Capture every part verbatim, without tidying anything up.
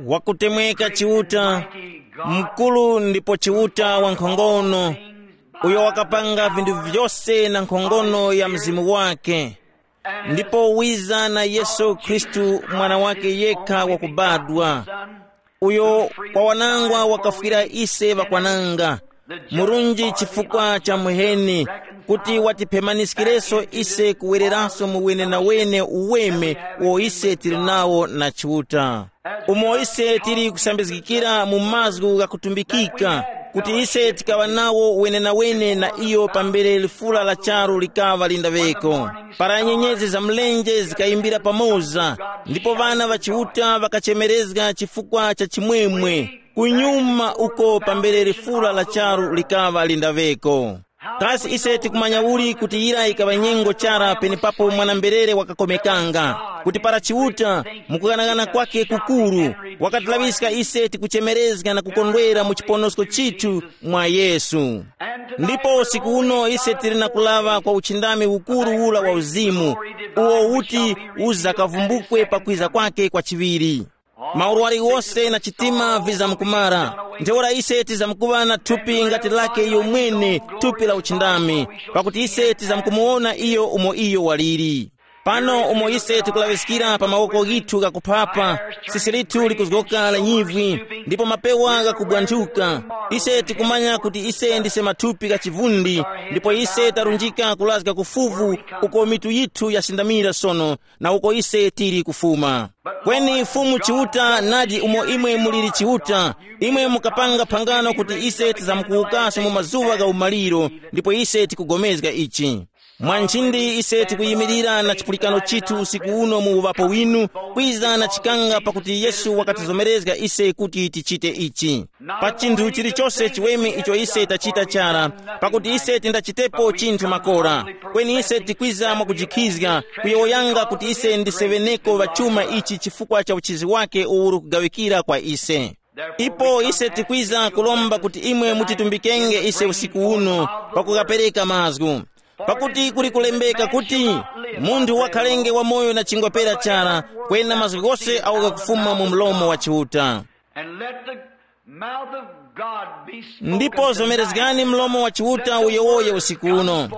Wakutemweka Chiuta, mkuru ndipo Chiuta wankhongono, uyo wakapanga vinthu vyose na nkhongono ya mzimu wake. Ndipo wiza na Yesu Khristu, mwana wake yekha wakubadwa, uyo kwa wanangwa wakafwira ise ŵakwananga, murunji chifukwa cha muheni, kuti watiphemaniskireso ise kuwereranso mu wenenawene uweme uwo ise tili nawo na Chiuta. Umo ise tili kusambizgikira mu mazgu ghakutumbikika, kuti ise tikaŵa nawo wenenawene na iyo pambere lifula la charu likaŵa lindaŵeko, para nyenyezi za mlenje zikayimbira pamoza, ndipo ŵana ŵa Chiuta ŵakachemerezga chifukwa cha chimwemwe, kunyuma uko pambere lifula la charu likaŵa lindaŵeko. Kasi ise tikumanya uli kuti yira yikaŵa nyengo chara penepapo mwana-mberere wakakomekanga, kuti para Chiuta, mukughanaghana kwake kukuru, wakatilaŵiska ise tikuchemerezga na kukondwera mu chiponosko chithu mwa Yesu. Ndipo usiku uno ise tili na kulaŵa kwa uchindami ukuru ula wa uzimu, uwo uti uzakavumbukwe pakwiza kwake kwa chiŵiri. Maurwari wose na chitima vizamkumara. Ntheura ise tizamkuŵa na thupi ngati lake iyo mwene, thupi la uchindami, pakuti ise tizamkumuwona iyo umo iyo waliri. Pano umo ise tikulaŵiskira pa mawoko ghithu ghakuphapa, sisi lithu likuzgoka la nyivwi, ndipo mapewa ghakubwanthuka. Ise tikumanya kuti ise ndise mathupi gha chivundi, ndipo ise tarunjika kulazga ku fuvu, uko mitu yithu yasindamira sono, na uko ise tili kufuma. Kweni Fumu Chiuta nadi umo imwe muliri Chiuta, imwe mukapanga phangano kuti ise tizamkuwukaso mu mazuŵa gha umaliro, ndipo ise tikugomezga ichi. Mwa nchindi ise tikuyimirira na chipulikano chithu usiku uno mu uŵapo winu, kwiza na chikanga pakuti Yesu wakatizomerezga ise kuti tichite ichi. Pa chinthu chilichose chiweme icho ise tachita chara, pakuti ise tindachitepo chinthu makora, kweni ise tikwiza mwakujikhizga, kuyowoyanga kuti ise ndiseŵeneko ŵa chuma ichi chifukwa cha uchizi wake uwu uli kugawikira kwa ise. Ipo ise tikwiza kulomba kuti imwe mutitumbikenge ise usiku uno pakukapereka mazgu. Pakuti kuli kulembeka kuti, munthu wakhalenge wamoyo na chingwa pera chara, kwena mazgu ghose agho ghakufuma mu mlomo wa Chiuta. And let the mouth of God be spoken. Ndipo zomerezgani mlomo wa Chiuta uyowoye usiku uno.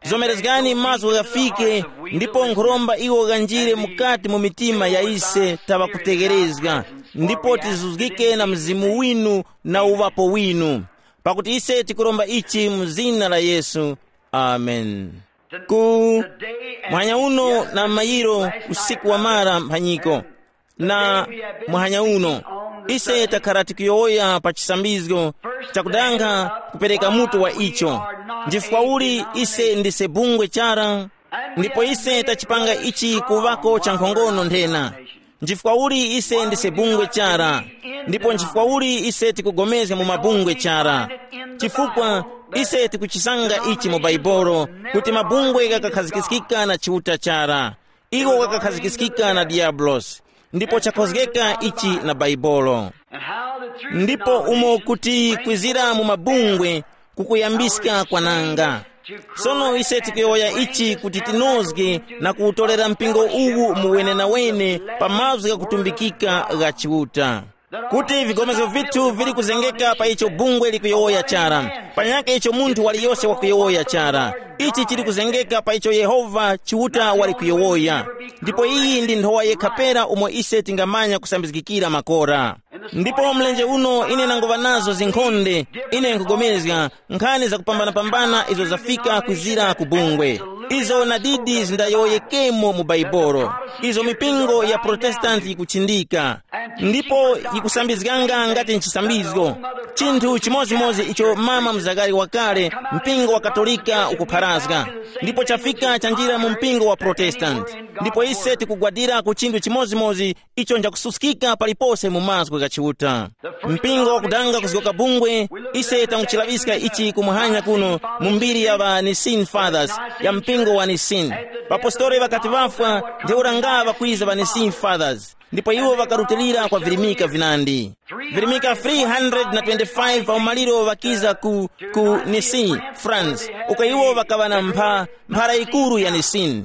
Zomerezgani mazgu ghafike, ndipo nkhuromba iwo ghanjire mukati mu mitima ya ise taŵa kutegherezga, ndipo tizuzgike na mzimu winu na uŵapo winu, pakuti ise tikuromba ichi mu zina la Yesu. Amen. Ku muhanya uno na mayiro usiku wamara mphanyiko, na muhanya uno ise takhala tikuyowoya pa chisambizgo chakudanga kupereka mutu wa icho. Nchifukwa uli ise ndise bungwe chara, ndipo ise tachipanga ichi kuŵako chankhongono nthena? Nchifukwa uli ise ndise bungwe chara, ndipo nchifukwa uli ise tikugomezga mu mabungwe chara? Chifukwa ise tikuchisanga ichi mu Baibolo, kuti mabungwe ghakakhazikiskika na Chiuta chara, iwo ghakakhazikiskika na Diyabulosi, ndipo chakhozgeka ichi na Baibolo. Ndipo umo kuti kwizira mu mabungwe kukuyambiska kwananga. Sono ise tikuyowoya ichi kuti tinozge na kuwutorera mpingo uwu mu wenenawene pa mazgu ghakutumbikika gha Chiuta, kuti vigomezgo vithu vili kuzengeka pa icho bungwe likuyowoya chara, panyakhe icho munthu waliyose wakuyowoya chara. Ichi chili kuzengeka pa icho Yehova Chiuta wali kuyowoya. Ndipo iyi ndi nthowa yekha pera umo ise tingamanya kusambizgikira makora. Ndipo mlenje uno ine nanguŵa nazo zinkhonde, ine nkugomezga nkhani zakupambanapambana izo zafika kwizira ku bungwe. Izo nadidi zindayowoyekemo mu Baibolo, izo mipingo ya Protestanti yikuchindika, ndipo yikusambizganga ngati nchisambizgo. Chinthu chimozimozi icho mama mzakari wakale, mpingo wa Katolika ukupharazga, ndipo chafika chanjira mu mpingo wa Protestanti. Ndipo ise tikugwadira ku chinthu chimozimozi icho nchakususkika palipose mu mazgu gha Chiuta. Mpingo wakudanga kuzgoka bungwe, ise tanguchilaŵiska ichi kumuhanya kuno mu mbiri ya ŵa Nicene Fathers, ya mpingo wa Nicene. Ŵapostoli ŵakati ŵafwa, ntheura nga ŵakwiza ŵa Nicene Fathers. Ndipo iwo ŵakarutilira kwa virimika vinandi. Virimika three hundred na twenty-five pa umaliro ŵakiza ku, ku Nice, France, uko iwo ŵakaŵa na mpha, mphara yikuru ya Nicene.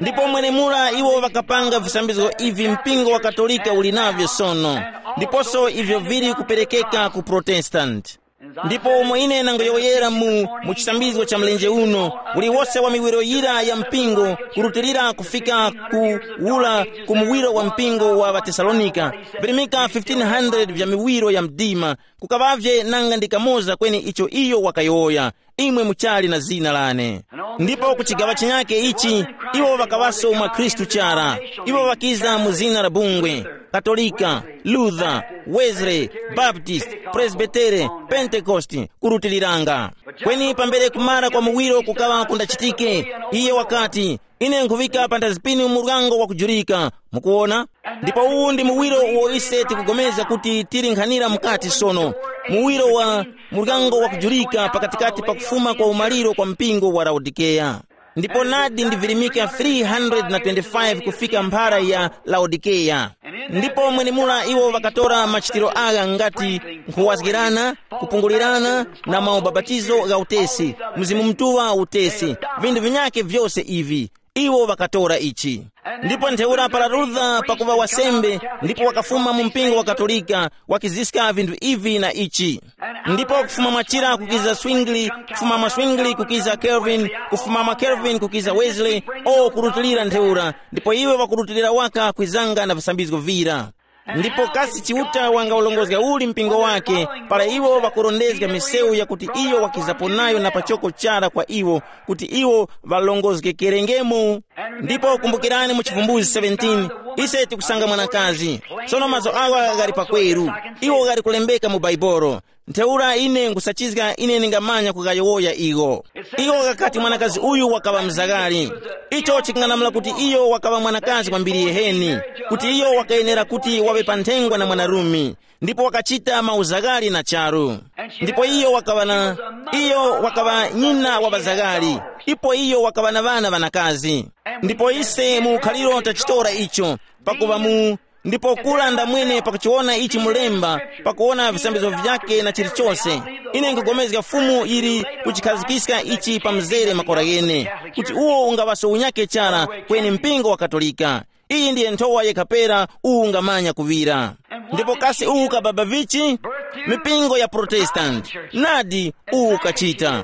Ndipo mwenemura iwo ŵakapanga visambizgo ivi mpingo wa Katolika uli navyo sono, ndiponso ivyo vili kuperekeka ku Protestant. Ndipo umo ine nangoyowoyera mu, mu chisambizgo cha mlenje uno, uliwose wa miwiro yira ya mpingo, kurutilira kufika ku ula ku muwiro wa mpingo wa ŵaTesalonika, virimika fifteen hundred vya miwiro ya mdima, kukaŵavye nanga ndi kamoza kweni icho iyo wakayowoya, imwe muchali na zina lane. Ndipo ku chigaŵa chinyake ichi, iwo ŵakaŵaso mwa Khristu chara. Iwo ŵakiza mu zina la bungwe, Katolika, Luther, Wesley, Baptist, Presbytere, Pentecost, kurutiliranga. Kweni pambere kumara kwa muwiro kukaŵa kundachitike, iye wakati, ine nkhuŵika panthazi pinu muryango wakujurika. Mukuwona? Ndipo uwu ndi muwiro uwo ise tikugomeza kuti tili nkhanira mukati sono, muwiro wa muryango wakujulika pakatikati pa kufuma kwa umaliro kwa mpingo wa Laodikeya. Ndipo nadi ndi virimika three hundred na twenty-five kufika mphara ya Laodikeya. Ndipo mwenemura iwo ŵakatora machitiro agha ngati nkhuwazgirana, kupungulirana, na maubapatizo gha utesi, Mzimu Mutuŵa utesi, vinthu vinyakhe vyose ivi. Iwo ŵakatora ichi. Ndipo ntheura para Luther pakuŵa wasembe ndipo wakafuma mu mpingo wa Katolika, wakiziska vinthu ivi na ichi. Ndipo kufuma mwachira kukiza Zwingli, kufuma mwa Zwingli kukiza Calvin, kufuma mwa Calvin kukiza Wesley, o kurutilira ntheura, ndipo iwe wakurutilira waka kwizanga na visambizgo vira. Ndipo kasi Chiuta wangawulongozga uli mpingo wake, para iwo ŵakurondezga misewu yakuti iyo wakizapo nayo na pachoko chara kwa iwo, kuti iwo ŵalongozgekerengemo? Ndipo kumbukirani mu Chivumbuzi seventeen, ise tikusanga mwanakazi. Sono mazo awa ghali pakweru, iwo ghali kulembeka mu Baibolo. Ntheura ine nkhusachizga ine ndingamanya kughayowoya igho. Iwo ghakati mwanakazi uyu wakaŵa mzagari. Icho chikung'anamula kuti iyo wakaŵa mwanakazi kwambiri yeheni, kuti iyo wakayenera kuti waŵe pa nthengwa na mwanarume, ndipo wakachita mauzaghali na charu. Ndipo iyo wakaŵa na, iyo wakaŵa nyina wa ŵazaghali, ipo iyo wakaŵa na ŵana ŵanakazi. Ndipo ise mu ukhaliro tachitora icho, pakuŵa mu, ndipo kura ndamwene pakuchiwona ichi mulemba, pakuwona visambizgo vyake na chilichose. Ine nkugomezga Fumu yili kuchikhazikiska ichi pa mzere makora ghene, kuti uwo ungaŵaso unyake chara kweni mpingo wa Katolika. Iyi ndiye nthowa yekha pera uwu ungamanya kuŵira. Ndipo kasi uwu ukababa vichi? Mipingo ya Protestanti. Nadi, uwu ukachita.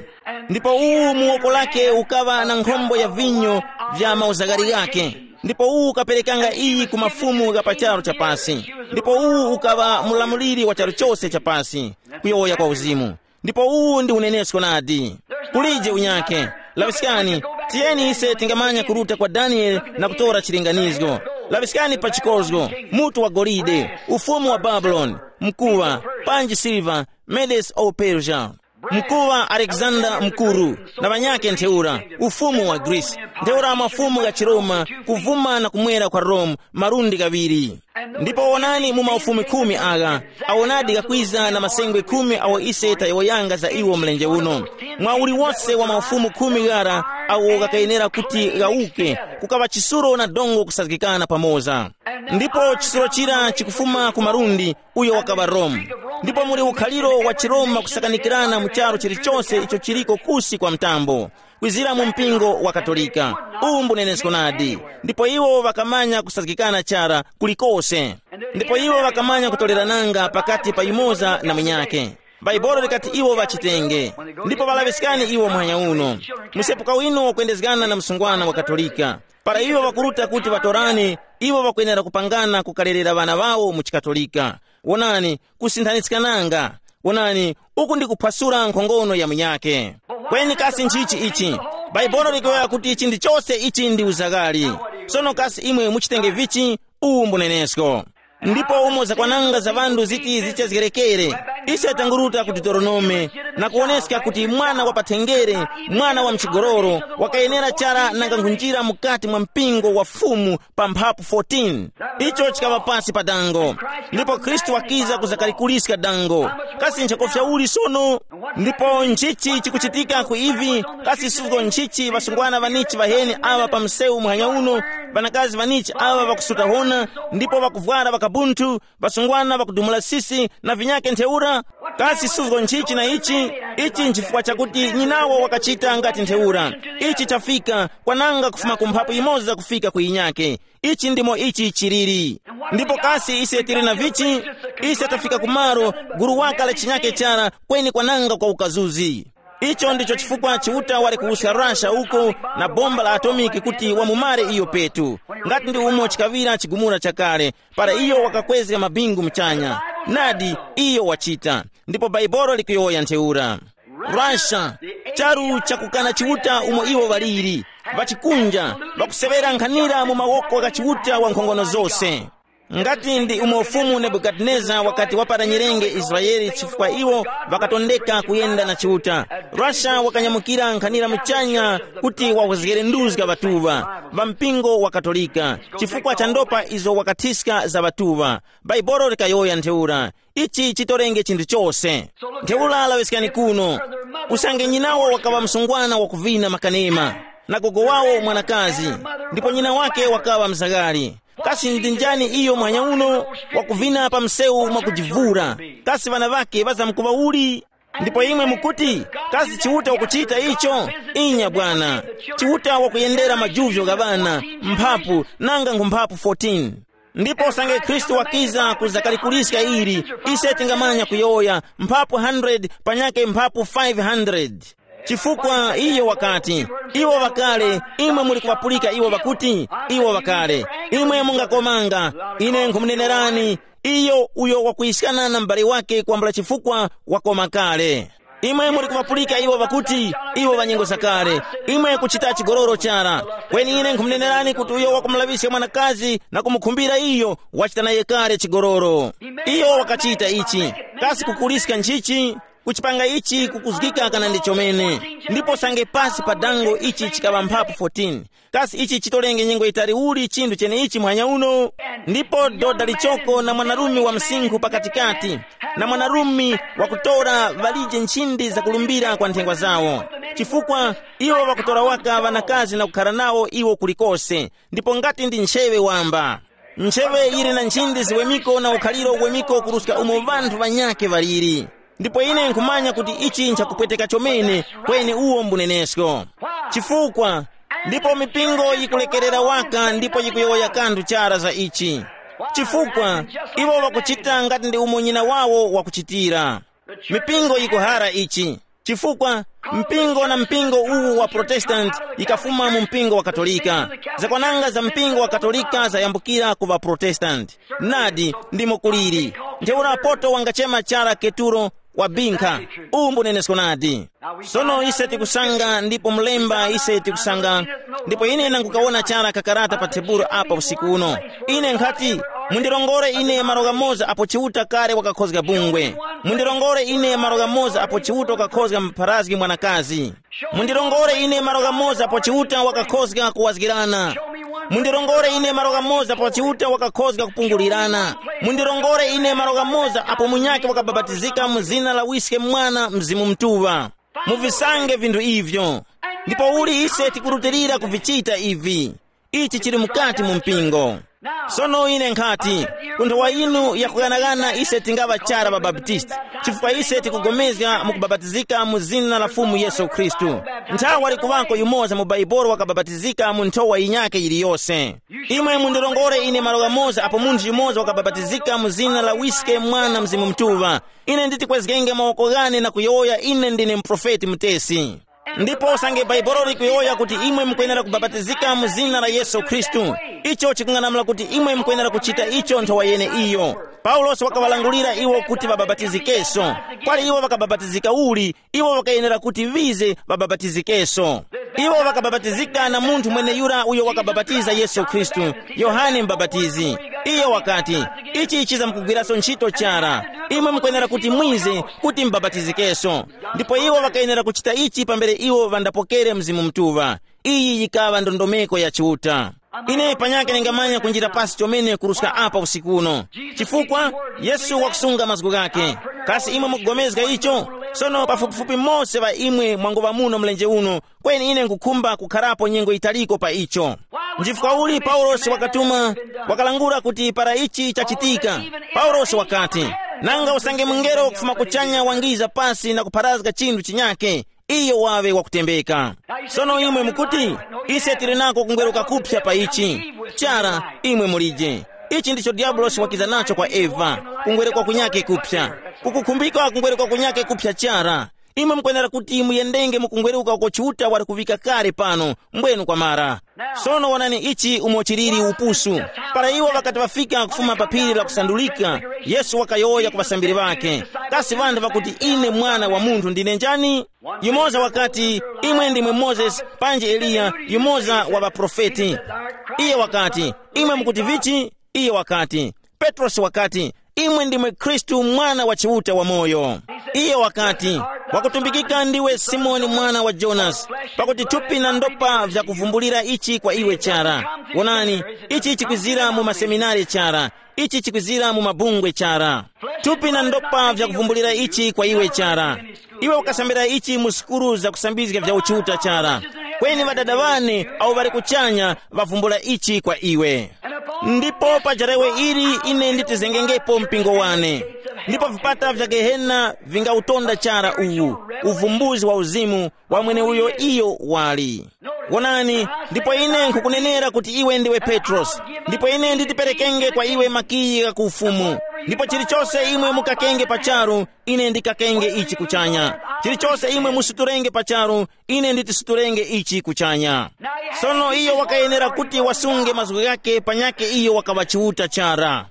Ndipo uwu mu woko lake ukaŵa na nkhombo ya vinyo vya mauzagari ghake. Ndipo uwu ukaperekanga iyi ku mafumu gha pa charu chapasi. Ndipo uwu ukaŵa mulamuliri wa charu chose chapasi, kuyowoya kwa uzimu. Ndipo uwu ndi unenesko nadi. Kulije unyakhe. Laŵiskani, tiyeni ise tingamanya kuruta kwa Daniele na kutora chilinganizgo. Laŵiskani pa chikozgo, mutu wa golide, ufumu wa Babuloni, mkuŵa, panji siliva, Medes o Persia. Mkuŵa Alexander Mukuru, na ŵanyakhe ntheura, ufumu wa Greece, ntheura mafumu gha chiRoma, kuvuma na kumwera kwa Rome, malundi ghaŵiri. Ndipo wonani mu maufumu khumi agha, awonadi ghakwiza na masengwe khumi awo ise tayowoyanga za iwo mlenje uno. Mwa uliwose wa maufumu khumi ghara awo ghakayenera kuti ghawuke, kukaŵa chisulo na dongo kusazgikana pamoza. Ndipo chisulo chira chikufuma ku malundi, uyo wakaŵa Rome. Ndipo muli ukhaliro wa chiRoma kusakanikirana mu charu chilichose icho chiliko kusi kwa mtambo, kwizira mu mpingo wa Katolika. Uwu mbunenesko nadi. Ndipo iwo ŵakamanya kusazgikana chara kulikose. Ndipo iwo ŵakamanya kutolerananga pakati pa yumoza na munyakhe. Bhaibuli likati iwo ŵachitenge. Ndipo ŵalaŵiskani iwo muhanya uno. Msepuka winu wakwendezgana na msungwana wa Katolika. Para iwo ŵakuruta kuti ŵatorane, iwo ŵakwenera kupangana kukalerera ŵana ŵawo mu chiKatolika. Wonani, kusinthanitskananga. Wonani, uku ndi kuphwasula nkhongono ya munyakhe. Kweni kasi nchichi ichi? Bhaibuli likuyowoya kuti chinthu chose ichi ndi uzaghali. Sono kasi imwe muchitenge vichi? Uwu mbunenesko. Ndipo umo zakwananga za ŵanthu ziti zichezgerekere, ise tanguruta ku Deuteronome na kuwoneska kuti mwana wa pathenjere, mwana wa mchigololo, wakayenera chara nanga nkhunjira mukati mwa mpingo wa Fumu pa mphapu fourteen. Icho chikaŵa pasi pa dango. Ndipo Khristu wakiza kuzakalikuliska dango. Kasi nchakofya uli sono? Ndipo nchichi chikuchitika ku ivi? Kasi suzgo nchichi ŵasungwana ŵanichi ŵaheni aŵa pa msewu muhanya uno? Ŵanakazi ŵanichi aŵa ŵakusuta hona, ndipo ŵakuvwara ŵakabunthu, ŵasungwana ŵakudumula sisi, na vinyake ntheura. Kasi suzgo nchichi na ichi? Ichi nchifukwa chakuti nyinawo wakachita ngati ntheura. Ichi chafika kwananga kufuma ku mphapu yimoza kufika ku yinyake. Ichi ndimo ichi chiliri. Ndipo kasi ise tili na vichi? Ise tafika kumalo, gulu waka la chinyake chara, kweni kwananga kwa ukazuzi. Icho ndicho chifukwa Chiuta wali kuwuska Russia uko na bomba la atomiki kuti wamumare iyo petu. Ngati ndi umo chikaŵira chigumula chakale, para iyo wakakwezga mabingu muchanya. Nadi, iyo wachita. Ndipo Baibolo likuyowoya ntheura. Russia, charu chakukana Chiuta umo iwo ŵaliri, ŵachikunja, ŵakuseŵera nkhanira mu mawoko gha Chiuta wa nkhongono zose. Ngati ndi umo Fumu Nebukadineza wakati wapara nyirenge Israele chifukwa iwo ŵakatondeka kuyenda na Chiuta, Russia wakanyamukira nkhanira muchanya kuti wawezgere nduzga ŵatuŵa, ŵa mpingo wa Katolika, chifukwa cha ndopa izo wakathiska za ŵatuŵa. Baibolo likayowoya ntheura. Ichi chitorenge chinthu chose. Ntheura laŵiskani kuno. Usange nyinawo wakaŵa msungwana wakuvina makanema, na gogo wawo mwanakazi, ndipo nyina wake wakaŵa mzaghali. Kasi ndi njani iyo muhanya uno wakuvina pa msewu mwakujivura? Kasi ŵana ŵake ŵazamkuŵa uli? Ndipo imwe mukuti, kasi Chiuta ukuchita icho? Inya bwana. Chiuta wakuyendera majuvyo gha ŵana, mphapu, nanga nkhu mphapu fourteen. Ndipo usange Khristu wakiza kuzakalikuliska ili, ise tingamanya kuyowoya mphapu hundred panyake mphapu five hundred. Chifukwa iyo wakati, iwo ŵakale, imwe muli kuŵapulika iwo ŵakuti, iwo ŵakale, imwe mungakomanga, ine nkhumunenerani, iyo uyo wakuyiskana na m'bale wake kwambula chifukwa wakoma kale. Imwe muli kuŵapulika iwo ŵakuti, iwo ŵanyengo zakale, imwe kuchita chigololo chara. Kweni ine nkhumunenerani kuti uyo wakumulaŵiska mwanakazi na kumukhumbira iyo, wachita naye kale chigololo. Iyo wakachita ichi. Kasi kukuliska nchichi? Kuchipanga ichi kukuzgika kana ndi chomene? Ndipo sange pasi pa dango ichi chikaŵa mphapu fourteen. Kasi ichi chitolenge nyengo yitali uli chinthu cheneichi muhanya uno? Ndipo doda lichoko na mwanarume wa msinkhu pakatikati, na mwanarume wakutora ŵalije nchindi zakulumbira kwa nthengwa zawo. Chifukwa iwo ŵakutora waka ŵanakazi na kukhara nawo iwo kulikose, ndipo ngati ndi ncheŵe wamba. Ncheŵe yili na nchindi ziwemiko na ukhaliro uwemiko kuruska umo ŵanthu ŵanyakhe ŵaliri. Ndipo ine nkhumanya kuti ichi nchakupweteka chomene, kweni uwo mbunenesko. Chifukwa ndipo mipingo yikulekerera waka ndipo yikuyowoya kanthu chara za ichi. Chifukwa iwo ŵakuchita ngati ndi umo nyina wawo wakuchitira. Mipingo yikuhara ichi. Chifukwa mpingo na mpingo uwu wa Protestant yikafuma mu mpingo wa Katolika. Zakwananga za mpingo wa Katolika zayambukira ku ŵa Protestant. Nadi, ndimo kuliri. Ntheura poto wangachema chara Keturo, wabinkha. Uwu mbunenesko nadi. Sono ise tikusanga ndipo mlemba ise tikusanga. Ndipo ine nangukawona chara kakarata pa tebulo apa usiku uno. Ine nkhati, mundirongore ine malo ghamoza apo Chiuta kale wakakhozga bungwe. Mundirongore ine malo ghamoza apo Chiuta wakakhozga mpharazgi mwanakazi. Mundirongore ine malo ghamoza apo Chiuta wakakhozga kuwazgirana. Mundirongore ine malo ghamoza apo Chiuta wakakhozga kupungulirana. Mundirongore ine malo ghamoza apo munyakhe wakabapatizika mu zina la Wiske, Mwana, Mzimu Mutuŵa. Muvisange vinthu ivyo. Ndipo uli ise tikurutilira kuvichita ivi? Ichi chili mukati mu mpingo. Sono ine nkhati, ku nthowa yinu yakughanagana ise tingaŵa chara ŵabaptisti, chifukwa ise tikugomezga mu kubapatizika mu zina la Fumu Yesu Khristu. Nthawe wali kuŵako yumoza mu Baibolo wakabapatizika mu nthowa yinyakhe yiliyose. Imwe mundirongore ine malo ghamoza apo munthu yumoza wakabapatizika mu zina la Wiske, Mwana, Mzimu Mutuŵa. Ine nditi kwezgenge mawoko ghane na kuyowoya ine ndine muprofeti mutesi. Ndipo usange Baibolo likuyowoya kuti imwe mukwenera kubapatizika mu zina la Yesu Khristu, icho chikung'anamula kuti imwe mukwenera kuchita icho nthowa yeneiyo. Paulosi wakaŵalangulira iwo kuti ŵabapatizikenso. Kwali iwo ŵakabapatizika uli, iwo ŵakayenera kuti ŵize ŵabapatizikenso. Iwo ŵakabapatizika na munthu mweneyura uyo wakabapatiza Yesu Khristu, Yohane Mubapatizi. Iyo wakati, ichi chizamkugwiranso ntchito chara. Imwe mukwenera kuti mwize kuti mubapatizikenso. Ndipo iwo ŵakayenera kuchita ichi pambere iwo ŵandapokere Mzimu Mutuŵa. Iyi yikaŵa ndondomeko ya Chiuta. Ine panyakhe ndingamanya kunjira pasi chomene kuruska apa usiku uno. Chifukwa Yesu wakusunga mazgu ghakhe. Kasi imwe mukugomezga icho? Sono pafupifupi mose ŵa imwe mwangoŵa muno mlenje uno, kweni ine nkukhumba kukharapo nyengo yitaliko pa icho. Nchifukwa uli Paulosi wakatuma, wakalangula kuti para ichi chachitika, Paulosi wakati, nanga usange mungelo kufuma kuchanya wangiza pasi na kupharazga chinthu chinyake, iyo wawe wakutembeka. Sono imwe mukuti, ise tili nako kungweruka kupsa pa ichi. Chara, imwe mulije. Ichi ndicho diabulosi wakiza nacho kwa Eva, kungweruka kunyake kupsa. Kukukhumbika kungweruka kunyake kupsa chara. Imwe mukwenera kuti muyendenge mu kungweruka uko Chiuta wali kuvika kale pano, mbwenu kwamara. Sono wonani ichi umo chiliri upusu. Para iwo ŵakati ŵafika kufuma pa phiri la kusandulika, Yesu wakayowoya ku ŵasambiri ŵakhe, kasi ŵanthu ŵakuti ine Mwana wa Munthu ndine njani? Yumoza wakati, imwe ndimwe Mozesi, panji Eliya, yumoza wa ŵaprofeti. Iye wakati, imwe mukuti vichi? Iye wakati, Petrosi wakati, imwe ndimwe Khristu, Mwana wa Chiuta wamoyo. Iye wakati, wakutumbikika ndiwe Simoni mwana wa Jonasi, pakuti thupi na ndopa vyakuvumbulira ichi kwa iwe chara. Wonani, ichi chikwizira mu maseminari chara, ichi chikwizira mu mabungwe chara. Thupi na ndopa vyakuvumbulira ichi kwa iwe chara. Iwe ukasambira ichi mu sukulu zakusambizga vya uchiuta chara. Kweni ŵadada ŵane awo ŵali kuchanya ŵavumbula ichi kwa iwe. Ndipo pa jarewe ili ine nditizengengepo mpingo wane, ndipo vipata vya Gehena vingautonda chara uwu, uvumbuzi wa uzimu wa mweneuyo iyo wali. Wonani, ndipo ine nkhukunenera kuti iwe ndiwe Petrosi, ndipo ine nditiperekenge kwa iwe makiyi gha ku ufumu, ndipo chilichose imwe mukakenge pa charu, ine ndikakenge ichi kuchanya. Chilichose imwe musutulenge pa charu, ine nditisuturenge ichi kuchanya. Sono iyo wakayenera kuti wasunge mazgu ghake panyakhe iyo wakaŵa Chiuta chara.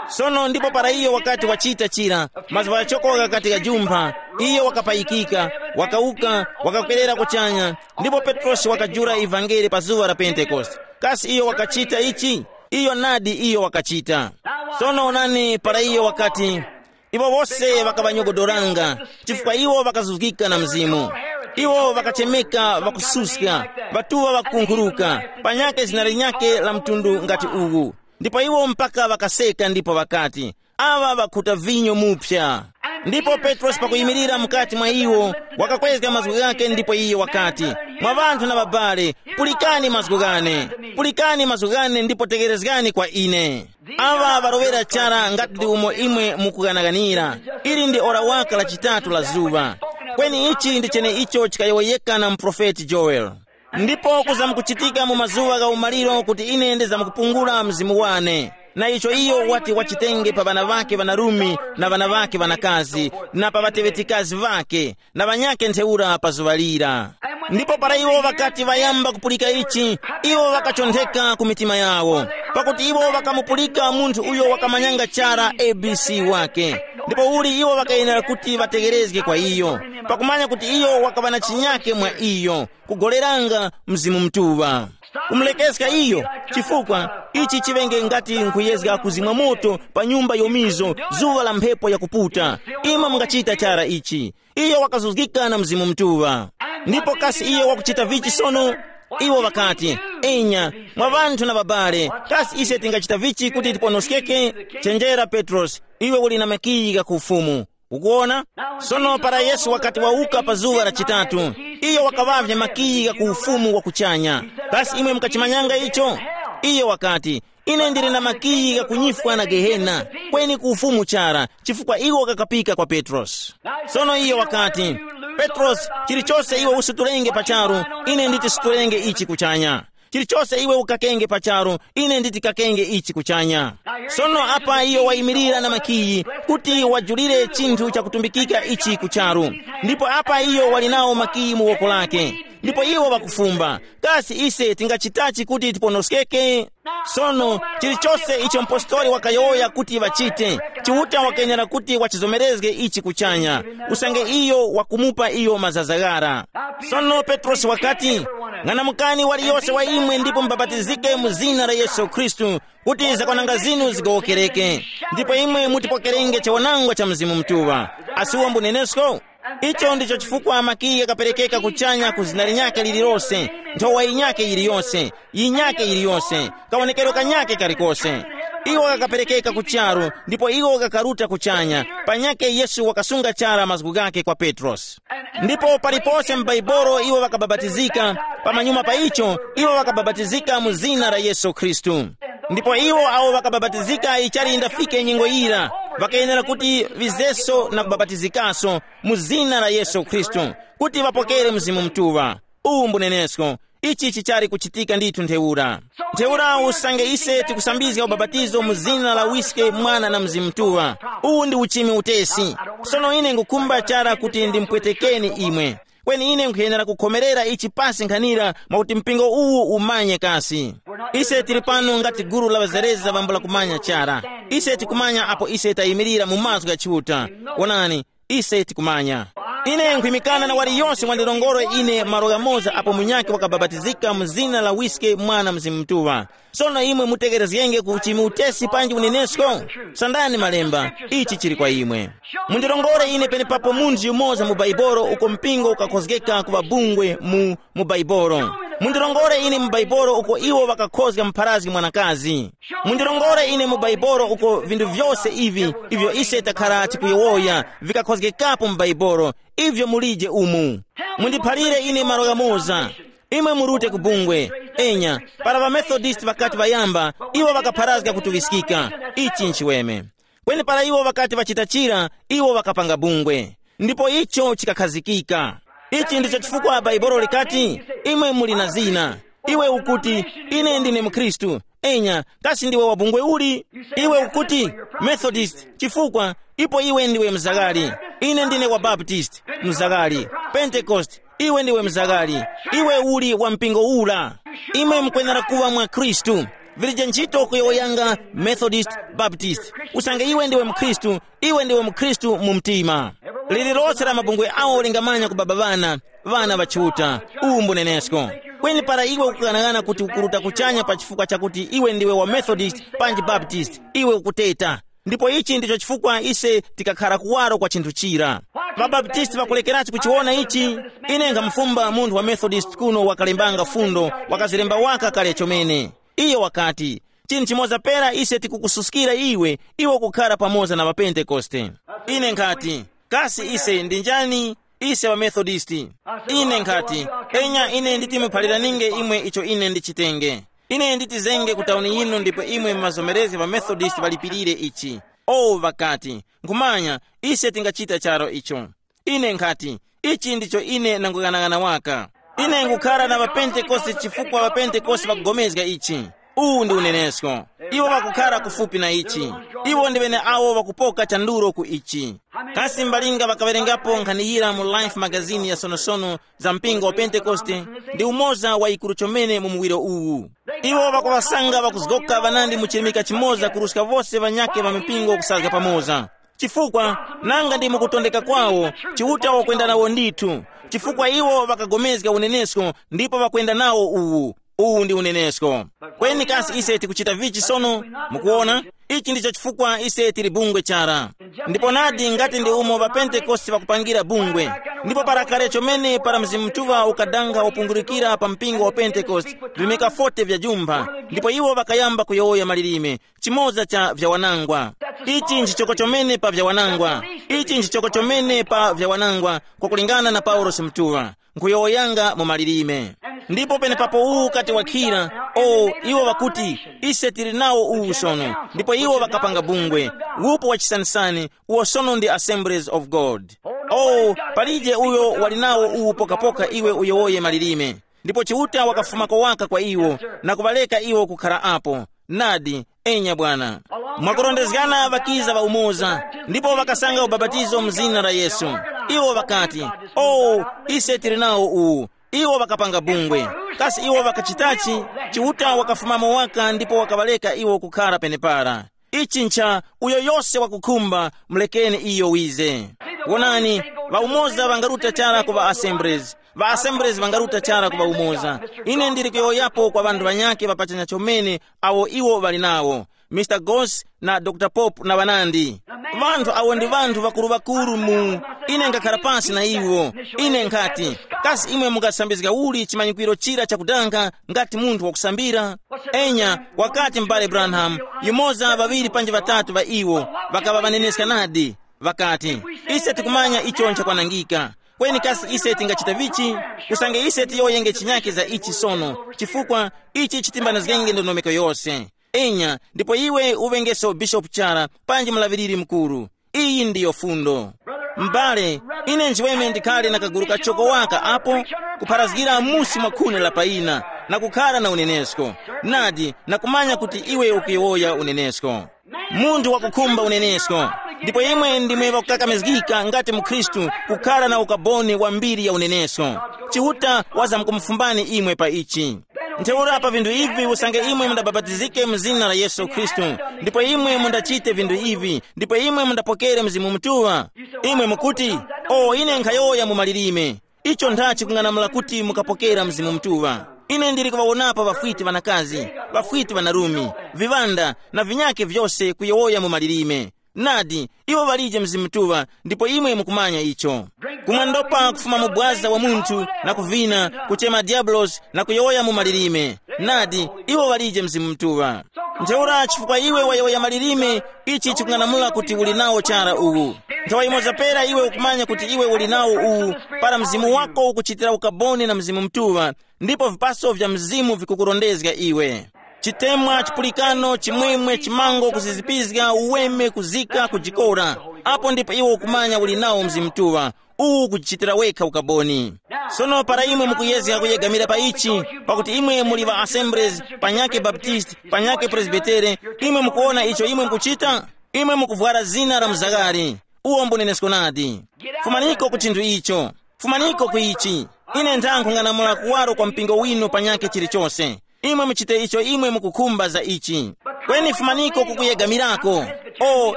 Sono ndipo para iyo wakati wachita chira, mazgu ghachoko ghakati ghajumpha, iyo wakapayikika, wakawuka, wakakwerera kuchanya. Ndipo Petrosi wakajula ivangeli pa zuŵa la Pentekoste. Kasi iyo wakachita ichi? Iyo nadi iyo wakachita. Sono onani, para iyo wakati, iwo wose ŵakaŵanyogodoranga, chifukwa iwo ŵakazuzgika na Mzimu. Iwo ŵakachemeka ŵakususka, ŵatuŵa ŵakunkhuruka, panyakhe zina linyakhe la mtundu ngati uwu. Ndipo iwo mpaka ŵakaseka ndipo ŵakati, aŵa ŵakhuta vinyo muphya. Ndipo Petrosi pakuyimirira mukati mwa iwo, wakakwezga mazgu ghake ndipo iye wakati, mwa ŵanthu na ŵabale, pulikani mazgu ghane, pulikani mazgu ghane ndipo tegherezgani kwa ine. Aŵa ŵalowera chara ngati ndi umo imwe mukughanaganira. Ili ndi ora waka la chitatu la zuŵa. Kweni ichi ndi cheneicho chikayowoyeka na muprofeti Joeli. Ndipo kuzamkuchitika mu mazuŵa gha umaliro kuti ine ndizamkupungula mzimu wane. Na icho iyo wati wachitenge pa ŵana ŵake ŵanarume na ŵana ŵake ŵanakazi, na pa ŵateŵetikazi ŵake, na ŵanyakhe ntheura pa zuŵa lira. Ndipo para iwo ŵakati ŵayamba kupulika ichi, iwo ŵakachontheka ku mitima yawo, pakuti iwo ŵakamupulika munthu uyo wakamanyanga chara A B C wake. Ndipo uli iwo ŵakayenera kuti ŵategherezge kwa iyo, pakumanya kuti iyo wakaŵa na chinyake mwa iyo, kugoleranga Mzimu Mutuŵa. Kumulekeska iyo, chifukwa ichi chiŵenge ngati nkhuyezga kuzimwa moto pa nyumba yomizo, zuŵa la mphepo yakuputa. Imwe mungachita chara ichi. Iyo wakazuzgika na Mzimu Mutuŵa. Ndipo kasi iyo wakuchita vichi sono? Iwo ŵakati, enya, mwa ŵanthu na ŵabale, kasi ise tingachita vichi kuti tiponoskeke? Chenjera Petrosi, iwe uli na makiyi gha ku ufumu. Ukuwona? Sono para Yesu wakati wawuka pa zuŵa la chitatu, iyo wakaŵavye makiyi gha ku ufumu wa kuchanya. Kasi imwe mukachimanyanga icho? Iyo wakati, ine ndili na makiyi gha kunyifwa na Gehena, kweni ku ufumu chara, chifukwa iwo kakapika kwa Petrosi. Sono iyo wakati, Petrosi, chilichose iwe usutulenge pa charu, ine nditi sutulenge ichi kuchanya. Chilichose iwe ukakenge pa charu, ine nditi kakenge ichi kuchanya. Sono apa iyo wayimirira na makiyi kuti wajulire chinthu chakutumbikika ichi ku charu. Ndipo apa iyo wali nawo makiyi mu woko lake. Ndipo iwo ŵakufumba, kasi ise tingachitachi kuti tiponoskeke? Sono, chilichose icho mpostori wakayowoya kuti ŵachite, Chiuta wakenera kuti wachizomerezge ichi kuchanya, usange iyo wakumupa iyo mazaza ghara. Sono Petrosi wakati, ng'anamukani waliyose wa imwe ndipo mubapatizike mu zina la Yesu Khristu, kuti zakwananga zinu zigowokereke. Ndipo imwe mutipokerenge chawanangwa cha Mzimu Mutuŵa. Asi uwo mbunenesko? Icho ndicho chifukwa makiyi ghakaperekeka kuchanya ku zina linyakhe lililose, nthowa yinyakhe yiliyose, yinyakhe yiliyose, kawonekero kanyakhe kalikose. Iwo ghakaperekeka ku charu, ndipo iwo ghakaruta kuchanya. Panyakhe Yesu wakasunga chara mazgu ghakhe kwa Petrosi. Ndipo palipose m'Baibolo iwo ŵakabapatizika, pamanyuma pa icho, iwo ŵakabapatizika mu zina la Yesu Khristu. Ndipo iwo awo ŵakabapatizika ichali yindafike nyengo yira, ŵakayenera kuti ŵizeso na kubapatizikaso mu zina la Yesu Khristu, kuti ŵapokere Mzimu Mutuŵa. Uwu mbunenesko. Ichi chichali kuchitika ndithu ntheura. Ntheura usange ise tikusambizga ubapatizo mu zina la Wiske, Mwana na Mzimu Mutuŵa, uwu ndi uchimi utesi. Sono ine ngukhumba chara kuti ndimupwetekeni imwe. Kweni ine nkhuyenera kukhomerera ichi pasi nkhanira mwakuti mpingo uwu umanye kasi. Ise tili pano ngati gulu la ŵazerezi lavambula kumanya chara. Ise tikumanya apo ise tayimirira mu mazgu gha Chiuta. Wonani, ise tikumanya. Ine nkhwimikana na waliyose wandilongore ine malo ghamoza apo munyakhe wakabapatizika mu zina la Wiske, Mwana, Mzimu Mutuŵa. Sono imwe mutekerezgenge ku chimi utesi panji unenesko? Sandani malemba, ichi chili kwa imwe. Mundilongore ine penepapo munthu yumoza mu Baibolo uko mpingo ukakhozgeka kuŵa bungwe mu mu Baibolo. Mundilongore ine mu Baibolo uko iwo ŵakakhozga mupharazgi mwanakazi. Mundilongore ine mu Baibolo uko vinthu vyose ivi ivyo ise takhara tikuyowoya vikakhozgekapo mu Baibolo, ivyo mulije umu. Mundiphalire ine malo ghamoza. Imwe murute ku bungwe. Enya, para ŵaMethodisti ŵakati ŵayamba, iwo ŵakapharazga kutuŵiskika. Ichi nchiweme. Kweni para iwo ŵakati ŵachita chira, iwo ŵakapanga bungwe. Ndipo icho chikakhazikika. Ichi ndicho chifukwa Baibolo likati, imwe muli na zina. Iwe ukuti, ine ndine mkhristu. Enya, kasi ndiwe wa bungwe uli? Iwe ukuti, Methodist, chifukwa ipo iwe ndiwe mzaghali. Ine ndine wa Baptist, mzaghali. Pentecost, iwe ndiwe mzaghali. Iwe uli wa mpingo ura. Imwe mukwenera kuŵa mwa Khristu. Vilije ntchito kuyowoyanga Methodist, Baptist. Usange iwe ndiwe mkhristu, iwe ndiwe mkhristu mu mtima. Lililose la mabungwe awo lingamanya kubaba ŵana, ŵana ŵa Chiuta. Uwu mbunenesko. Kweni para iwe ukughanaghana kuti ukuruta kuchanya pa chifukwa chakuti iwe ndiwe wa Methodist panji Baptist, iwe ukuteta. Ndipo ichi ndicho chifukwa ise tikakhara kuwaro kwa chinthu chira. Ŵabaptisti ŵakulekeratu kuchiwona ichi. Ine nkhamufumba munthu wa Methodist kuno wakalembanga fundo, wakazilemba waka kale chomene. Iyo wakati, chinthu chimoza pera ise tikukususkira iwe, iwe kukhara pamoza na ŵapentekoste. Ine nkhati, kasi ise ndi njani? Ise ŵaMethodisti. Ine nkhati, enya ine nditi muphaliraninge imwe icho ine ndichitenge. Ine nditizenge ku tauni yinu ndipo imwe mumazomerezge ŵaMethodisti ŵalipirire ichi. O ŵakati, nkhumanya, ise tingachita charo icho. Ine nkhati, ichi ndicho ine nanguyang'anang'ana waka. Ine ngukhara na ŵapentekoste chifukwa ŵapentekoste ŵakugomezga ichi. Uwu ndi unenesko. Iwo ŵakukhara kufupi na ichi. Iwo ndi ŵeneawo ŵakupoka chandulo ku ichi. Kasi mbalinga ŵakawerengapo nkhani yira mu Life magazini ya sonosono za mpingo wa Pentekoste? Ndi umoza wa ikuru chomene mu muwiro uwu. Iwo ŵakuŵasanga ŵakuzgoka ŵanandi mu chirimika chimoza kuruska wose ŵanyakhe ŵa mipingo kusazga pamoza. Chifukwa, nanga ndi mukutondeka kwawo, Chiuta wakwenda nawo ndithu. Chifukwa iwo ŵakagomezga unenesko ndipo ŵakwenda nawo uwu. Uwu ndi unenesko. Kweni kasi ise tikuchita vichi sono? Mukuwona, ichi ndicho chifukwa ise tili bungwe chara. Ndipo nadi ngati ndi umo ŵapentekoste ŵakupangira bungwe. Ndipo para kale chomene para Mzimu Mutuŵa ukadanga wapungurukira pa mpingo wa Pentekoste, vimika forty vya jumpha, ndipo iwo ŵakayamba kuyowoya malilime, chimoza cha vyawanangwa. Ichi nchichoko chomene pa vyawanangwa. Ichi nchichoko chomene pa vyawanangwa, kwakulingana na Paulosi Mutuŵa, nkuyowoyanga mu malilime. Ndipo penepapo uwu ukati wakhira, o, iwo ŵakuti, ise tili nawo uwu sono, ndipo iwo ŵakapanga bungwe, wupo wa chisanisani, uwo sono ndi Assemblies of God. O, palije uyo wali nawo uwu pokapoka iwe uyowoye malilime. Ndipo Chiuta wakafumako waka kwa iwo, na kuŵareka iwo kukhara apo. Nadi, enya bwana. Mwakurondezgana ŵakiza ŵa umoza, ndipo ŵakasanga ubapatizo mu zina la Yesu. Iwo ŵakati, o, ise tili nawo uwu. Iwo ŵakapanga bungwe. Kasi iwo ŵakachitachi? Chiuta wakafumamo waka ndipo wakaŵareka iwo kukhara penepara. Ichi ncha, uyo yose wakukhumba, mulekeni iyo wize. Wonani, ŵaumoza ŵangaruta chara ku ŵa Assemblies. Ŵa Assemblies ŵangaruta chara ku ŵaumoza. Ine ndili kuyowoyapo kwa ŵanthu ŵanyakhe ŵapachanya chomene awo iwo ŵali nawo, Mister Goss na Doctor Pope na ŵanandi. Ŵanthu awo ndi ŵanthu ŵakuru-ŵakuru mu, ine ngakhara pansi na iwo. Ine nkhati, kasi imwe mungasambizga uli chimanyikwiro chira chakudanga ngati munthu wakusambira? Enya, wakati m'bale Branham, yumoza ŵaŵiri panji ŵatatu ŵa iwo ŵakaŵa ŵaneneska nadi. Ŵakati, ise tikumanya icho nchakwanangika. Kweni kasi ise tingachita vichi? Usange ise tiyowoyenge chinyake za ichi sono, chifukwa ichi chitimbanizgenge ndondomeko yose. Enya, ndipo iwe uŵengeso bishopu chara panji mulaŵiriri mukuru. Iyi ndiyo fundo. M'bale, ine nchiweme ndikhale na kagulu kachoko waka apo, kupharazgira musi mwa khuni la paina, na kukhara na unenesko. Nadi, na kumanya kuti iwe ukuyowoya unenesko. Munthu wakukhumba unenesko. Ndipo imwe ndimwe ŵakukakamizgika ngati mukhristu kukhara na ukaboni wa mbiri ya unenesko. Chiuta wazamkumufumbani imwe pa ichi. Ntheura pa vinthu ivi usange imwe mundabapatizike mu zina la Yesu Khristu, ndipo imwe mundachite vinthu ivi, ndipo imwe mundapokere Mzimu Mutuŵa. Imwe mukuti, o ine nkhayowoya mu malilime. Icho nthachi kung'anamula kuti mukapokera Mzimu Mutuŵa. Ine ndili kuŵawonapo ŵafwiti ŵanakazi, ŵafwiti ŵanarume, viŵanda, na vinyakhe vyose kuyowoya mu malilime. Nadi, iwo ŵalije Mzimu Mutuŵa, ndipo imwe mukumanya icho. Kumwandopa kufuma mu bwaza wa munthu, na kuvina, kuchema diabulosi, na kuyowoya mu malilime. Nadi, iwo ŵalije Mzimu Mutuŵa. Ntheura chifukwa iwe wayowoya malilime, ichi chikung'anamula kuti uli nawo chara uwu. Nthawi yimoza pera iwe ukumanya kuti iwe uli nawo uwu, para mzimu wako ukuchitira ukaboni na Mzimu Mutuŵa, ndipo vipaso vya Mzimu vikukurondezga iwe. Chitemwa, chipulikano, chimwemwe, chimango, kuzizipizga, uweme, kuzika, kujikora. Apo ndipo iwe ukumanya uli nawo Mzimu Mutuŵa, uwu kujichitira wekha ukaboni. Sono para imwe mukuyezga kuyegamira pa ichi, pakuti imwe muli ŵa Assemblies, panyakhe Baptist, panyakhe Presbytere, imwe mukuwona icho imwe mukuchita? Imwe mukuvwara zina la muzakari. Uwo mbunenesko nadi. Fumaniko ku chinthu icho. Fumaniko ku ichi. Ine nthang'anamula kuwaro kwa mpingo winu panyakhe chilichose. Imwe muchite icho imwe mukukhumba za ichi. Kweni fumaniko kukuyegamirako. O,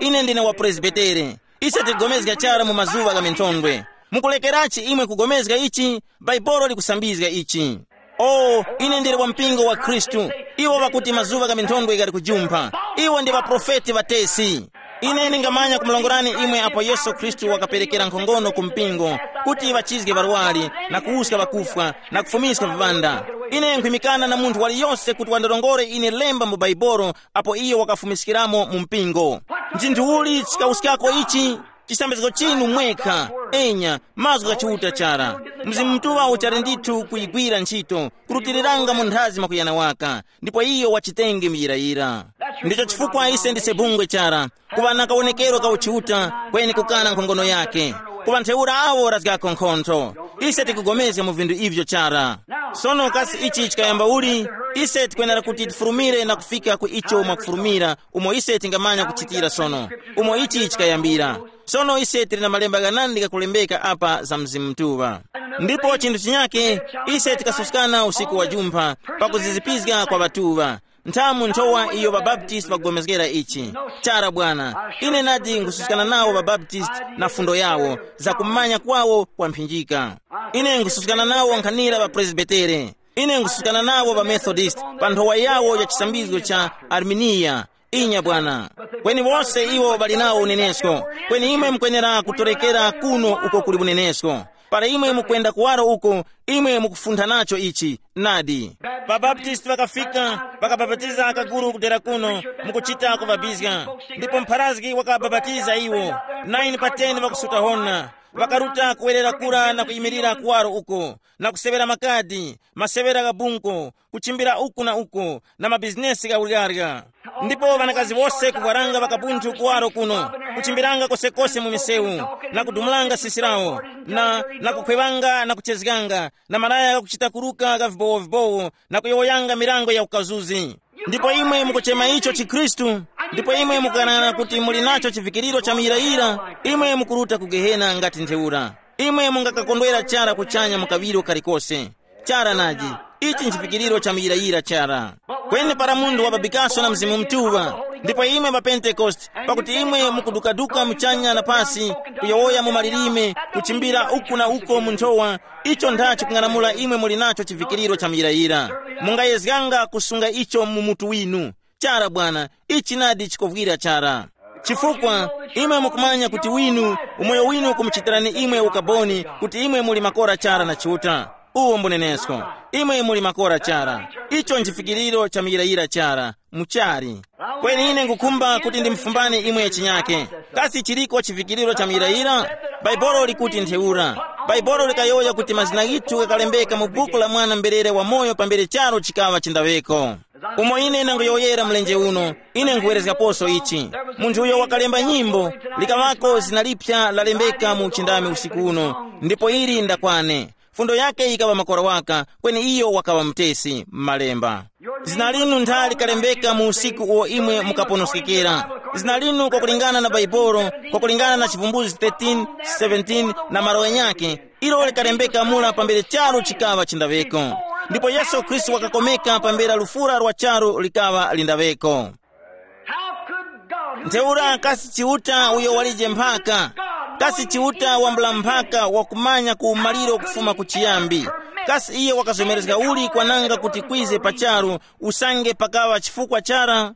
ine ndine wa Presbytere. Ise tigomezga chara mu mazuŵa gha minthondwe. Mukulekerachi imwe kugomezga ichi? Bhaibuli likusambizga ichi. O, ine ndili wa mpingo wa Khristu. Iwo ŵakuti mazuŵa gha minthondwe ghali kujumpha. Iwo ndi ŵaprofeti ŵatesi. Ine ndingamanya kumulongolani imwe apo Yesu Khristu wakaperekera nkhongono ku mpingo, kuti ŵachizge ŵarwari, na kuwuska ŵakufwa, na kufumiska viŵanda. Ine nkhwimikana na munthu waliyose kuti wandirongore ine lemba mu Bhaibuli apo iyo wakafumiskiramo mu mpingo. Nchinthu uli chikawuskako ichi? Chisambizgo chinu mwekha. Enya, mazgu gha Chiuta chara. Mzimu Mutuŵa uchali ndithu kuyigwira ntchito, kurutiliranga munthazi mwakuyana waka, ndipo iyo wachitenge muyirayira. Ndicho chifukwa ise ndise bungwe chara, kuŵa na kawonekero ka uchiuta, kweni kukana nkhongono yake. Kuŵa ntheura awo razgako nkhontho. Ise tikugomezga mu vinthu ivyo chara. Sono kasi ichi chikayamba uli? Ise tikwenera kuti tifurumire na kufika ku icho mwakufurumira, umo ise tingamanya kuchitira sono, umo ichi chikayambira. Sono ise tili na malemba ghanandi ghakulembeka apa za Mzimu Mutuŵa. Ndipo chinthu chinyake, ise tikasuskana usiku wa jumpha, pakuzizipizga kwa ŵatuŵa. Nthamu nthowa iyo ŵabaptisti ŵakugomezgera ichi. Chara bwana, ine nadi nkususkana nawo ŵabaptisti na fundo yawo, za kumanya kwawo kwa mphinjika. Ine nkususkana nawo nkhanira ŵapresbitere. Ine nkususkana nawo ŵamethodist pa nthowa yawo ya chisambizgo cha Arminiya. Inya bwana. Kweni wose iwo ŵali nawo unenesko. Kweni imwe mukwenera kutorekera kuno uko kuli unenesko. Para imwe mukwenda kuwaro uko, imwe mukufuntha nacho ichi. Nadi. Ŵabaptisti ŵakafika, ŵakabapatiza akaguru kudera kuno, mukuchita kuŵabizga. Ndipo mpharazgi wakabapatiza iwo. nine pa ten ŵakusuta hona. Ŵakaruta kuwerera kura na kuyimirira kuwaro uko, na kuseŵera makadi, maseŵera gha bunko, kuchimbira uku na uko, na mabizinesi gha uryarya. Ndipo ŵanakazi wose kuvwaranga ŵakabunthu kuwaro kuno, kuchimbiranga kosekose mu misewu, na kudumulanga sisi lawo, na, na kukhwewanga na kuchezganga, na malaya ghakuchita kuruka gha vibowovibowo, na kuyowoyanga mirango ya ukazuzi. Ndipo imwe mukuchema icho chikhristu, ndipo imwe mukukanana kuti muli nacho chivikiriro cha muyirayira, imwe mukuruta ku gehena ngati ntheura. Imwe mungakakondwera chara kuchanya mu kaŵiro kalikose. Chara naji, ichi nchivikiriro cha muyirayira chara. Kweni para munthu wababikaso na Mzimu Mutuŵa, ndipo imwe ŵa Pentekoste, pakuti imwe mukudukaduka muchanya na pasi, kuyowoya mu malilime, kuchimbira uku na uko mu nthowa, icho ntha chikung'anamula imwe muli nacho chivikiriro cha muyirayira. Mungayezganga kusunga icho mu mutu winu. Chara bwana, ichi nadi chikovwira chara. Chifukwa imwe mukumanya kuti winu, umoyo winu ukumuchitirani imwe ukaboni kuti imwe muli makora chara na Chiuta. Uwo mbunenesko. Imwe muli makora chara. Icho nchifikiriro cha muyirayira chara. Muchari. Kweni ine ngukhumba kuti ndimfumbani imwe chinyake. Kasi chiliko chifikiriro cha muyirayira? Bhaibolo likuti ntheura. Bhaibolo likayowoya kuti mazina ghithu ghakalembeka mu buku la mwana mberere wamoyo pambere charu chikaŵa chindaŵeko. Umo ine ndangoyowoyera mlenje uno, ine nkhuwerezgaposo ichi. Munthu uyo wakalemba nyimbo, likaŵako zina lipya lalembeka mu uchindami usiku uno, ndipo ili ndakwane. Fundo yake yikaŵa makora waka, kweni iyo wakaŵa mutesi m'malemba. Zina linu ntha likalembeka mu usiku uwo imwe mukaponoskekera. Zina linu kwakulingana na Baibolo, kwakulingana na Chivumbuzi thirteen, seventeen na malo ghanyakhe, ilo likalembeka mura pambere charu chikaŵa chindaŵeko. Ndipo Yesu Khristu wakakomeka pambere lufura lwa charu likaŵa lindaŵeko. How could God, who Ntheura kasi Chiuta uyo walije mphaka? Kasi Chiuta wambula mphaka wakumanya ku umaliro kufuma ku chiyambi? Kasi iye wakazomerezga uli kwananga kuti kwize pa charu usange pakaŵa chifukwa chara?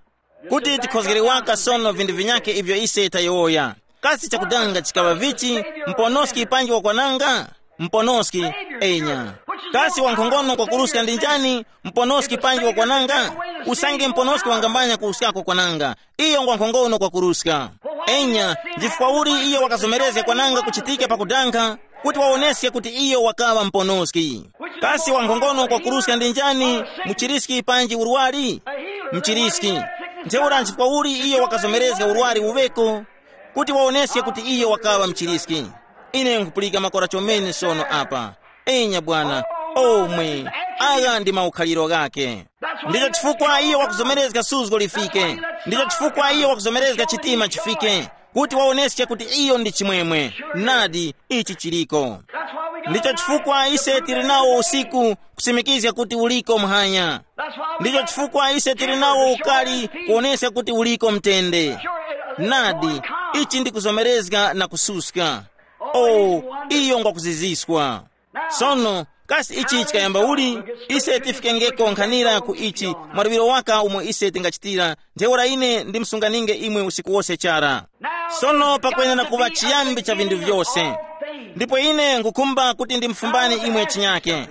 Kuti tikhozgere waka sono vinthu vinyakhe ivyo ise tayowoya. Kasi chakudanga chikaŵa vichi, mponoski panji wakwananga? Mponoski, enya. Kasi wankhongono kwakuruska ndi njani? Mponoski panji wakwananga? Usange mponoski wangambanya kuruskako kwananga, iyo ngwankhongono kwakuruska. Enya, chifukwa uli iyo wakazomerezga kwananga kuchitika pakudanga, kuti wawoneske kuti iyo wakaŵa mponoski. Kasi wankhongono kwakuruska ndi njani? Muchiriski panji urwari? Mchiriski. Ntheura nchifukwa uli iyo wakazomerezga urwari uŵeko? Kuti wawoneske kuti iyo wakaŵa mchiriski. Ine nkupulika makora chomene sono apa. Enya bwana, omwe, agha ndi maukhaliro ghake. Ndicho chifukwa iyo wakuzomerezga suzgo lifike. Ndicho chifukwa iyo wakuzomerezga chitima chifike, kuti wawoneske kuti iyo ndi chimwemwe. Nadi, ichi chiliko. Ndicho chifukwa ise tili nawo usiku, kusimikizga kuti uliko muhanya. Ndicho chifukwa ise tili nawo ukali, kuwoneska kuti uliko mtende. Nadi, ichi ndi kuzomerezga na kususka. Oh, iyo ngwakuziziswa. Sono, kasi ichi chikayamba uli? Ise tifikengeko nkhanira ku ichi, mwaluŵiro waka umo ise tingachitira. Ntheura ine ndimsunganinge imwe usiku wose chara. Sono pakwenera kuŵa chiyambi cha vinthu vyose. Ndipo ine ngukhumba kuti ndimfumbani imwe chinyake.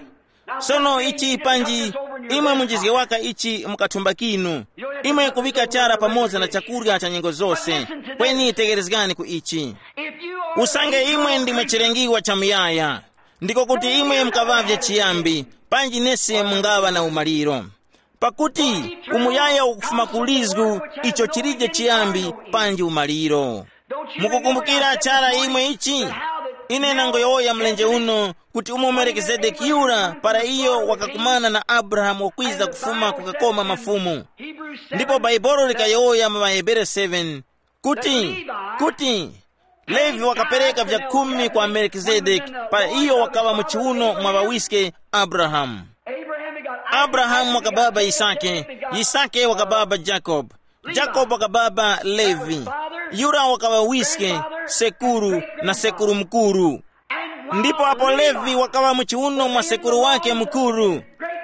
Sono ichi panji, imwe munjizge waka ichi mukathumba kinu. Imwe kuŵika chara pamoza na chakurya cha nyengo zose. Kweni tegherezgani ku ichi. Usange imwe ndimwe chilengiwa cha muyaya, ndiko kuti imwe mukaŵavye chiyambi, panji nesi mungaŵa na umaliro. Pakuti umuyaya ukufuma ku lizgu, icho chilije chiyambi panji umaliro. Mukukumbukira chara imwe ichi? Ine nangoyowoya mlenje uno kuti umo Melikizedeki yura para iyo wakakumana na Abrahamu wakwiza kufuma kukakoma mafumu. Ndipo Baibolo likayowoya mu ŵaHebere seven kuti, kuti Levi wakapereka vya khumi kwa Melikizedeki para iyo wakaŵa mu chiuno mwa ŵawiske Abrahamu. Abrahamu wakababa Yisake, Yisake wakababa Jakobe, Jakobe wakababa Levi, yura wakaŵa wiske, sekuru na sekuru mukuru. Ndipo apo Levi wakaŵa mu chiuno mwa sekuru wake mukuru,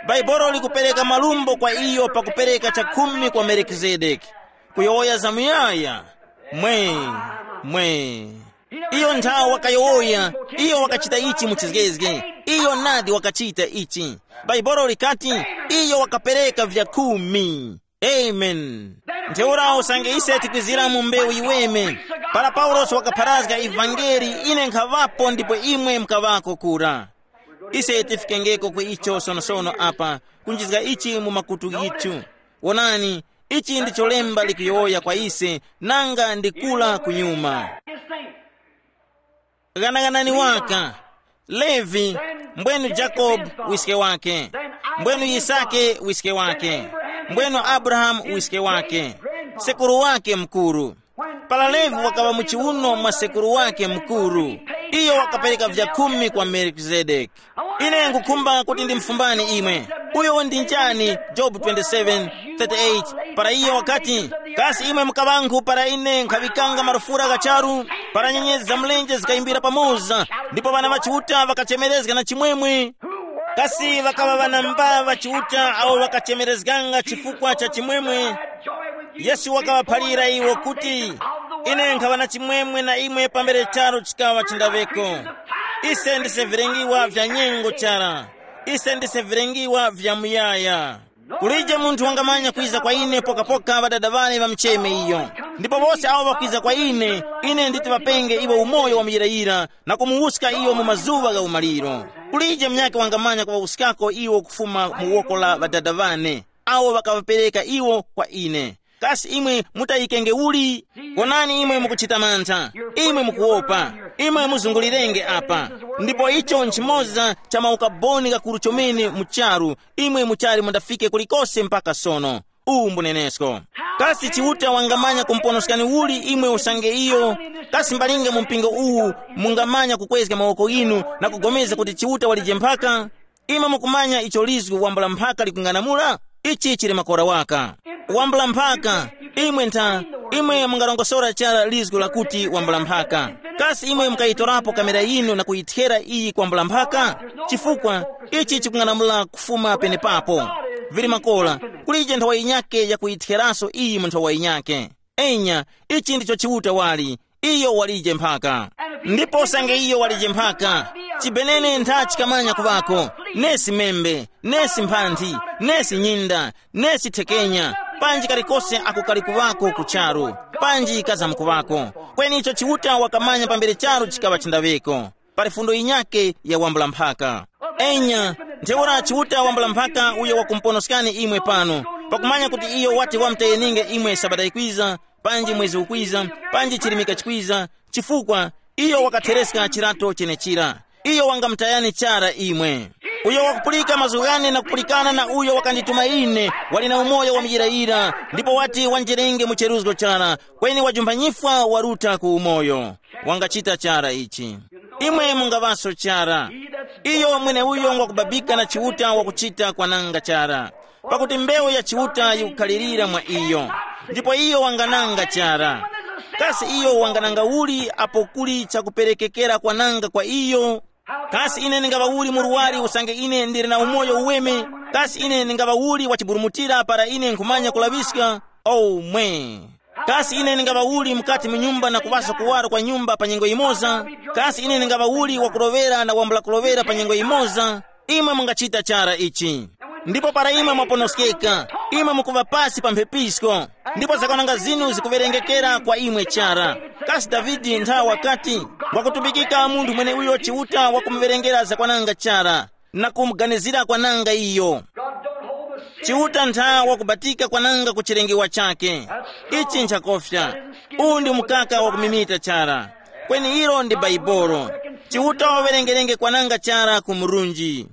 Baibolo likupereka malumbo kwa iyo pakupereka chakhumi kwa Melikizedeki. Kuyowoya zamuyaya. Mwe, mwe. Iyo nthawe wakayowoya, iyo wakachita ichi mu chizgezge. Iyo nadi wakachita ichi. Baibolo likati, iyo wakapereka vya khumi. Amen. Ntheura usange ise tikwizira mu mbewu yiweme, para Paulosi wakapharazga ivangeli, ine nkhaŵapo ndipo imwe mukaŵako kura. Ise tifikengeko ku icho sonosono apa, kunjizga ichi mu makutu ghithu. Wonani, ichi ndicho lemba likuyowoya kwa ise, nanga ndikula kunyuma. Ghanaghanani waka, Levi, mbwenu Jakobe wiske wake, mbwenu Yisake wiske wake, mbwenu Abrahamu wiske wake, sekuru wake mukuru. Para Levi wakaŵa mu chiuno mwa sekuru wake mukuru, iyo wakapereka vya khumi kwa Melikizedeki. Ine nkukhumba kuti ndimfumbani imwe. Uyo ndi njani? Jobu twenty-seven, thirty-eight. Para iyo wakati, kasi imwe mukaŵankhu para ine nkhaŵikanga marufura gha charu, para nyenyezi za mlenje zikayimbira pamoza, ndipo ŵana ŵa Chiuta ŵakachemerezga na chimwemwe? Kasi ŵakaŵa ŵanamba ŵa Chiuta awo ŵakachemerezganga chifukwa cha chimwemwe? Yesu wakaŵaphalira iwo kuti, Ine nkhaŵa na chimwemwe na imwe pambere charu chikaŵa chindaweko. Ise ndise vilengiwa vya nyengo chara. Ise ndise vilengiwa vya muyaya. Kulije munthu wangamanya kwiza kwa ine pokapoka ŵadada ŵane ŵamucheme iyo. Ndipo wose awo ŵakwiza kwa ine, ine nditi ŵapenge iwo umoyo wa muyirayira, na kumuwuska iyo mu mazuŵa gha umaliro. Kulije munyakhe wangamanya kuŵawuskako iwo kufuma mu woko la ŵadada ŵane, awo ŵakaŵapereka iwo kwa ine. Kasi imwe mutayikenge uli? Konani imwe mukuchita mantha, imwe mukuwopa, imwe muzungulirenge apa. Ndipo icho nchimoza cha maukaboni gakuru chomene mu charu, imwe muchali mundafike kulikose mpaka sono. Uwu mbunenesko. Kasi Chiuta wangamanya kumponoskani uli imwe usange iyo? Kasi mbalinga mu mpingo uwu mungamanya kukwezga mawoko inu na kugomeza kuti Chiuta walije mphaka? Imwe mukumanya icho lizgu wambula mphaka likung'anamula? Ichi chili makora waka. Wambula mphaka, imwe ntha, imwe mungarongosora chara lizgu lakuti wambula mphaka. Kasi imwe mukayitorapo kamera yinu na kuyithera iyi kwambula mphaka? Chifukwa ichi chikung'anamula kufuma penepapo. Vili makora, kulije nthawa yinyake yakuyitheraso iyi mu nthawa yinyake. Enya, ichi ndicho Chiuta wali, iyo walije mphaka. Ndipo usange iyo walije mphaka, chibenene ntha chikamanya kuŵako, nesi membe, nesi mphanthi, nesi nyinda, nesi thekenya, panji kalikose ako kali kuŵako ku charu, panji kazamukuŵako. Kweni icho Chiuta wakamanya pambere charu chikaŵa chindaŵeko. Pali fundo yinyake ya wambula mphaka. Enya, ntheura Chiuta wambula mphaka uyo wakumponoskani imwe pano, pakumanya kuti iyo wati wamutayeninge imwe sabata yikwiza, panji mwezi ukwiza, panji chilimika chikwiza, chifukwa iyo wakathereska chirato chenechira. Iyo wangamutayani chara imwe. Uyo wakupulika mazgu ghane na kupulikana na uyo wakandituma ine, wali na umoyo wa muyirayira, ndipo wati wanjerenge mu cheruzgo chara, kweni wajumpanyifwa waruta ku umoyo. Wangachita chara ichi. Imwe mungaŵaso chara. Iyo mweneuyo ngwakubabika na Chiuta wakuchita kwananga chara. Pakuti mbewu ya Chiuta yikukhalirira mwa iyo, ndipo iyo wangananga chara. Kasi iyo wangananga uli apo kuli chakuperekekera kwananga kwa iyo? Kasi ine ndingaŵa uli murwari usange ine ndili na umoyo uweme? Kasi ine ndingaŵa uli wachiburumutira para ine nkhumanya kulaŵiska? Omwe! Kasi ine ndingaŵa uli mukati mu nyumba na kuŵasa kuwaro kwa nyumba pa nyengo yimoza? Kasi ine ndingaŵa uli wakuloŵera na wambula kuloŵera pa nyengo yimoza? Imwe mungachita chara ichi. Ndipo para imwe mwaponoskeka, imwe mukuŵa pasi pa mphepisko, ndipo zakwananga zinu zikuwerengekera kwa imwe chara. Kasi Davide ntha wakati, wakutumbikika munthu mweneuyo Chiuta wakumuwerengera zakwananga chara, na kumuganizira kwananga iyo. Chiuta ntha wakubatika kwananga ku chilengewa chake. Ichi nchakofya. Uwu ndi mukaka wakumimita chara. Kweni ilo ndi Baibolo. Chiuta wawerengerenge kwananga chara ku murunji.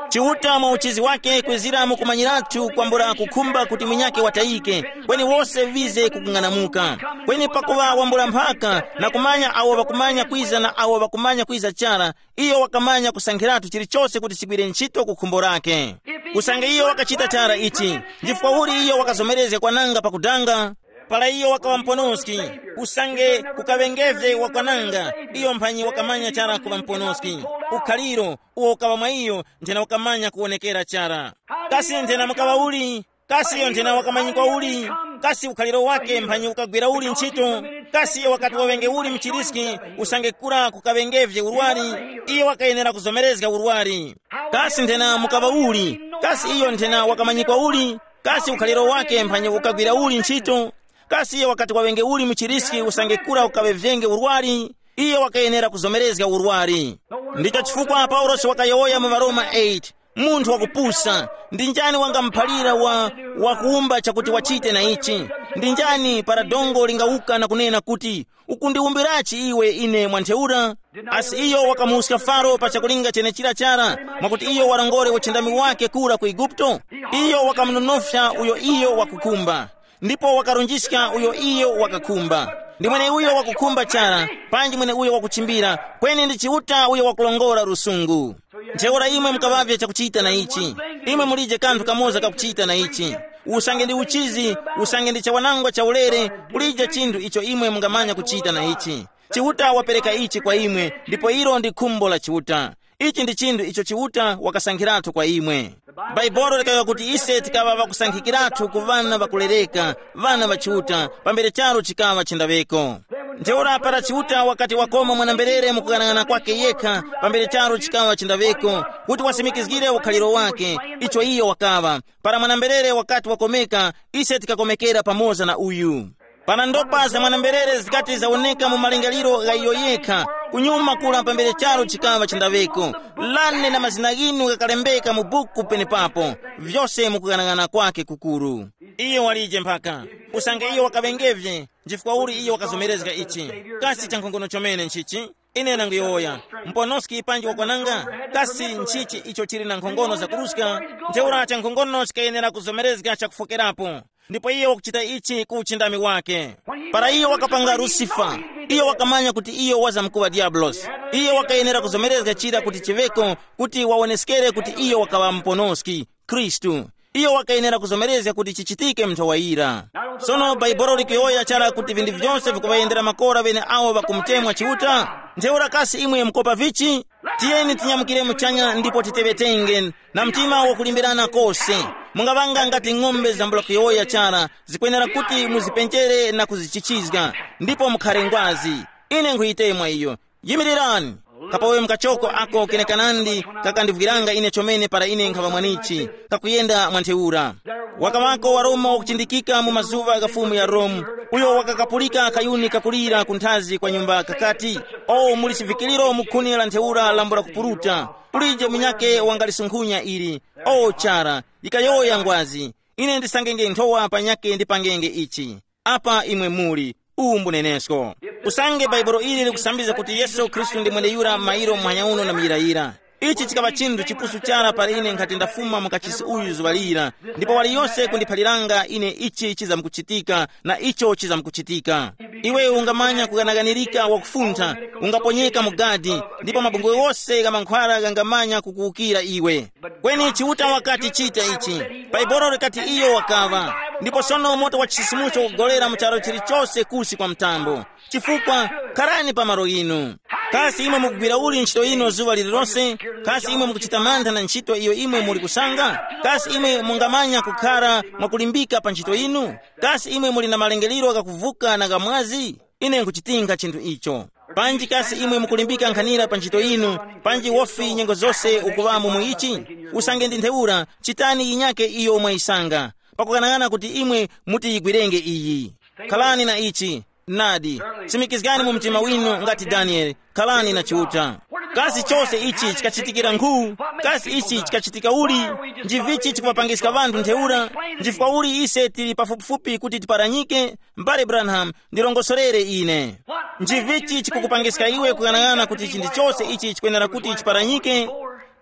Chiuta mwa uchizi wake kwizira mu kumanyiratu kwambula kukhumba kuti munyakhe watayike, kweni wose wize kukung'anamuka. Kweni pakuŵa wambula mphaka na kumanya awo ŵakumanya kwiza na awo ŵakumanya kwiza chara, iyo wakamanya kusankhiratu chilichose kuti chigwire ntchito ku khumbo lake. Usange iyo wakachita chara ichi, chifukwa uli iyo wakazomerezga kwananga pakudanga? Para iyo wakaŵa muponoski, usange kukaŵengeve wakwananga, iyo mphanyi wakamanya chara kuŵa muponoski. Ukhaliro uwo ukaŵa mwa iyo nthena ukamanya kuwonekera chara. Kasi nthena mukaŵa uli? Kasi iyo nthena wakamanyikwa uli? Kasi ukhaliro wake mphanyi ukagwira uli ntchito? Kasi iyo wakati waŵenge uli mchiriski, usange kura kukaŵengevye urwari? Iyo wakayenera kuzomerezga urwari. Kasi nthena mukaŵa uli? Kasi iyo nthena wakamanyikwa uli? Kasi ukhaliro wake mphanyi ukagwira uli ntchito? Kasi iyo wakati waŵenge uli mchiriski usange kura ukaŵevenge urwari? Iyo wakayenera kuzomerezga urwari. Ndicho chifukwa Paulosi wakayowoya mu Varoma eight, munthu wakupusa, ndi njani wangamuphalira wa, wakuwumba chakuti wachite na ichi? Ndi njani para dongo lingawuka na kunena kuti, ukundiwumbirachi iwe ine mwa ntheura? Asi iyo wakamuwuska Faro pa chakulinga chenechira chara, mwakuti iyo warongore uchindami wake kura ku Eguputo? Iyo wakamunonofya uyo iyo wakukhumba, ndipo wakarunjiska uyo iyo wakakhumba. Ndi mweneuyo wakukhumba chara, panji mweneuyo wakuchimbira, kweni ndi Chiuta uyo wakurongora lusungu. Ntheura imwe mukaŵavye chakuchita na ichi. Imwe mulije kanthu kamoza kakuchita na ichi. Usange ndi uchizi, usange ndi chawanangwa cha ulere, kulije chinthu icho imwe mungamanya kuchita na ichi. Chiuta wapereka ichi kwa imwe, ndipo ilo ndi khumbo la Chiuta. Ichi ndi chinthu icho Chiuta wakasankhiratu kwa imwe. Bhaibuli likayowoya kuti ise tikaŵa ŵakusankhikiratu ku ŵana ŵakulereka, ŵana ŵa Chiuta, pambere charu chikaŵa chindaŵeko. Ntheura para Chiuta wakati wakoma mwanamberere mukughanag'ana kwake yekha, pambere charu chikaŵa chindaŵeko, kuti wasimikizgire ukhaliro wake, icho iyo wakaŵa. Para mwanamberere wakati wakomeka, ise tikakomekera pamoza na uyu. Para ndopa za mwanamberere zikati zawoneka mu malingaliro gha iyo yekha, kunyuma kula pambere charu chikaŵa chindaŵeko. Lane na mazina ghinu ghakalembeka mu buku penepapo, vyose mukughanag'ana kwake kukuru. Iyo walije mphaka. Usange iyo wakaŵengevye, nchifukwa uli iyo wakazomerezga ichi? Kasi chankhongono chomene nchichi? Ine nanguyowoya, mponoski panji wakwananga? Kasi nchichi icho chili na nkhongono zakuruska? Ntheura chankhongono chikayenera kuzomerezga chakufokerapo. Ndipo iyo wakuchita ichi ku uchindami wake. Para iyo wakapanga Lusifa, iyo wakamanya kuti iyo wazamkuŵa Diabulosi. Iyo wakayenera kuzomerezga chira kuti chiŵeko, kuti wawoneskere kuti iyo wakaŵa muponoski, Khristu. Iyo wakayenera kuzomerezga kuti chichitike mu nthowa yira. Sono Bhaibuli likuyowoya chara kuti vinthu vyose vikuŵayendera makora ŵene awo ŵakumutemwa Chiuta. Ntheura kasi imwe mukopa vichi? Tiyeni tinyamukire muchanya ndipo titeŵetenge na mtima wakulimbirana kose. Mungaŵanga ngati ng'ombe zambula kuyowoya chara, zikwenera kuti muzipenjere na kuzichichizga, ndipo mukhare ngwazi. Ine nkhuyitemwa iyo. Yimirirani. Kapowe mukachoko ako kenekanandi kakandivwiranga ine chomene para ine nkhaŵa mwanichi, kakuyenda mwa ntheura. Wakaŵako wa Roma wakuchindikika mu mazuŵa gha fumu ya Rome, uyo wakakapulika kayuni kakulira kunthazi kwa nyumba kakati, “O muli chivikiriro mu khuni la ntheura lambula kupuruta, kulije munyakhe wangalisunkhunya ili. O chara, yikayowoya ngwazi, ine ndisangenge nthowa panyakhe ndipangenge ichi.” Apa imwe muli, uwu mbunenesko. Usange Bhaibuli ili likusambizga kuti Yesu Khristu ndi mweneyura mairo muhanya uno na muyirayira. Ichi chikaŵa chinthu chipusu chara para ine nkhati ndafuma mu kachisi uyu zuŵa lira, ndipo waliyose kundiphaliranga ine ichi chizamkuchitika na icho chizamkuchitika. Iwe ungamanya kuganaganirika wakufuntha, ungaponyeka mu gadi, ndipo mabungwe wose gha mankhwara ghangamanya kukuwukira iwe. Kweni Chiuta wakati chita ichi. Bhaibuli likati iyo wakaŵa. Ndipo sono moto wa chisisimucho ukugolera mu charu chilichose kusi kwa mtambo. Chifukwa, kharani pa malo inu. Kasi imwe mukugwira uli ntchito ino zuŵa lililose? Kasi imwe mukuchita mantha na ntchito iyo imwe muli kusanga? Kasi imwe mungamanya kukhara mwakulimbika pa ntchito inu? Kasi imwe muli na malengelero ghakuvuka na ghamwazi? Ine nkuchitinga chinthu icho. Panji kasi imwe mukulimbika nkhanira pa ntchito yinu, panji wofi nyengo zose ukuŵamo mu ichi? Usange ndi ntheura, chitani yinyake iyo mwayisanga, pakughanagana kuti imwe muti yigwirenge iyi. Khalani na ichi, nadi, simikizgani mu mtima winu ngati Danieli, khalani na Chiuta. Kasi chose ichi chikachitikira nkhu? Kasi ichi chikachitika uli? Ndi vichi chikuŵapangiska ŵanthu ntheura? Ndi chifukwa uli ise tili pafupifupi kuti tiparanyike? M'bale Branham, ndirongozgere ine. Nchivichi chikukupangiska iwe kuyang'ana kuti chinthu chose ichi chikwenera kuti chiparanyike?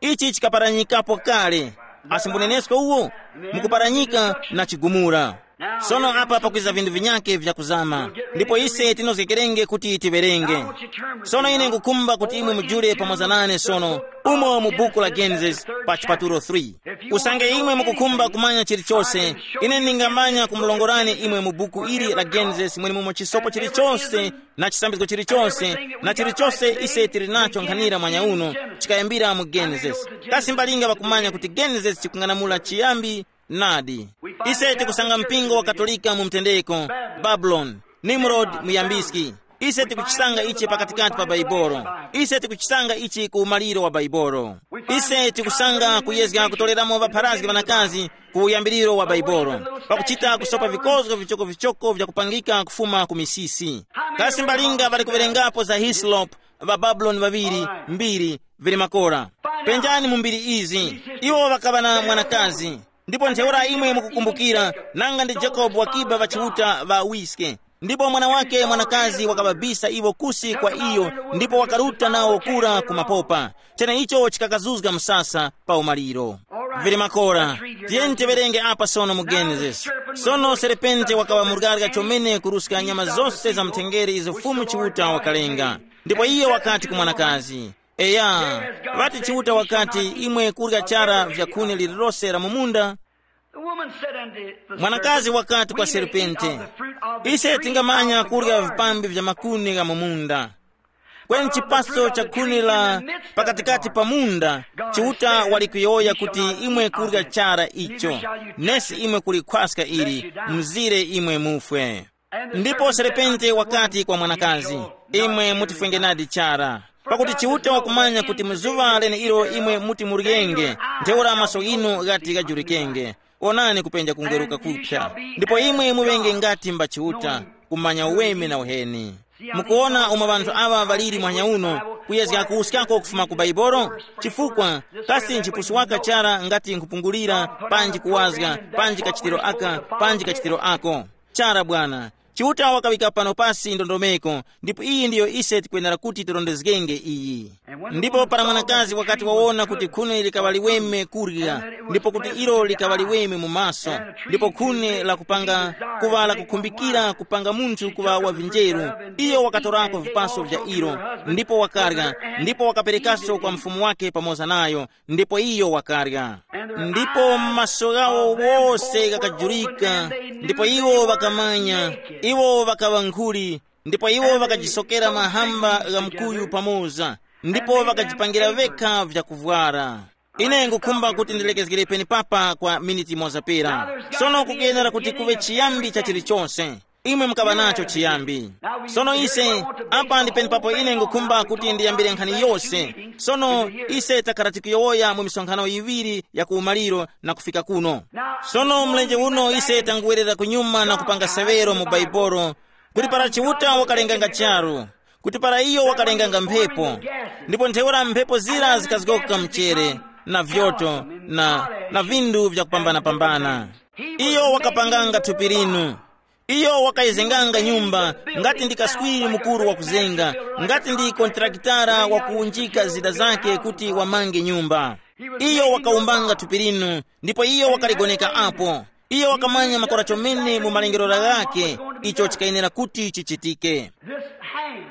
Ichi chikaparanyikapo kale. Asi mbunenesko uwo, mukuparanyika na chigumula. Sono apa pakwiza vinthu vinyake vyakuzama, ndipo ise tinozgekerenge kuti tiwerenge. Sono ine ngukhumba kuti imwe mujule pamoza nane sono, umo mu buku la Genesis, pa chipatulo three. Usange imwe mukukhumba kumanya chilichose, ine ndingamanya kumulongorani imwe mu buku ili la Genesis mwenemumo chisopo chilichose na chisambizgo chilichose, na chilichose ise tili nacho nkhanira mwanya uno, chikayambira mu Genesis. Kasi mbalinga ŵakumanya kuti Genesis chikung'anamula chiyambi? Nadi. Ise tikusanga mpingo wa Katolika mu mtendeko, Babuloni, Nimrod muyambiski. Ise tikuchisanga ichi pakatikati pa Baibolo. Ise tikuchisanga ichi ku umaliro wa Baibolo. Ise tikusanga kuyezga kutoreramo ŵapharazgi ŵanakazi ku uyambiriro wa Baibolo, pakuchita kusopa vikozgo vichokovichoko vyakupangika kufuma ku misisi. Kasi mbalinga ŵali kuwerengapo za Hislop, ŵa Babuloni ŵaŵiri, mbiri, vili makora. Penjani mu mbiri izi. Iwo ŵakaŵa na mwanakazi. Ndipo ntheura imwe mukukumbukira, nanga ndi Jacob wakiba ŵachiuta ŵa wiske. Ndipo mwana wake mwanakazi wakaŵabisa iwo kusi kwa iyo, ndipo wakaruta nawo kura ku mapopa. Cheneicho chikakazuzga msasa pa umaliro. Vili makora, tiyeni tiwerenge apa sono mu Genesis. Sono serepente wakaŵa murgarga chomene kuruska nyama zose za mthengere izo Fumu Chiuta wakalenga. Ndipo iye wakati ku mwanakazi, eya, ŵati Chiuta wakati, imwe kurya chara vya khuni lililose la mu munda? The woman said unto the Mwanakazi serpent, wakati kwa "We may eat serpente, of the fruit of the ise tree tingamanya of the kurya garden." Vipambi vya makuni gha mu munda. Kweni chipaso cha khuni la pakatikati pa munda, Chiuta wali kuyowoya kuti imwe kurya chara icho, nesi imwe kulikhwaska ili, mzire imwe mufwe. Ndipo serepente wakati kwa mwanakazi, imwe mutifwenge nadi chara, pakuti Chiuta wakumanya kuti mu zuŵa leneilo imwe muti muryenge, ntheura maso inu ghati ghajulikenge. Onani kupenja kungweruka kuphya, ndipo imwe muŵenge ngati mba Chiuta, kumanya uweme na uheni. Mukuona umo ŵanthu aŵa ŵaliri mwanya uno, kuyezga kuwuskako kufuma ku Baibolo? Chifukwa kasi nchipusu waka chara ngati nkhupungulira, panji kuwazga, panji kachitiro aka, panji kachitiro ako? Chara bwana, Chiuta wakaŵika pano pasi ndondomeko, ndipo iyi ndiyo ise tikwenera kuti tirondezgenge iyi. Ndipo para mwanakazi wakati wawona kuti khuni likaŵa liweme kurya, ndipo kuti ilo likaŵa liweme mu maso, ndipo khuni lakupanga kuŵa lakukhumbikira kupanga munthu kuŵa wa vinjeru, iyo wakatorako vipaso vya ilo, ndipo wakarya, ndipo wakaperekaso kwa mfumu wake pamoza nayo, ndipo iyo wakarya. Ndipo maso ghawo wose ghakajurika, ndipo iwo ŵakamanya, iwo ŵakaŵa nkhuli, ndipo iwo ŵakajisokera mahamba gha mkuyu pamoza, ndipo ŵakajipangira ŵekha vyakuvwara. Ine ngukhumba kuti ndilekezgere penepapa kwa miniti imoza pera. Sono kukuyenera kuti kuve chiyambi cha chilichonse. Imwe mukaŵa nacho chiyambi. Sono ise, apa ndi penepapo ine ngukhumba kuti ndiyambire nkhani yose. Sono ise takhala tikuyowoya mu misonkhano yiŵiri ya kuumaliro na kufika kuno. Sono mlenje uno ise tanguwerera kunyuma na kupanga sewero mu Baibolo, kuti para Chiuta wakalenganga charu, kuti para iyo wakalenganga mphepo, ndipo ntheura mphepo zira zikazgoka mchere, na vyoto, na, na vindu vyakupambana-pambana. Iyo wakapanganga thupi linu. Iyo wakayezenganga nyumba, ngati ndi kaswiri mukuru wakuzenga, ngati ndi kontrakitara wakuwunjika zida zake kuti wamange nyumba. Iyo wakawumbanga thupi linu, ndipo iyo wakaligoneka apo. Iyo wakamanya makora chomene mu malengerero ghakhe icho chikayenera kuti chichitike. This hand,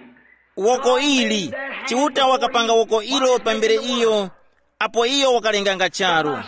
woko ili, Chiuta wakapanga woko ilo pambere iyo, apo iyo wakalenganga charu.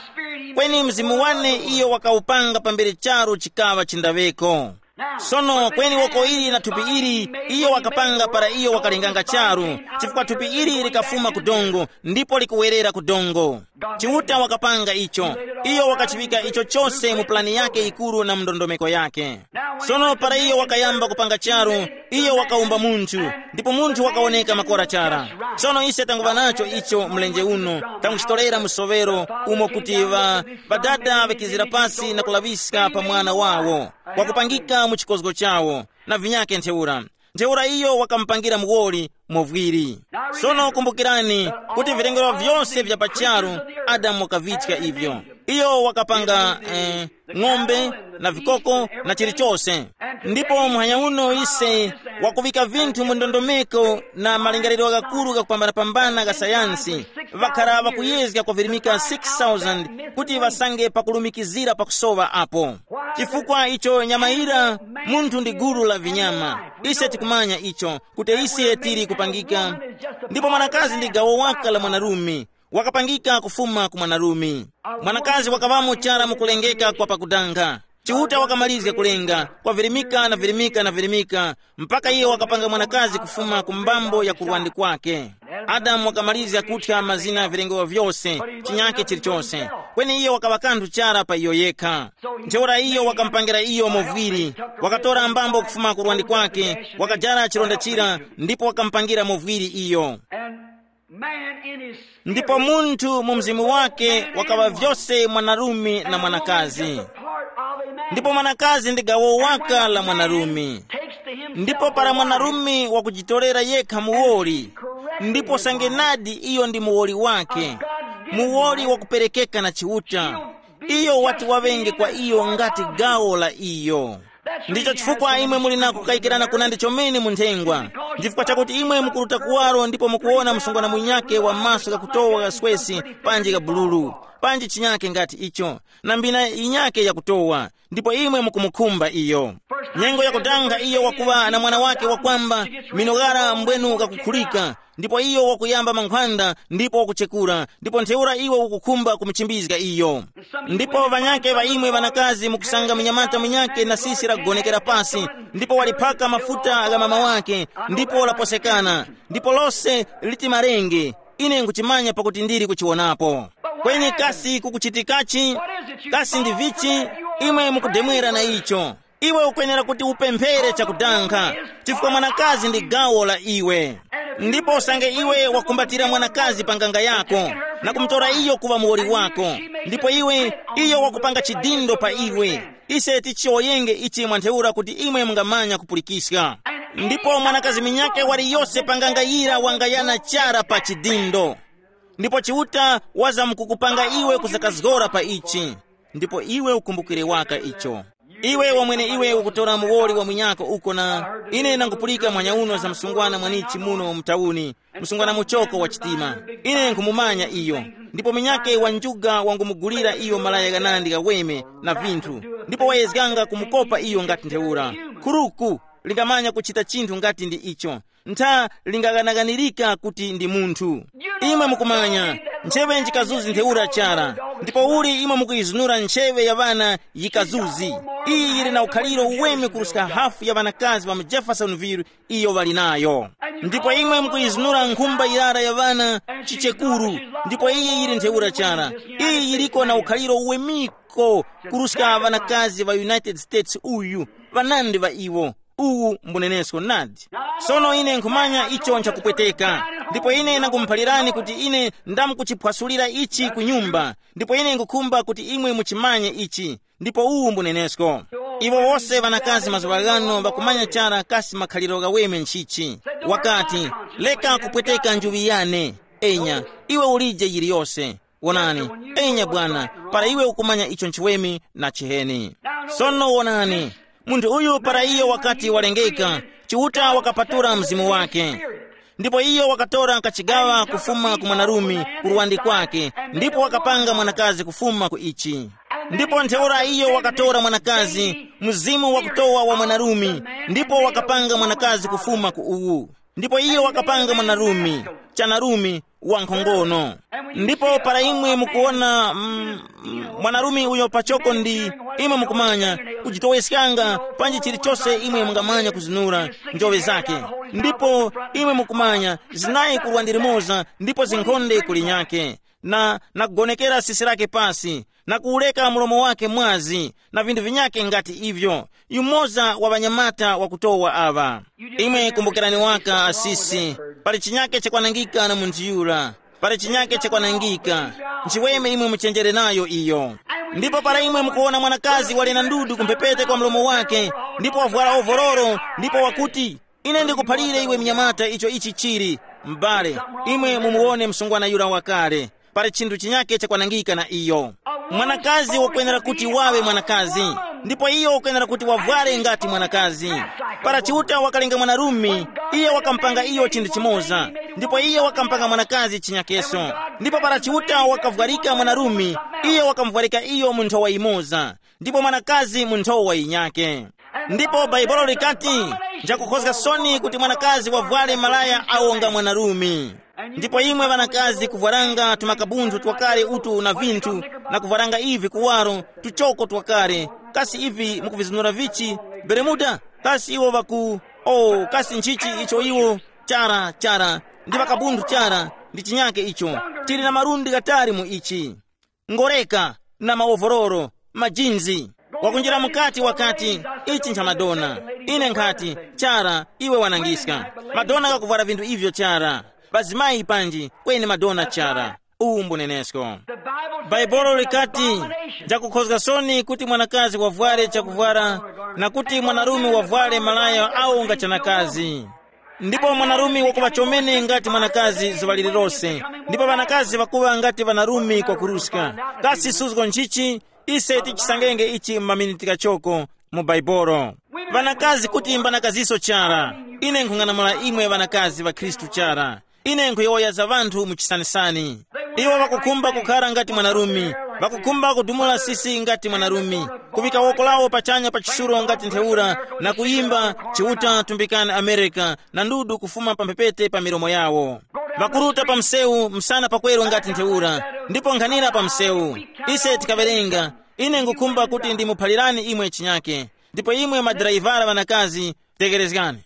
Kweni mzimu wane iyo wakawupanga pambere charu chikaŵa chindaweko. Sono kweni woko ili na thupi ili, iyo wakapanga para iyo wakalenganga charu, chifukwa thupi ili likafuma ku dongo, ndipo likuwerera ku dongo. Chiuta wakapanga icho. Iyo wakachiŵika icho chose mu plani yake yikuru na mu ndondomeko yake. Sono para iyo wakayamba kupanga charu, iyo wakawumba munthu, ndipo munthu wakawoneka makora chara. Sono ise tanguŵa nacho icho mlenje uno, tanguchitorera musovero umo kuti ŵa, ŵadada ŵakizira pasi na kulaŵiska pa mwana wawo, wakupangika mu chikozgo chawo, na vinyake ntheura. Ntheura iyo wakamupangira muwoli movwiri. Sono kumbukirani kuti vilengero vyose vya pa charu, Adamu wakavichika ivyo. Iyo wakapanga eh, ng'ombe na vikoko na chilichose. Ndipo muhanya uno ise wakuŵika vinthu mu ndondomeko na malingaliro ghakuru ghakupambana-pambana gha sayansi, ŵakhara ŵakuyezga kwavirimika six thousand kuti ŵasange pakulumikizira pakusowa apo. Chifukwa icho nyama ira, munthu ndi gulu la vinyama. Ise tikumanya icho, kuti ise tili kupangika. Ndipo mwanakazi ndi gawo waka la mwanarume, wakapangika kufuma ku mwanarume. Mwanakazi wakaŵamo chara mukulengeka kwa pakudanga. Chiuta wakamalizga kulenga, kwavirimika na virimika na virimika, mpaka iyo wakapanga mwanakazi kufuma ku mbambo ya kurwandi kwake. Adamu wakamalizga kuthya mazina ya vilengewa vyose, chinyake chilichose. Kweni iyo wakaŵa kanthu chara pa iyo yekha. Ntheura iyo wakamupangira iyo movwiri, wakatora mbambo kufuma ku rwandi kwake, wakajara chilonda chira, ndipo wakamupangira movwiri iyo. Man in his Ndipo munthu mu mzimu wake wakaŵa vyose mwanarume na mwanakazi. Ndipo mwanakazi ndi gawo waka la mwanarume. Ndipo para mwanarume wakujitorera yekha muwoli, ndipo sangenadi iyo ndi muwoli wake, muwoli wakuperekeka na Chiuta, iyo wati waŵenge kwa iyo ngati gawo la iyo. Ndicho chifukwa imwe muli na kukayikirana kunandi chomene mu nthengwa, chifukwa chakuti imwe mukuruta kuwaro ndipo mukuwona msungwana munyakhe wa maso ghakutowa gha swesi, panji gha bululu, panji chinyakhe ngati icho, na mbina yinyakhe yakutowa, ndipo imwe mukumukhumba iyo. Nyengo yakudanga iyo wakuŵa na mwana wake wakwamba, minoghara mbwenu ghakukhulika, ndipo iyo wakuyamba mankhwanda ndipo wakuchekura, ndipo ntheura iwe ukukhumba kumuchimbizga iyo. Ndipo ŵanyakhe ŵa imwe ŵanakazi mukusanga munyamata munyakhe na sisi lakugonekera pasi, ndipo waliphaka mafuta gha mama wake, ndipo laposekana, ndipo lose liti marenge. Ine nkuchimanya pakuti ndili kuchiwonapo. Kweni kasi kukuchitikachi? Kasi ndi vichi? Imwe mukudemwera na icho. Iwe ukwenera kuti upemphere chakudankha, chifukwa mwanakazi ndi gawo la iwe. Ndipo usange iwe wakumbatira mwanakazi pa nganga yako, na kumutora iyo kuŵa muwoli wako, ndipo iwe, iyo wakupanga chidindo pa iwe, ise tichiwoyenge ichi mwa ntheura kuti imwe mungamanya kupulikiska. Ndipo mwanakazi minyake wali yose pa nganga yira wangayana chara pa chidindo. Ndipo Chiuta wazamkukupanga iwe kusakazgora pa ichi, ndipo iwe ukumbukire waka icho. Iwe wamwene iwe ukutora muwoli wa munyako uko, na ine nangupulika mwanyauno za msungwana mwanichi muno mu tauni, msungwana muchoko wa chitima. Ine nkhumumanya iyo, ndipo munyake wa njuga wangumugulira iyo malaya ghanandi ghaweme na vinthu, ndipo wayezganga kumukopa iyo ngati ntheura. Khuruku lingamanya kuchita chinthu ngati ndi icho, ntha lingaghanaghanirika kuti ndi munthu. Imwe mukumanya, ncheŵe njikazuzi ntheura chara, ndipo uli imwe mukuyizunura ncheŵe ya ŵana yikazuzi. Iyi yili na ukhaliro uweme kuruska hafu ya ŵanakazi ŵa mu Jeffersonville iyo ŵali nayo. Ndipo imwe mukuyizunura nkhumba yirara ya ŵana chichekuru, ndipo iyi yili ntheura chara. Iyi yiliko na ukhaliro uwemiko kuruska ŵanakazi ŵa United States uyu, ŵanandi ŵa iwo. Uwu mbunenesko nadi. Sono ine nkhumanya icho nchakupweteka, ndipo ine ndangumuphalirani kuti ine ndamkuchiphwasulira ichi ku nyumba, ndipo ine ngukhumba kuti imwe muchimanye ichi. Ndipo uwu mbunenesko. Iwo wose ŵanakazi mazuŵa ghano ŵakumanya chara kasi makhaliro ghaweme nchichi. Wakati, leka kupweteka njuŵi yane. Enya, iwe ulije yiliyose. Wonani, enya bwana, para iwe ukumanya icho nchiweme na chiheni. Sono wonani, munthu uyu para iyo wakati walengeka, Chiuta wakapatura mzimu wake. Ndipo iyo wakatora kachigawa kufuma ku mwanarume ku luwandi kwake, ndipo wakapanga mwanakazi kufuma ku ichi. Ndipo ntheura iyo wakatora mwanakazi, mzimu wakutowa wa mwanarume, ndipo wakapanga mwanakazi kufuma ku uwu. Ndipo iyo wakapanga mwanarume, chanarume, wankhongono. Ndipo para imwe mukuwona, mm, mm, mwanarume uyo pachoko ndi, imwe mukumanya, kujitoweskanga panji chilichose imwe mungamanya kuzinura njoŵe zake. Ndipo imwe mukumanya, zinayi kurwa ndi limoza, ndipo zinkhonde kuli nyake, na, na kugonekera sisi lake pasi, na kuwureka mlomo wake mwazi, na vinthu vinyake ngati ivyo. Yumoza wa ŵanyamata wakutowa aŵa. Imwe kumbukirani waka asisi, pali chinyake chakwanangika na munthu yura. Pali chinyake chakwanangika. Nchiweme imwe muchenjere nayo iyo. Ndipo para imwe mukuwona mwanakazi wali na ndudu kumphepete kwa mlomo wake, ndipo wavwara ovororo, ndipo wakuti, ine ndikuphalire iwe mnyamata icho ichi chili, m'bale, imwe mumuwone msungwana yura wakale. Pali chinthu chinyake chakwanangika na iyo. Mwanakazi wakwenera kuti wawe mwanakazi, ndipo iyo wakwenera kuti wavware ngati mwanakazi. Para Chiuta wakalenga mwanarume, iye wakampanga iyo chinthu chimoza, ndipo iye wakampanga mwanakazi chinyakeso. Ndipo para Chiuta wakavwarika mwanarume, iye wakamuvwarika iyo mu nthowa imoza, ndipo mwanakazi mu nthowa yinyake. Ndipo Bhaibuli likati, njakukhozga soni kuti mwanakazi wavware malaya awo nga mwanarume. Ndipo imwe ŵanakazi kuvwaranga tumakabunthu twakale utu na vinthu, na kuvwaranga ivi kuwaro, tuchoko twakale, kasi ivi mukuvizinura vichi? Beremuda? Kasi iwo ŵaku, o, kasi nchichi icho iwo? Chara, chara, ndi ŵakabunthu chara, ndi chinyake icho. Tili na malundi ghatali mu ichi. Ngoreka, na mawovororo, majinzi. Wakunjira mukati wakati, ichi ncha Madonna. Ine nkhati, chara, iwe wanangiska. Madonna kakuvwara vinthu ivyo chara. Pazimayi panji, kweni Madonna chara. Uwu mbunenesko. Bhaibuli likati, njakukhozga soni kuti mwanakazi wavware chakuvwara, na kuti mwanarume wavware malaya awo nga chanakazi. Ndipo mwanarume wakuŵa chomene ngati mwanakazi zuŵa lililose, ndipo ŵanakazi ŵakuŵa ngati ŵanarume kwakuruska. Kasi suzgo nchichi? Ise tichisangenge ichi m'maminiti kachoko mu Baibolo. Ŵanakazi kuti mbanakaziso chara. Ine nkhung'anamula imwe ŵanakazi ŵa Khristu chara. Ine nkhuyowoya za ŵanthu mu chisanisani. Iwo ŵakukhumba kukhara ngati mwanarume, ŵakukhumba kudumula sisi ngati mwanarume, kuŵika woko lawo pachanya pa chisuro ngati ntheura, na kuyimba, Chiuta tumbikani America, na ndudu kufuma pa mphepete pa milomo yawo. Ŵakuruta pa msewu msana pakweru ngati ntheura, ndipo nkhanira pa msewu. Ise tikawerenga, ine ngukhumba kuti ndimuphalirani imwe chinyake. Ndipo imwe madrayivara ŵanakazi, tekerezgani.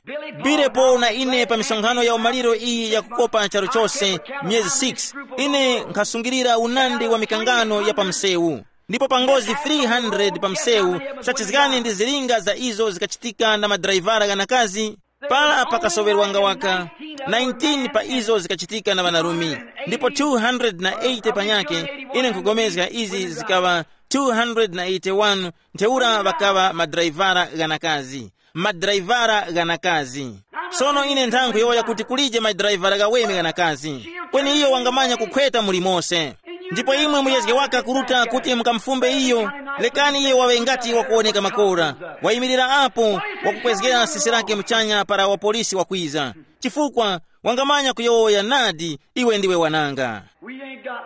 Billy Paul na ine pa misonkhano ya umaliro iyi yakukopa charu chose, myezi six, ine nkhasungilira unandi wa mikangano ya pa msewu. Ndipo pa ngozi three hundred pa msewu, sachizgani ndi zilinga za izo zikachitika na madraivara ghanakazi. Para pakasoŵerwanga waka nineteen pa izo zikachitika na ŵanarume, ndipo two hundred na eighty panyakhe. Ine nkugomezga izi zikaŵa two hundred na eighty-one. Ntheura ŵakaŵa madraivara ghanakazi, madraivara ghanakazi. Sono ine nthankhu yowoya kuti kulije madraivara ghaweme ghanakazi, kweni iyo wangamanya kukhweta muli mose. Ndipo imwe muyezge waka kuruta kuti mukamufumbe iyo. Lekani iye waŵe ngati wakuwoneka makora, wayimirira apo, wakukwezgera sisi lake muchanya para wapolisi wakwiza, chifukwa wangamanya kuyowoya nadi, iwe ndiwe wananga.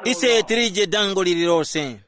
Ise tilije dango lililose.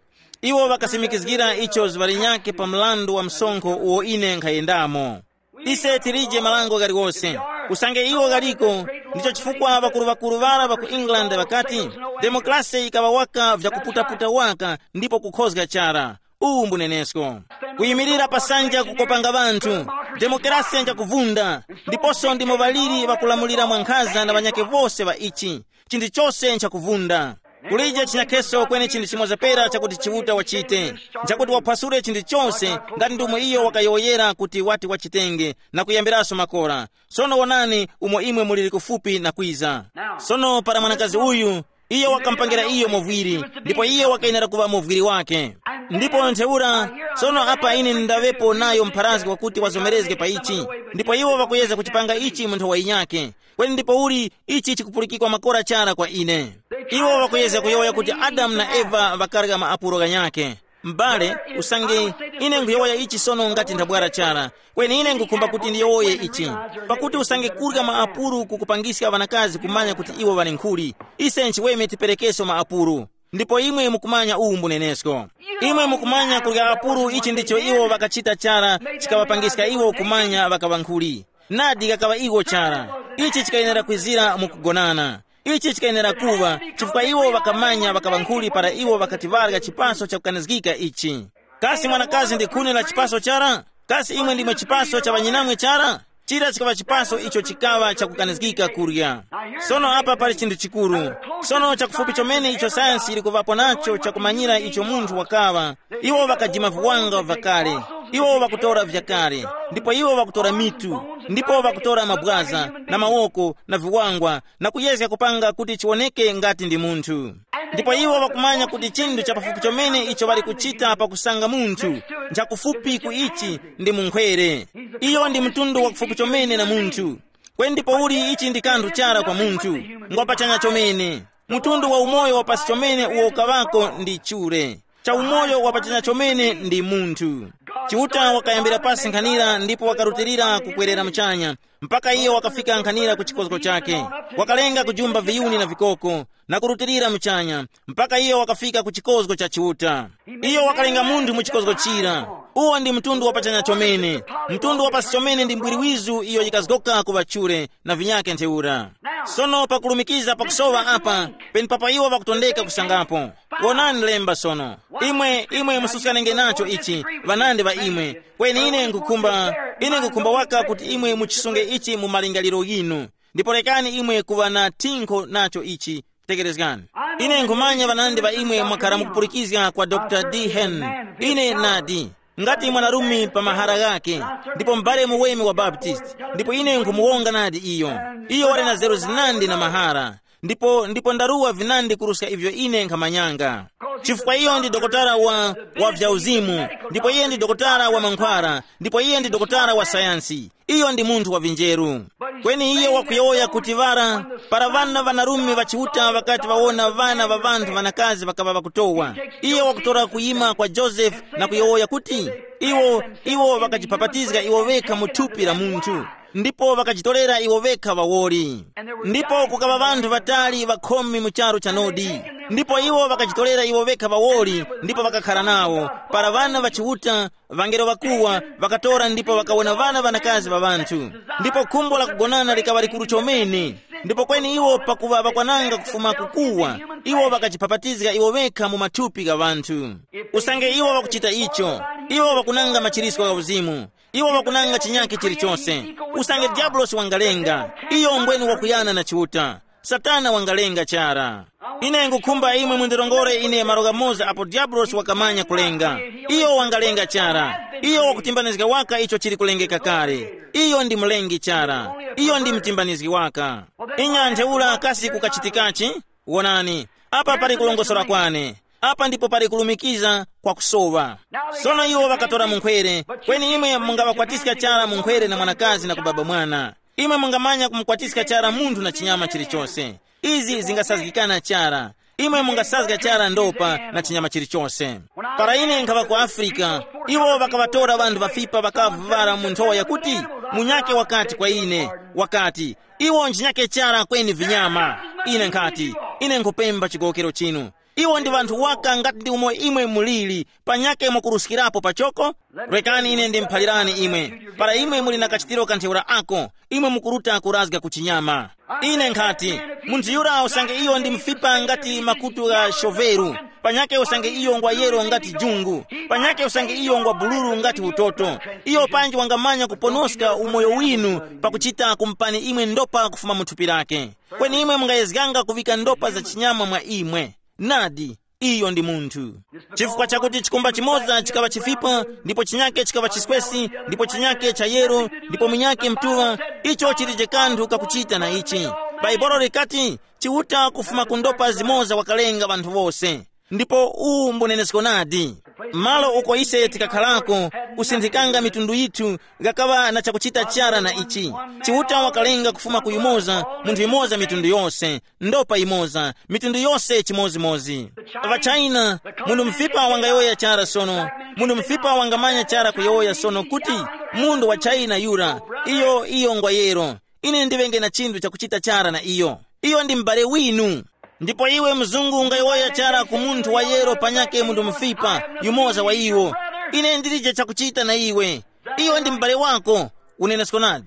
Iwo ŵakasimikizgira icho zuŵa linyakhe pa mrandu wa msonkho uwo ine nkhayendamo. Ise tilije malango ghaliwose. Usange iwo ghaliko, ndicho chifukwa ŵakuru-ŵakuru ŵara ŵa ku England ŵakati, demokrasi yikaŵa waka vyakuputaputa waka ndipo kukhozga chara. Uwu mbunenesko. Kuyimirira pa sanja kukopanga ŵanthu, demokrasi njakuvunda, ndiponso ndimo ŵaliri ŵakulamulira mwankhaza na ŵanyakhe vose ŵa ichi. Chinthu chose nchakuvunda. Kulije chinyakheso kweni chinthu chimoza pera chakuti Chiuta wachite, nchakuti waphwasule chinthu chose, ngati ndomwe iyo wakayowoyera kuti wati wachitenge, na kuyambiraso makora. Sono wonani umo imwe muliri kufupi na kwiza. Sono para mwanakazi uyu, iyo wakamupangira iyo movwiri, ndipo iyo wakayenera kuŵa movwiri wake. Ndipo ntheura, sono apa ine ndaŵepo nayo mpharazgi wakuti wazomerezge pa ichi, ndipo iwo ŵakuyeza kuchipanga ichi mu nthowa yinyakhe. Kweni ndipo uli ichi chikupulikikwa makora chara kwa ine. Iwo ŵakuyezga kuyowoya kuti Adamu na Eva ŵakarya maapuro ghanyakhe. M'bale, usange, ine nkhuyowoya ichi sono ngati nthabwara chara, kweni ine nkhukhumba kuti ndiyowoye ichi. Pakuti usange kurya maapuro kukupangiska ŵanakazi kumanya kuti iwo ŵali nkhuli, ise nchiweme tiperekeso maapuro. Ndipo imwe mukumanya uwu mbunenesko. Imwe mukumanya kurya apuro ichi ndicho iwo ŵakachita chara, chikaŵapangiska iwo kumanya ŵakaŵa nkhuli. Nadi ghakaŵa iwo chara. Ichi chikayenera kwizira mu kugonana. Ichi chikayenera kuŵa, chifukwa iwo ŵakamanya ŵakaŵankhuli para iwo ŵakati ŵarya chipaso chakukanizgika ichi. Kasi mwanakazi ndi khuni la chipaso chara? Kasi imwe ndimwe chipaso cha ŵanyinamwe chara? Chira chikaŵa chipaso icho chikaŵa chakukanizgika kurya. Sono apa pali chinthu chikuru. Sono chakufupi chomene icho sayansi yili kuŵapo nacho chakumanyira icho munthu wakaŵa, iwo ŵakajima viwanga vyakale. Iwo ŵakutora vyakale, ndipo iwo ŵakutora mitu, ndipo ŵakutora mabwaza na mawoko na viwangwa, na kuyezga kupanga kuti chiwoneke ngati ndi munthu. Ndipo iwo ŵakumanya kuti chinthu cha pafupi chomene icho ŵali kuchita pakusanga munthu, nchakufupi ku ichi, ndi munkhwere. Iyo ndi mtundu wakufupi chomene na munthu. Kweni ndipo uli ichi ndi kanthu chara kwa munthu, ngwapachanya chomene. Mtundu wa umoyo wa pasi chomene uwo ukaŵako ndi chure. Cha umoyo wapachanya chomene ndi munthu. Chiuta wakayambira pasi nkhanira ndipo wakarutilira kukwerera muchanya, mpaka iyo wakafika nkhanira ku chikozgo chake. Wakalenga kujumba viyuni na vikoko, na kurutilira muchanya, mpaka iyo wakafika ku chikozgo cha Chiuta. Iyo wakalenga munthu mu chikozgo chira. Uwo ndi mtundu wapachanya chomene. Mtundu wapasi chomene ndi mbwiri wizu iyo yikazgoka ku ŵachure na vinyake ntheura. Sono pakulumikiza pakusowa apa, penepapa iwo ŵakutondeka kusangapo. Wonani lemba sono. Imwe, imwe mususkanenge nacho ichi, ŵanandi ŵa imwe. Kweni ine nkukhumba, ine nkukhumba waka kuti imwe muchisunge ichi mu malingaliro yinu. Ndipo rekani imwe kuŵa na thinkho nacho ichi. Tekerezgani. Ine nkhumanya ŵanandi ŵa imwe mwakhara mukupulikizga kwa Dr D Hen. Ine nadi, ngati mwanarume pa mahara ghake, ndipo m'bale muweme wa Baptist, ndipo ine nkhumuwonga nadi iyo. Iyo wali na zeru zinandi na mahara. Ndipo ndipo ndaruwa vinandi kuruska ivyo ine nkhamanyanga. Chifukwa iyo ndi dokotala wa, wa vya uzimu, ndipo iye ndi dokotala wa mankhwara, ndipo iye ndi dokotala wa sayansi. Iyo ndi munthu wa vinjeru. Kweni iye wakuyowoya kuti ŵara, para ŵana ŵanarume ŵa Chiuta ŵakati ŵawona ŵana ŵa ŵanthu ŵanakazi ŵakaŵa ŵakutowa, iye wakutora kuyima kwa Josefe na kuyowoya kuti, iwo, iwo ŵakajipapatizga iwo ŵekha mu thupi la munthu, ndipo ŵakajitorera iwo ŵekha ŵawoli. Ndipo kukaŵa ŵanthu ŵatali ŵakhumi mu charu cha Nodi, ndipo iwo ŵakajitorera iwo ŵekha ŵawoli ndipo ŵakakhara nawo. Para ŵana ŵa Chiuta, ŵangelo ŵakuwa ŵakatora ndipo ŵakawona ŵana ŵanakazi ŵa ŵanthu, ndipo khumbo la kugonana likaŵa likuru chomene. Ndipo kweni iwo pakuŵa ŵakwananga kufuma kukuwa, iwo ŵakajipapatizga iwo ŵekha mu mathupi gha ŵanthu. Usange iwo ŵakuchita icho, iwo ŵakunanga machirisco gha uzimu. Iwo ŵakunanga chinyakhe chilichose. Usange diyabulosi wangalenga, iyo mbweni wakuyana na Chiuta. Satana wangalenga chara. Ine ngukhumba imwe mundirongore ine malo ghamoza apo Diabulosi wakamanya kulenga. Iyo wangalenga chara. Iyo wakutimbanizga waka icho chili kulengeka kale. Iyo ndi mulengi chara. Iyo ndi mtimbanizgi waka. Inya ntheura kasi kukachitikachi? Wonani, apa pali kulongosora kwane. Apa ndipo pali kulumikiza kwa kusowa. Sono iwo ŵakatora munkhwere, kweni imwe mungaŵakwatiska chara munkhwere na mwanakazi na kubaba mwana. Imwe mungamanya kumukwatiska chara munthu na chinyama chilichose. Izi zingasazgikana chara. Imwe mungasazga chara ndopa na chinyama chilichose. Para ine nkhaŵa ku Afrika, iwo ŵakaŵatora ŵanthu ŵafipa ŵakavu ŵara mu nthowa yakuti, munyake wakati kwa ine, wakati, iwo nchinyake chara kweni vinyama. Ine nkhati, ine nkhupemba chigowokero chinu. Iwo ndi ŵanthu waka ngati ndi umo imwe muliri, panyake mwakuruskirapo pachoko. Rekani ine ndimuphalirani imwe. Para imwe muli na kachitiro ka ntheura ako, imwe mukuruta kurazga ku chinyama. Ine nkhati, munthu yura usange iyo ndi mfipa ngati makutu gha shoveru, panyake usange iyo ngwa yero ngati jungu, panyake usange iyo ngwa bululu ngati utoto. Iyo panji wangamanya kuponoska umoyo winu pakuchita kumupani imwe ndopa kufuma mu thupi lake. Kweni imwe mungayezganga kuŵika ndopa za chinyama mwa imwe. Nadi, iyo ndi munthu. Chifukwa chakuti chikumba chimoza chikaŵa chifipa, ndipo chinyake chikaŵa chiswesi, ndipo chinyake cha yero, ndipo munyake mtuŵa, icho chilije kanthu kakuchita na ichi. Bhaibuli likati, Chiuta kufuma ku ndopa zimoza wakalenga ŵanthu wose. Ndipo uwu mbunenesko nadi. Malo uko ise tikakharako, kusinthikanga mitundu yithu, ghakaŵa na chakuchita chara na ichi. Chiuta wakalenga kufuma ku yumoza, munthu yumoza mitundu yose, ndopa yimoza, mitundu yose chimozimozi. Ŵachina, munthu mfipa wangayowoya chara sono, munthu mfipa wangamanya chara kuyowoya sono kuti, munthu wa China yura, iyo iyo ngwa yero. Ine ndiŵenge na chinthu chakuchita chara na iyo. Iyo ndi m'bale winu. Ndipo iwe mzungu ungayowoya chara ku munthu wa yero panyake munthu mufipa, yumoza wa iwo. Ine ndilije chakuchita na iwe. Iyo ndi m'bale wako. Unenesko nadi.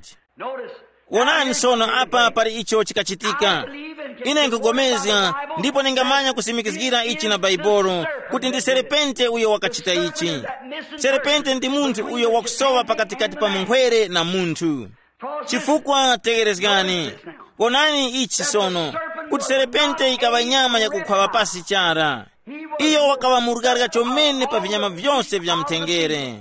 Wonani sono apa pali icho chikachitika. Ine nkugomezga, ndipo ningamanya kusimikizgira ichi na Bhaibuli, kuti ndi serepente uyo wakachita ichi. Serepente ndi munthu uyo wakusowa pakatikati pa munkhwere na munthu. Chifukwa tegerezgani, wonani ichi sono, kuti serepente ikaŵa nyama yakukhwaŵa pasi chara. Iyo wakaŵa murgarya chomene pa vinyama vyose vya mthengere.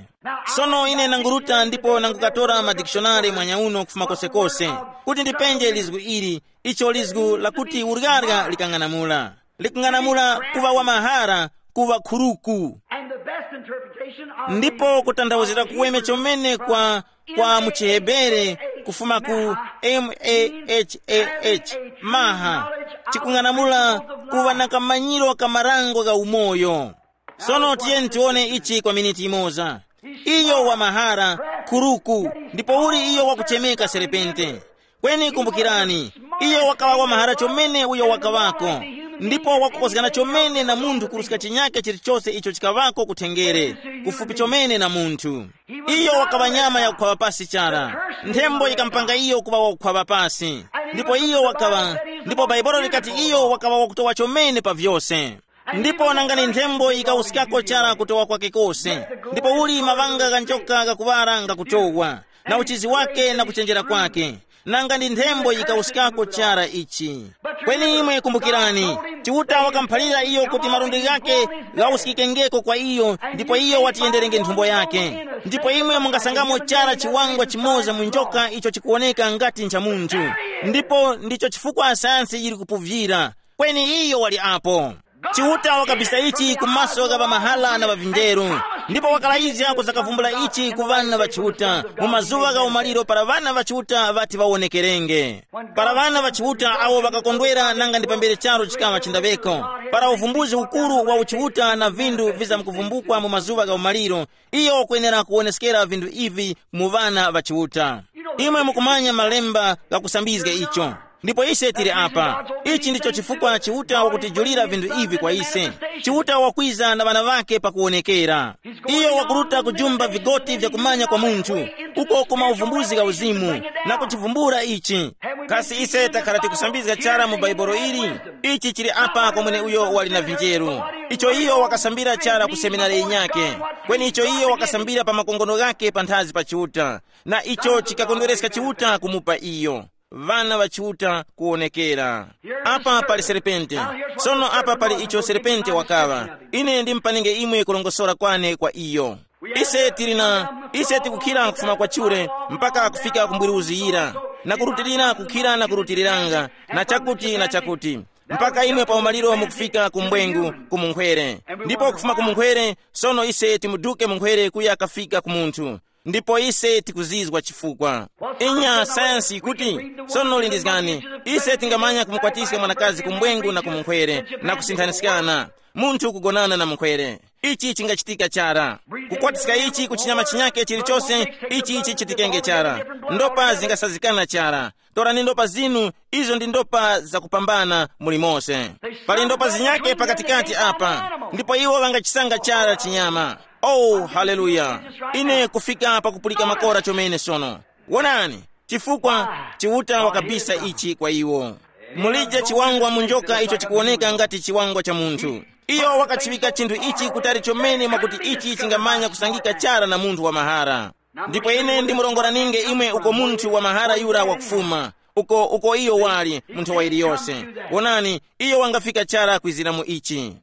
Sono ine nanguruta ndipo nangukatora madikishonari mwanyauno kufuma kosekose, kuti ndipenje lizgu ili, icho lizgu lakuti urgarya likang'anamula. Likung'anamula kuŵa wamahara, kuŵa khuruku. And the best interpretation of ndipo kutanthauzira kuweme chomene kwa kwa mu chihebere, kufuma ku mahah, maha, chikung'anamula kuŵa na kamanyiro ka marango gha umoyo. Sono tiyeni tiwone ichi kwa miniti imoza. Iyo wamahara, khuruku, ndipo uli iyo wakuchemeka serepente. Kweni kumbukirani, iyo wakaŵa wamahara chomene uyo wakaŵako, ndipo wakukozgana chomene na munthu kuruska chinyake chilichose icho chikaŵako kuthenjere, kufupi chomene na munthu. Iyo wakaŵa nyama yakukhwaŵa pasi chara. Nthembo yikampanga iyo kuŵa wakukhwaŵa pasi. Ndipo iyo wakaŵa, ndipo Bhaibuli likati iyo wakaŵa wakutowa chomene pa vyose. Ndipo nanga ni nthembo yikawuskako chara kutowa kwake kose. Ndipo uli maŵanga gha njoka ghakuŵala ngakutowa, na uchizi wake na kuchenjera kwake. Nanga ndi nthembo yikawuskako chara ichi. Kweni imwe kumbukirani, Chiuta wakamuphalira iyo kuti malundi ghake ghawuskikengeko kwa iyo, ndipo iyo watiyenderenge nthumbo yake. Ndipo imwe mungasangamo chara chiwangwa chimoza mu njoka icho chikuwoneka ngati ncha munthu. Ndipo ndicho chifukwa sayansi yili kupuvyira. Kweni iyo wali apo. Chiuta wakabisa ichi ku maso gha ŵamahala na ŵavinjeru, ndipo wakalayizga kuzakavumbula ichi ku ŵana ŵa Chiuta mu mazuŵa gha umaliro para ŵana ŵa Chiuta ŵati ŵawonekerenge. Para ŵana ŵa Chiuta awo ŵakakondwera nanga ndi pambere charu chikaŵa chindaŵeko, para uvumbuzi ukuru wa uchiuta na vinthu vizamkuvumbukwa mu mazuŵa gha umaliro, iyo wakwenera kuwoneskera vinthu ivi mu ŵana ŵa Chiuta. Imwe mukumanya malemba ghakusambizga icho. Ndipo ise tili apa. Ichi ndicho chifukwa Chiuta wakutijulira vinthu ivi kwa ise. Chiuta wakwiza na ŵana ŵake pakuwonekera. Iyo wakuruta kujumba vigoti vya kumanya kwa munthu, uko ku mauvumbuzi gha uzimu, na kuchivumbula ichi. Kasi ise takhala tikusambizga chara mu Bhaibuli ili? Ichi chili apa kwa mweneuyo wali na vinjeru. Icho iyo wakasambira chara ku seminari yinyakhe, kweni icho iyo wakasambira pa makongono ghakhe panthazi pa Chiuta, na icho chikakondwereska Chiuta kumupa iyo. Vana ŵa Chiuta kuwonekera. Apa pali serpente. Sono apa pali icho serpente wakaŵa. Ine ndimpaninge imwe kulongosora kwane kwa iyo. Ise tili na, ise tikukhira kufuma kwa chure mpaka kufika ku mbwiruzi yira, na kurutilira kukhira na kurutiriranga, na chakuti na chakuti, mpaka imwe pa umaliro mukufika ku mbwengu, ku munkhwere. Ndipo kufuma ku munkhwere, sono ise timuduke munkhwere kuya kafika ku munthu. Ndipo ise tikuzizwa chifukwa. Inya sayansi kuti, sono lindizgani, ise tingamanya kumukwatiska mwanakazi ku mbwengu na ku munkhwere, na kusinthaniskana, munthu kugonana na munkhwere. Ichi chingachitika chara. Kukwatiska ichi ku chinyama chinyake chilichose, ichi chichitikenge chara. Ndopa zingasazikana chara. Torani ndopa zinu, izo ndi ndopa zakupambana muli mose. Pali ndopa zinyake pakatikati apa, ndipo iwo ŵangachisanga chara chinyama. Oh, haleluya! Ine kufika pakupulika makora chomene sono. Wonani, chifukwa Chiuta wakabisa ichi kwa iwo. Mulije chiwangwa mu njoka icho chikuwoneka ngati chiwangwa cha munthu. Iyo wakachiŵika chinthu ichi kutali chomene mwakuti ichi chingamanya kusangika chara na munthu wa mahara. Ndipo ine ndimurongora ninge imwe uko munthu wa mahara yura wakufuma, uko uko iyo wali mu nthawa iliyose. Wonani, iyo wangafika chara kwizira mu ichi.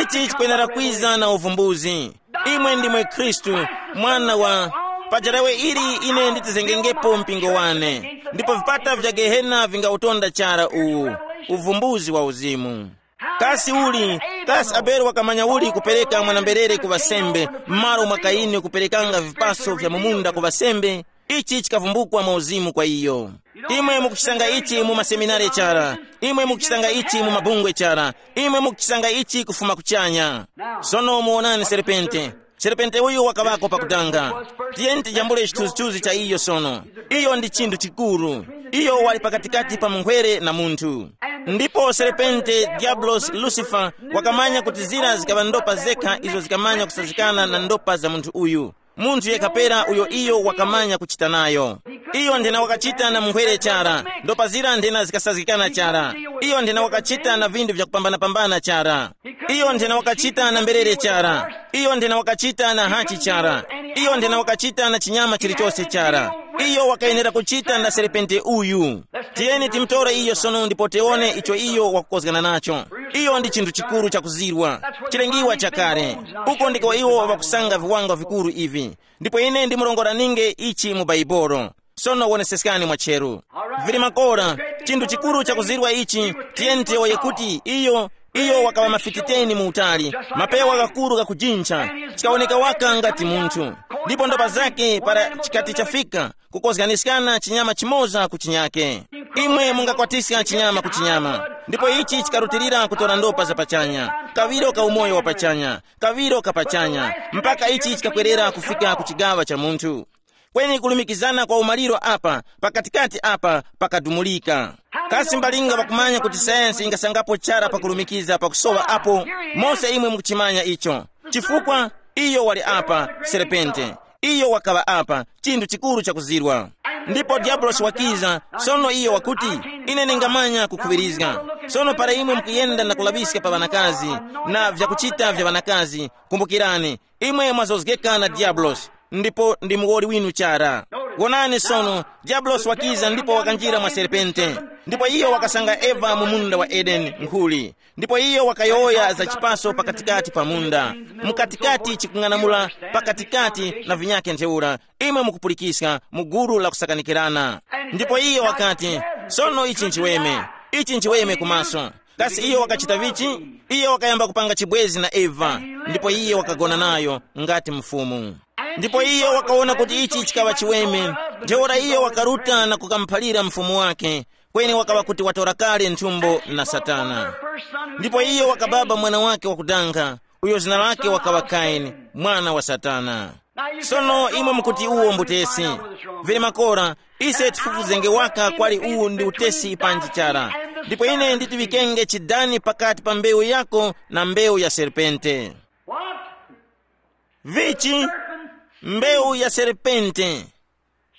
Ichi chikwenera kwiza na uvumbuzi. Imwe ndimwe Khristu, mwana wa. Pajarawe ili ine nditizengengepo mpingo wane, ndipo vipata vya gehena vingautonda chara uwu. Uvumbuzi wa uzimu. Kasi uli, kasi Abele wakamanya uli kupereka mwanamberere ku ŵasembe, m'malo mwa Kayini kuperekanga vipaso vya mu munda ku ŵasembe? Ichi chikavumbukwa mwa uzimu kwa iyo. Imwe mukuchisanga ichi mu maseminare chara, imwe mukuchisanga ichi mu mabungwe chara, imwe mukuchisanga ichi kufuma kuchanya. Sono muwonani serpente. Serpente uyu wakaŵako pakudanga. Tiyeni tijambule chithunzithunzi cha iyo sono. Iyo ndi chinthu chikuru. Iyo wali pakatikati pa munkhwere na munthu. Ndipo serpente, Diablos, Lucifer, wakamanya kuti zira zikaŵa ndopa zekha izo zikamanya kusazikana na ndopa za munthu uyu. Munthu yekha pera uyo iyo wakamanya kuchita nayo. Iyo nthena wakachita na munkhwere chara, ndopa zira nthena zikasazgikana chara. Iyo nthena wakachita na vinthu vyakupambana-pambana chara. Iyo nthena wakachita na mberere chara. Iyo nthena wakachita na hachi chara. Iyo nthena wakachita na chinyama chilichose chara. Iyo wakayenera kuchita na serpente uyu. Tiyeni timutore iyo sono ndipo tiwone icho iyo wakukozgana nacho. Iyo ndi chinthu chikuru chakuzirwa, chilengiwa chakale. Uko ndiko iwo ŵakusanga viwanga vikuru ivi. Ndipo ine ndimurongora ninge ichi mu Baibolo. Sono woneseskani mwacheru. Vili makora, chinthu chikuru chakuzirwa ichi. Tiyeni tiyowoye kuti iyo, iyo wakaŵa mafiti teni mu utali, mapewa ghakuru ghakujincha, chikawoneka waka ngati munthu. Ndipo ndopa zake para chikati chafika, kukozganiskana chinyama chimoza ku chinyake. Imwe mungakwatiska chinyama ku chinyama, ndipo ichi chikarutilira kutora ndopa za pachanya, kaŵiro ka umoyo wa pachanya, kaŵiro ka pachanya, mpaka ichi chikakwerera kufika ku chigaŵa cha munthu. Kweni kulumikizana kwa umaliro apa pakatikati apa pakadumulika. Kasi mbalinga ŵakumanya kuti sayansi ingasangapo chara pakulumikiza pakusowa apo? Mose imwe mukuchimanya icho. Chifukwa iyo wali apa, serpente. Iyo wakaŵa apa, chinthu chikuru chakuzirwa. Ndipo diabulosi wakiza, sono iyo wakuti, ine ndingamanya kukhuŵirizga. Sono para imwe mukuyenda na kulaŵiska pa ŵanakazi, na vyakuchita vya ŵanakazi, kumbukirani, imwe mwazozgeka na diabulosi, ndipo ndi muwoli winu chara. Wonani sono, diabulosi wakiza ndipo wakanjira mwa serpente. Ndipo iyo wakasanga Eva mu munda wa Edeni nkhuli. Ndipo iyo wakayowoya za chipaso pakatikati pa munda, mukatikati chikung'anamula pakatikati na vinyake ntheura. Imwe mukupulikiska mu gulu la kusakanikirana. Ndipo iyo wakati, sono ichi nchiweme, ichi nchiweme kumaso. Kasi iyo wakachita vichi? Iyo wakayamba kupanga chibwezi na Eva, ndipo iye wakagona nayo ngati mfumu. Ndipo iyo wakawona kuti ichi chikaŵa chiweme, ntheura iyo wakaruta na kukamuphalira mfumu wake, kweni wakaŵa kuti watora kale nthumbo na Satana. Ndipo iyo wakababa mwana wake wakudanga, uyo zina lake wakaŵa Kaini, mwana wa Satana. Sono imwe mukuti uwo mbutesi. Vili makora, ise tifufuzenge waka kwali uwu ndi utesi panji chara. Ndipo ine nditiŵikenge chidani pakati pa mbewu yako na mbewu ya serpente. What? Vichi? Mbewu ya serpente.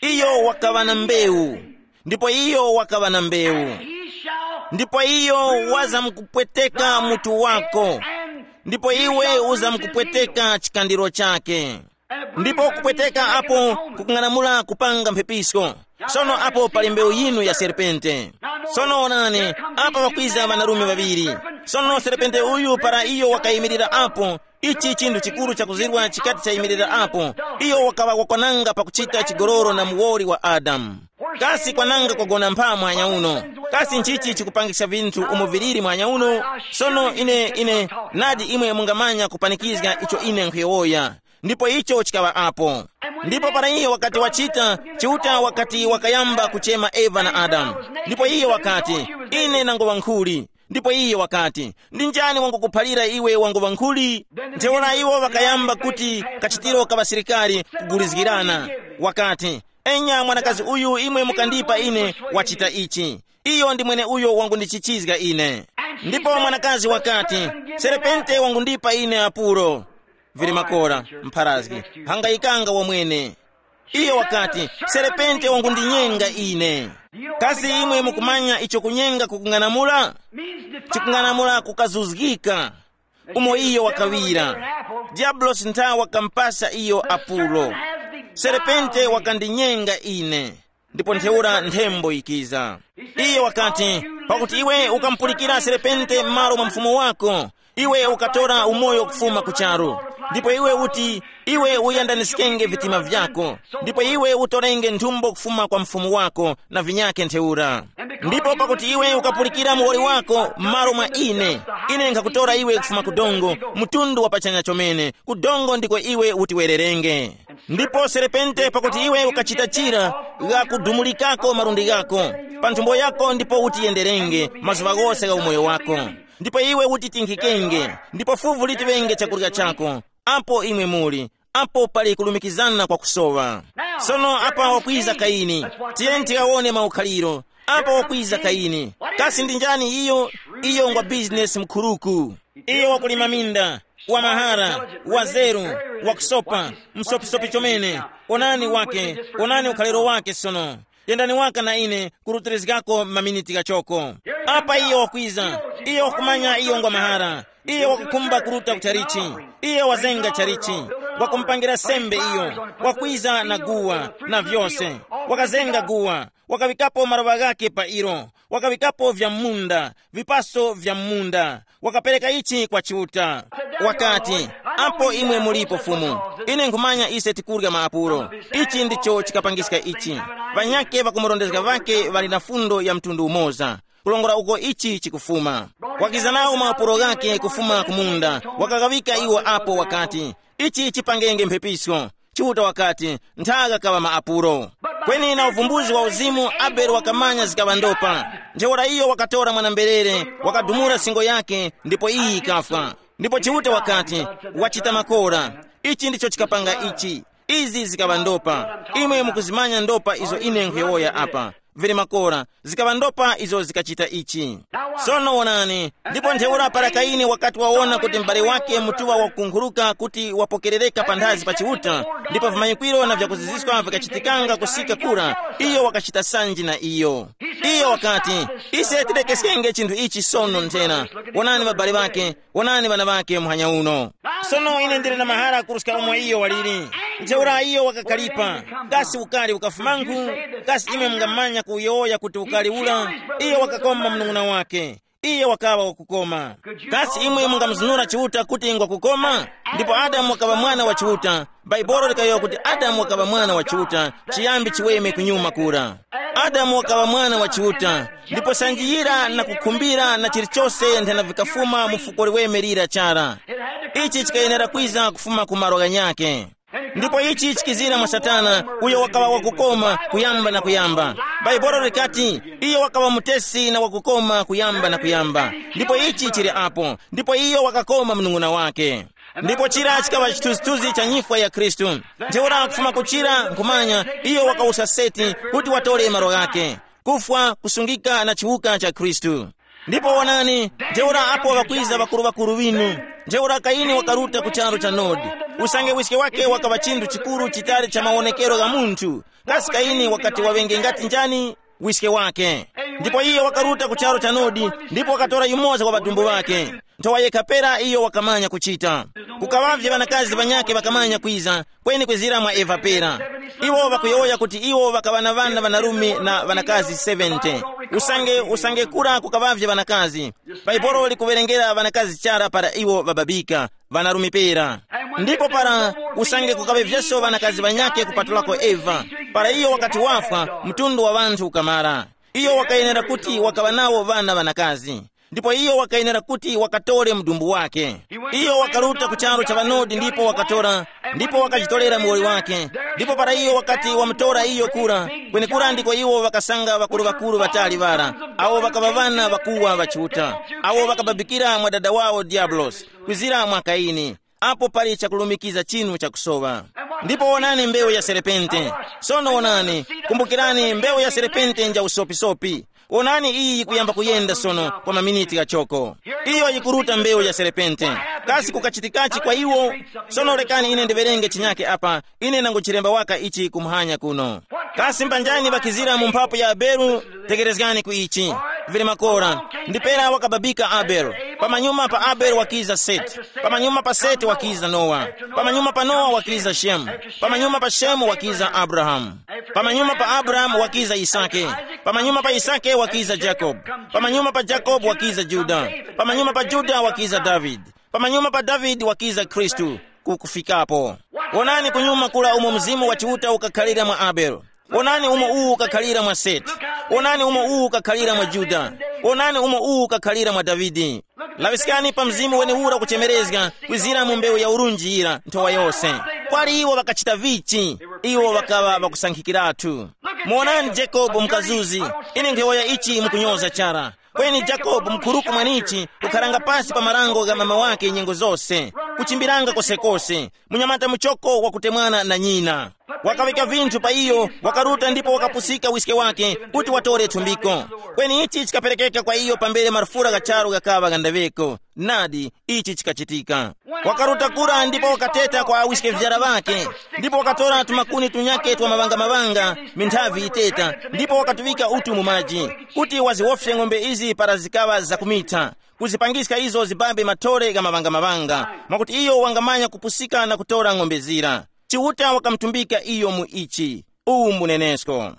Iyo wakaŵa na mbewu, ndipo iyo wakaŵa na mbewu. Ndipo iyo wazamkupweteka mutu wako, ndipo iwe uzamkupweteka chikandiro chake. Ndipo kupweteka apo kukung'anamula kupanga mphepisko. Sono apo pali mbewu yinu ya serpente. Sono onani, apa pakwiza ŵanarume ŵaŵiri. Sono serpente uyu para iyo wakayimirira apo, ichi chinthu chikuru chakuzirwa chikati chayimirira apo, iyo wakaŵa wakwananga pakuchita chigololo na muwoli wa Adamu. Kasi kwananga kwagona mpha muhanya uno? Kasi nchichi chikupangisa vinthu umo viliri muhanya uno? Sono ine ine nadi imwe mungamanya kupanikizga icho ine nkhuyowoya. Ndipo icho chikaŵa apo. Ndipo para iyo wakati wachita, Chiuta wakati wakayamba kuchema Eva na Adamu. Ndipo iyo wakati, ine nangoŵa nkhuli. Ndipo iyo wakati, ndi njani wangukuphalira iwe wangoŵa nkhuli? Ntheura iwo ŵakayamba kuti kachitiro ka ŵasilikari kugulizgirana. Wakati, enya mwanakazi uyu imwe mukandipa ine, wachita ichi. Iyo ndi mwene uyo wangundichichizga ine. Ndipo mwanakazi wakati, serepente wangundipa ine apuro. Vili makora, mpharazgi, hangayikanga wamwene. Iyo wakati, serepente wangundinyenga ine. Kasi imwe mukumanya icho kunyenga kukung'anamula? Chikung'anamula kukazuzgika. Umo iyo wakawira, diabulosi ntha wakampasa iyo apulo. Serepente wakandinyenga ine. Ndipo ntheura nthembo ikiza. Iye wakati, pakuti iwe ukamupulikira serepente m'malo mwa mfumu wako, iwe ukatora umoyo kufuma ku charu. Ndipo iwe uti, iwe uyandaniskenge vitima vyako, ndipo iwe utorenge nthumbo kufuma kwa mfumu wako na vinyake ntheura. Ndipo pakuti iwe ukapulikira muwoli wako m'malo mwa ine, ine nkhakutora iwe kufuma ku dongo, mtundu wa pachanya chomene, ku dongo ndiko iwe utiwererenge. Ndipo serepente pakuti iwe ukachita chira, ghakudumulikako malundi ghako pa nthumbo yako ndipo utiyenderenge mazuŵa ghose gha umoyo wako. Ndipo iwe utitinkhikenge, ndipo fuvu litiŵenge chakurya chako. Apo imwe muli, apo pali kulumikizana kwa kusowa. Sono apa wakwiza Kaini. Tiyeni tikawone maukhaliro. Apa wakwiza Kaini. Kasi ndi njani iyo? Iyo ngwa bizinesi mkhuruku. Iyo wakulima minda, wa mahara, wa zeru, wa kusopa, msopisopi chomene. Onani wake, onani ukhaliro wake sono. Yendani waka na ine kurutirizgako maminiti ghachoko. Apa iyo wakwiza, iyo wakumanya iyo ngwa mahara. Iyo wakukhumba kuruta ku chalichi. Iyo wazenga chalichi, wakumupangira sembe iyo, wakwiza na guwa na vyose. Wakazenga guwa, wakaŵikapo maroŵa ghake pa ilo, wakaŵikapo vya munda, vipaso vya munda, wakapereka ichi kwa Chiuta. Wakati, apo imwe mulipo Fumu, ine nkhumanya ise tikurya maapulo. Ichi ndicho chikapangiska ichi. Ŵanyakhe ŵakumurondezga ŵakhe ŵali na fundo ya mtundu umoza. Kulongora uko ichi chikufuma. Wakiza nawo maapulo ghakhe kufuma ku munda, wakaghawika iwo apo wakati, ichi chipangenge mphepisko. Chiuta wakati, nthaga kaŵa maapulo. Kweni na uvumbuzi wa uzimu, Abele wakamanya zikaŵa ndopa. Ntheura iyo wakatora mwana-mberere, wakadumula singo yake, ndipo iyi yikafwa. Ndipo Chiuta wakati, wachita makora. Ichi ndicho chikapanga ichi. Izi zikaŵa ndopa. Imwe mukuzimanya ndopa izo ine nkhuyowoya apa. Vili makora, zikaŵa ndopa izo zikachita ichi. Sono wonani, ndipo ntheura para Kaini wakati wawona kuti m'bale wake mutuŵa wakunkhuruka kuti wapokerereka panthazi pa Chiuta, ndipo vimanyikwiro na vyakuziziska vikachitikanga kusika kura, iyo wakachita sanji na iyo. Iyo wakati, ise tirekeskenge chinthu ichi sono nthena. Wonani ŵabale ŵake, wonani ŵana ŵake muhanya uno. Sono ine ndili na mahara kuruska umo iyo waliri. Ntheura iyo wakakalipa. Kasi ukali ukafumanku? Kasi imwe mungamanya kuyowoya kuti ukali ula? Iyo wakakoma mnung'una wake. Iye wakaŵa wakukoma. Kasi imwe mungamuzunura Chiuta kuti ngwakukoma? Ndipo Adamu wakaŵa mwana wa Chiuta. Bhaibuli likayowoya kuti Adamu wakaŵa mwana wa Chiuta, chiyambi chiweme kunyuma kura. Adamu wakaŵa mwana wa Chiuta, ndipo sanjiyira na kukhumbira na chilichose nthena vikafuma mu fuko liweme lira chara. Ichi chikayenera kwiza kufuma ku malo ghanyakhe. Ndipo ichi chikizira mwa Satana, uyo wakaŵa wakukoma kuyamba na kuyamba. Bhaibuli likati, iyo wakaŵa mutesi na wakukoma kuyamba na kuyamba. Ndipo ichi chili apo, ndipo iyo wakakoma mnung'una wake. Ndipo chira chikaŵa chithunzithunzi cha nyifwa ya Khristu. Ntheura kufuma kuchira nkhumanya, iyo wakawusa seti kuti watore malo ghake. Kufwa, kusungika na chiwuka cha Khristu. Ndipo wonani, ntheura apo ŵakwiza ŵakuru-ŵakuru ŵinu. Ntheura Kaini wakaruta ku charu cha Nodi. Usange wiske wake wakaŵa chinthu chikuru chitali cha mawonekero gha munthu. Kasi Kaini wakati waŵenge ngati njani? Wiske wake. Ndipo iyo wakaruta ku charu cha Nodi, ndipo wakatora yumoza wa ŵadumbu ŵake. Nthowa yekha pera iyo wakamanya kuchita. Kukaŵavye ŵanakazi ŵanyakhe ŵakamanya kwiza, kweni kwizira mwa Eva pera. Iwo ŵakuyowoya kuti iwo ŵakaŵa na ŵana ŵanarume na ŵanakazi seventy. Usange usange kura kukaŵavye ŵanakazi. Baibolo likuwerengera ŵanakazi chara para iwo ŵababika, ŵanarume pera. Ndipo para usange kukaŵevyeso ŵanakazi ŵanyakhe kupatulako Eva, para iyo wakati wafwa, mtundu wa ŵanthu ukamara. Iyo wakayenera kuti wakaŵa nawo ŵana ŵanakazi. Ndipo iyo wakayenera kuti wakatore mudumbu wake. Iyo wakaruta ku charu cha ŵanodi ndipo wakatora, ndipo wakajitorera muwoli wake. Ndipo para iyo wakati wamutora iyo kura, kwenekura ndiko iwo ŵakasanga ŵakuru-ŵakuru ŵatali ŵara, awo ŵakaŵa ŵana ŵakuwa ŵa Chiuta, awo ŵakababikira mwa dada wawo Diabulosi, kwizira mwa Kaini. Apo pali chakulumikiza chinu chakusowa. Ndipo wonani mbewu ya serepente. Sono wonani, kumbukirani mbewu ya serepente nja usopisopi. Wonani iyi yikuyamba kuyenda sono kwa maminiti ghachoko. Iyo yikuruta mbewu ya serepente. Kasi kukachitikachi kwa iwo? Sono lekani ine ndiwerenge chinyake apa, ine nanguchilemba waka ichi kumuhanya kuno. Kasi mbanjani ŵakhizira mu mphapu ya Abele? Tekerezgani ku ichi. Vili makora. Ndipera wakababika Abele. Pamanyuma pa Abele wakiza Seti. Pamanyuma pa Seti wakiza Nowa. Pamanyuma pa Nowa wakiza Shemu. Pamanyuma pa Shemu wakiza Abrahamu. Pamanyuma pa Abrahamu wakiza Yisake. Pamanyuma pa Yisake wakiza Jakobu. Pamanyuma pa Jakobu wakiza Juda. Pamanyuma pa Juda wakiza Davide. Pamanyuma pa Davide wakiza Khristu. Kukufikapo. Wonani kunyuma kula umo Mzimu wa Chiuta ukakhalira mwa Abele. Wonani umo uwu ukakhalira mwa Seti. Wonani umo uwu ukakhalira mwa Juda. Wonani umo uwu ukakhalira mwa Davide. Laŵiskani pa mzimu wenewura kuchemerezga kwizira mu mbewu ya urunji yira nthowa yose. Kwali iwo ŵakachita vichi? Iwo ŵakaŵa ŵakusankhikiratu. Muwonani Jacob mkazuzi. Ine nkhewoya ichi mukunyoza chara. Kweni Jacob mkhuruku mwenichi kukharanga pasi pa marango gha mama wake nyengo zose, kuchimbiranga kosekose, munyamata muchoko wakutemwana na nyina. Wakaŵika vinthu pa iyo, wakaruta ndipo wakapusika wiske wake kuti watore thumbiko. Kweni ichi chikaperekeka kwa iyo pambere marufura gha charu ghakaŵa ghandaŵeko. Nadi, ichi chikachitika. Wakaruta kura ndipo wakateta kwa awiske vyara ŵake, ndipo wakatora tumakuni tunyake twa maŵangamavanga, minthavi yiteta, ndipo wakatuŵika utu mu maji, kuti waziwofye ng'ombe izi para zikaŵa zakumitha, kuzipangiska izo zibambe mathole gha maŵangamavanga, mwakuti iyo wangamanya kupusika na kutora ng'ombe zira. Chiuta wakamutumbika iyo mu ichi. Uwu mbunenesko.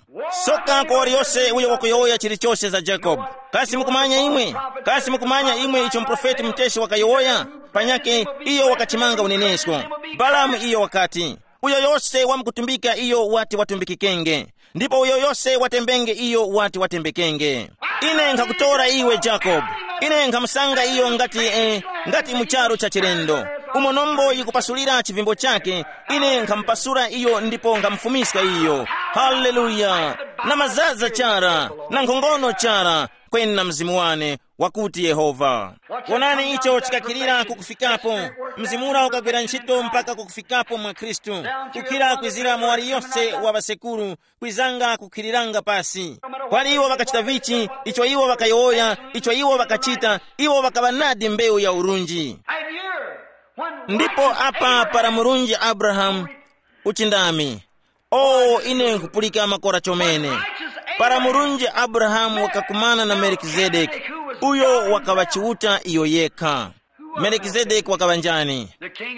Soka kwa waliyose uyo wakuyowoya chilichose za Jacob. Kasi mukumanya imwe? Kasi mukumanya imwe icho muprofeti muteshi wakayowoya? Panyake iyo wakachimanga unenesko. Balamu iyo wakati, uyo yose wamkutumbika iyo wati watumbikikenge, ndipo uyo yose watembenge iyo wati watembekenge. Ine nkhakutora iwe Jacob. Ine nkhamusanga iyo ngati eh, ngati mu charu cha chilendo, umo nombo yikupasulira chivimbo chake. Ine nkhamupasula iyo ndipo nkhamufumiska iyo. Haleluya. Na mazaza chara, na nkhongono chara, kweni na mzimu wane, wakuti Yehova. Wonani icho chikakhilira kukufikapo. Mzimu ura ukagwira ntchito mpaka kukufikapo mwa Khristu, kukhira kwizira mu wali yonse wa ŵasekuru, kwizanga kukhiriranga pasi. Kwali iwo ŵakachita vichi, icho iwo ŵakayowoya, icho iwo ŵakachita, iwo ŵakaŵa nadi mbewu ya urunji. Ndipo apa para murunji Abrahamu uchindami. O, ine nkupulika makora chomene. Para murunji Abrahamu wakakumana na Melikizedeki, uyo wakaŵa Chiuta iyo yekha. Melikizedeki wakaŵa njani?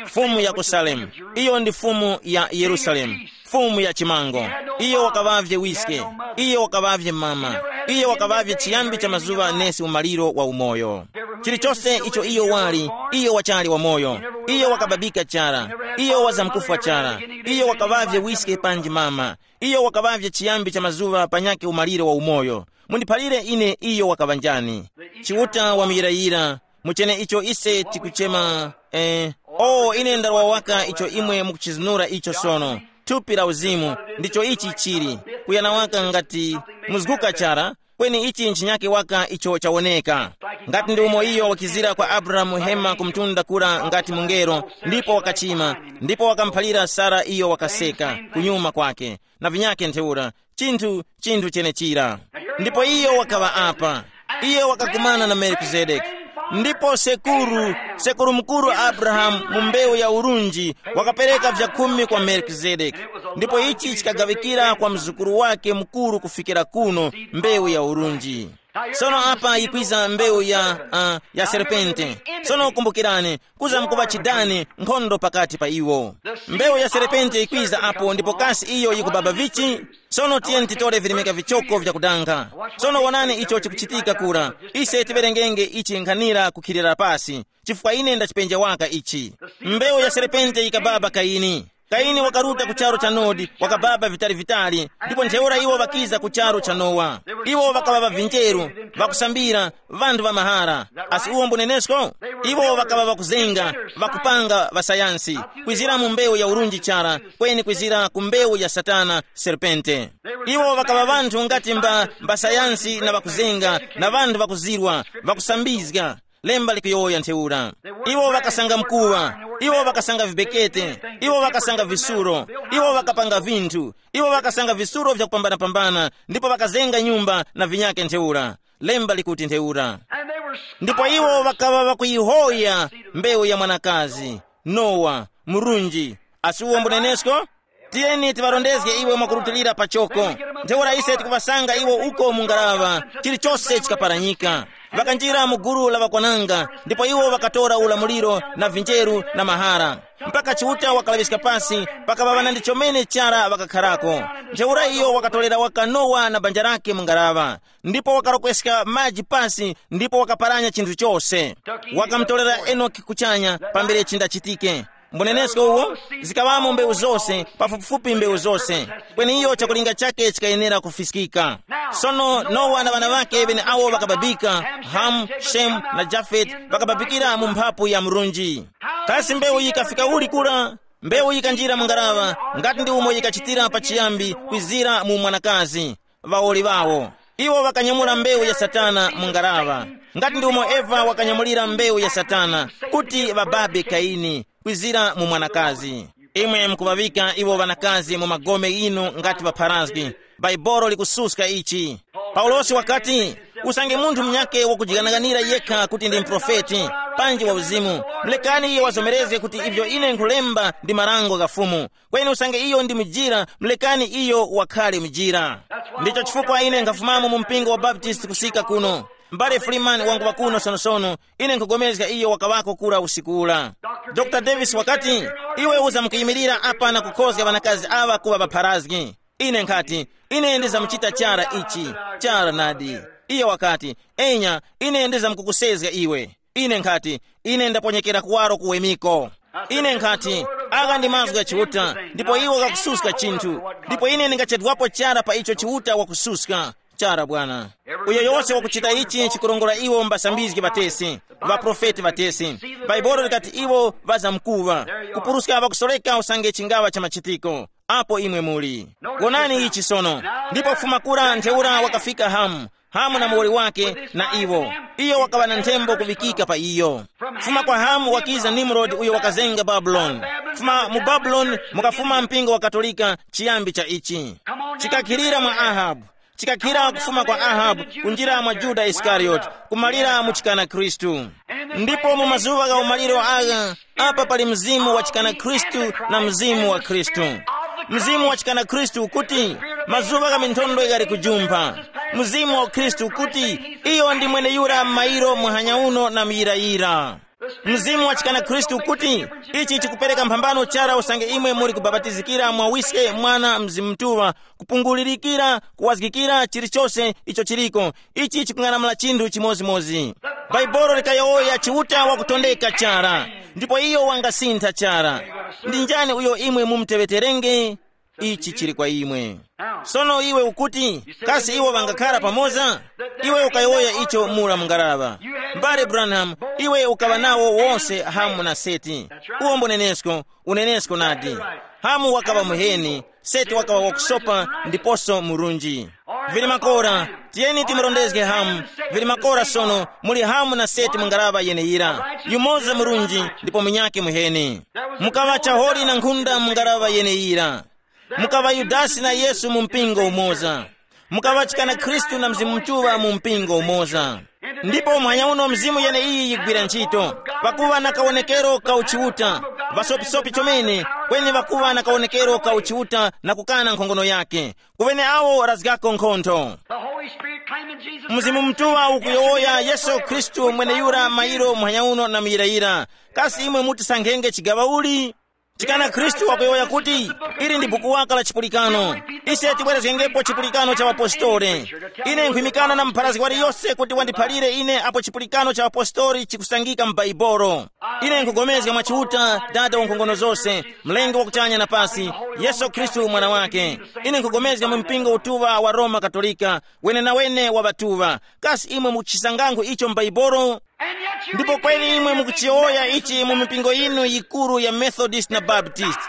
Fumu ya ku Salemu. Iyo ndi fumu ya Yerusalemu, fumu ya chimango. Iyo wakaŵavye wiske. Iyo wakaŵavye mama. Iyo wakaŵavye chiyambi cha mazuŵa nesi umaliro wa umoyo. Chilichose icho iyo wali, iyo wachali wamoyo. Iyo wakababika chara. Iyo wazamkufwa chara. Iyo wakaŵavye wiske panji mama. Iyo wakaŵavye chiyambi cha mazuŵa panyakhe umaliro wa umoyo. Mundiphalire ine iyo wakaŵa njani. Chiuta wamuyirayira, muchene icho ise tikuchema eh, o ine ndalowa waka icho imwe mukuchizinura icho sono. Thupi la uzimu, ndicho ichi chili. Kuyana waka ngati muzguka chara, kweni ichi nchinyake waka icho chawoneka. Ngati ndi umo iyo wakizira kwa Abrahamu hema kumtunda kura ngati mungelo, ndipo wakachima, ndipo wakamuphalira Sara iyo wakaseka kunyuma kwake, na vinyake ntheura, chinthu chinthu chenechira. Ndipo iyo wakaŵa apa. Iyo wakakumana na Melikizedeki. Ndipo sekuru, sekuru mukuru Abrahamu mu mbewu ya urunji, wakapereka vyakhumi kwa Melikizedeki. Ndipo ichi chikagaŵikira kwa mzukuru wake mukuru kufikira kuno, mbewu ya urunji. Sono apa yikwiza mbewu ya, uh, ya serpente. Sono kumbukirani, kuza mkuŵa chidani, nkhondo pakati pa iwo. Mbewu ya serpente yikwiza apo, ndipo kasi iyo yikubaba vichi? Sono tiyeni titore virimika vichoko vyakudanga. Sono wonani icho chikuchitika kura. Ise tiwerengenge ichi nkhanira kukhilira pasi, chifukwa ine ndachipenja waka ichi. Mbewu ya serpente yikababa Kaini. Kaini wakaruta ku charu cha Nodi, wakababa vitali-vitali, ndipo ntheura iwo ŵakiza ku charu cha Nowa. Iwo ŵakaŵa ŵavinjeru, ŵakusambira, ŵanthu ŵa mahara. Asi uwo mbunenesko? Iwo ŵakaŵa ŵakuzenga, ŵakupanga ŵasayansi, kwizira mu mbewu ya urunji chara, kweni kwizira ku mbewu ya Satana, serpente. Iwo ŵakaŵa ŵanthu ngati mba, mba sayansi na ŵakuzenga, na ŵanthu ŵakuzirwa, ŵakusambizga. Lemba likuyowoya ntheura. Iwo ŵakasanga mkuŵa, iwo ŵakasanga vibekete, iwo ŵakasanga visuro, iwo ŵakapanga vinthu, iwo ŵakasanga visuro vyakupambana-pambana, ndipo ŵakazenga nyumba na vinyake ntheura. Lemba likuti ntheura. Ndipo iwo ŵakaŵa ŵakuyihoya mbewu ya mwanakazi, Nowa, murunji, asi uwo mbunenesko? Tiyeni tiŵarondezge iwo mwakurutilira pachoko. Ntheura ise tikuŵasanga iwo uko mu ngaraŵa, chilichose chikaparanyika. Ŵakanjira mu gulu la ŵakwananga, ndipo iwo ŵakatora ulamuliro na vinjeru na mahara. Mpaka Chiuta wakalaŵiska pasi, pakaŵa ŵanandi chomene chara ŵakakharako. Ntheura iyo wakatorera waka Nowa na banja lake mu ngaraŵa, ndipo wakarokweska maji pasi ndipo wakaparanya chinthu chose. Wakamutorera Enoki kuchanya pambere chindachitike. Mbunenesko uwo, zikaŵamo mbewu zose, pafupifupi mbewu zose. Kweni iyo chakulinga chake chikayenera kufiskika. Sono Nowa na ŵana ŵake ŵeneawo ŵakababika, Hamu, Shemu na Jafeti, ŵakababikira mu mphapu ya murunji. Kasi mbewu yikafika uli kura? Mbewu yikanjira mu ngaraŵa, ngati ndi umo yikachitira pachiyambi kwizira mu mwanakazi, ŵawoli ŵawo. Iwo ŵakanyamula mbewu ya Satana mu ngaraŵa, ngati ndi umo Eva wakanyamulira mbewu ya Satana, kuti ŵababe Kaini, kwizira mu mwanakazi. Imwe mukuŵaŵika iwo ŵanakazi mu magome inu ngati ŵapharazgi. Bhaibolo likususka ichi. Paulosi wakati, usange munthu munyakhe wakujiganaganira yekha kuti ndi muprofeti, panji wa uzimu, mulekani iye wazomerezge kuti ivyo ine nkhulemba ndi marango gha Fumu. Kweni usange iyo ndi mujira, mulekani iyo wakhale mujira. Ndicho chifukwa ine nkhafumamo mu mpingo wa Baptist kusika kuno. M'bale Freeman wanguŵa kuno sonosono, ine nkhugomezga iyo wakaŵako kura usiku ura. Dr Davis wakati, iwe uzamkuyimirira apa na kukhozga ŵanakazi aŵa kuŵa ŵapharazgi. Ine nkhati, ine ndizamuchita chara ichi, chara nadi. Iye wakati, enya, ine ndizamkukusezga iwe. Ine nkhati, ine ndaponyekera kuwaro kuwemiko. Ine nkhati, agha ndi mazgu gha Chiuta, ndipo iwo ghakususka chinthu, ndipo ine ndingachedwapo chara pa icho Chiuta wakususka. Chara bwana. Uyo yose wakuchita ichi chikurongora iwo mbasambizgi ŵatesi, ŵaprofeti ŵatesi. Bhaibuli likati iwo ŵazamkuŵa. Kupuruska ŵakusoreka usange chingaŵa cha machitiko. Apo imwe muli. Wonani ichi sono. Ndipo kufuma kura ntheura wakafika Hamu, Hamu na muwoli wake na iwo. Iyo wakaŵa na nthembo kuŵikika pa iyo. Kufuma kwa Hamu wakiza Nimrodi uyo wakazenga Babuloni. Kufuma mu Babuloni mukafuma mpingo wa Katolika, chiyambi cha ichi. Chikakhilira mwa Ahabu. Chikakhira kufuma kwa Ahabu, kunjira mwa Yuda Iskarioti, kumalira mu chikana Khristu. Ndipo mu mazuŵa gha umaliro agha, apa pali mzimu wa chikana Khristu na mzimu wa Khristu. Mzimu wa chikana Khristu ukuti, mazuŵa gha minthondwe ghali kujumpha. Mzimu wa Khristu ukuti, iyo ndi mweneyura m'mayiro muhanya uno na muyirayira. Mzimu wa chikana Khristu ukuti, ichi chikupereka mphambano chara usange imwe muli kubabatizikira mwa Wiske, Mwana, Mzimu Mutuŵa, kupungulirikira, kuwazgikira chilichose icho chiliko. Ichi chikung'anamula chinthu chimodzimodzi. Bhaibuli likayowoya Chiuta wakutondeka chara, ndipo iyo wangasintha chara. Ndi njani uyo imwe mumuteŵeterenge? Ichi chili kwa imwe. Sono iwe ukuti, kasi iwo ŵangakhara pamoza? Iwe ukayowoya icho mura mu ngaraŵa. M'bale Branham, iwe ukaŵa nawo wose Hamu na Seti. Uwo mbunenesko, unenesko nadi. Hamu wakaŵa muheni, Seti wakaŵa wakusopa ndiposo murunji. Vili makora, tiyeni timurondezge Hamu. Vili makora sono, muli Hamu na Seti mu ngaraŵa yeneyira. Yumoza murunji ndipo munyakhe muheni. Mukaŵa chaholi na nkhunda mu ngaraŵa yeneyira. Mukaŵa Yudasi na Yesu mu mpingo umoza. Mukaŵachikana Khristu na Mzimu Mutuŵa mu mpingo umoza. Ndipo muhanya uno mizimu yeneiyi yigwira ntchito, pakuŵa na kawonekero ka uchiuta. Ŵasopisopi chomene, kweni ŵakuŵa na kawonekero ka uchiuta na kukana nkhongono yake. Kuŵene awo razgako nkhontho. The Holy Spirit claiming Jesus Mzimu Christ. Mtuŵa ukuyowoya Yesu Khristu mweneyura mairo muhanya uno na muyirayira. Kasi imwe mutisankhenge chigaŵa uli? Chikana Khristu wakuyowoya kuti, ili ndi buku waka la chipulikano. Ise tibwerezgengepo chipulikano cha ŵapostoli. Ine nkhwimikana na mupharazgi waliyose kuti wandiphalire ine apo chipulikano cha ŵapostoli chikusangika mu Baibolo. Ine nkugomezga mwa Chiuta, Dada wa nkhongono zose, Mlengi wa kuchanya na pasi, Yesu Khristu Mwana wake. Ine nkugomezga mu mpingo utuŵa wa Roma Katolika, wenenawene wa ŵatuŵa. Kasi imwe mukuchisangankho icho m'Baibolo? Ndipo kweni imwe mukuchiyowoya ichi mu mipingo yinu yikuru ya Methodist na Baptist.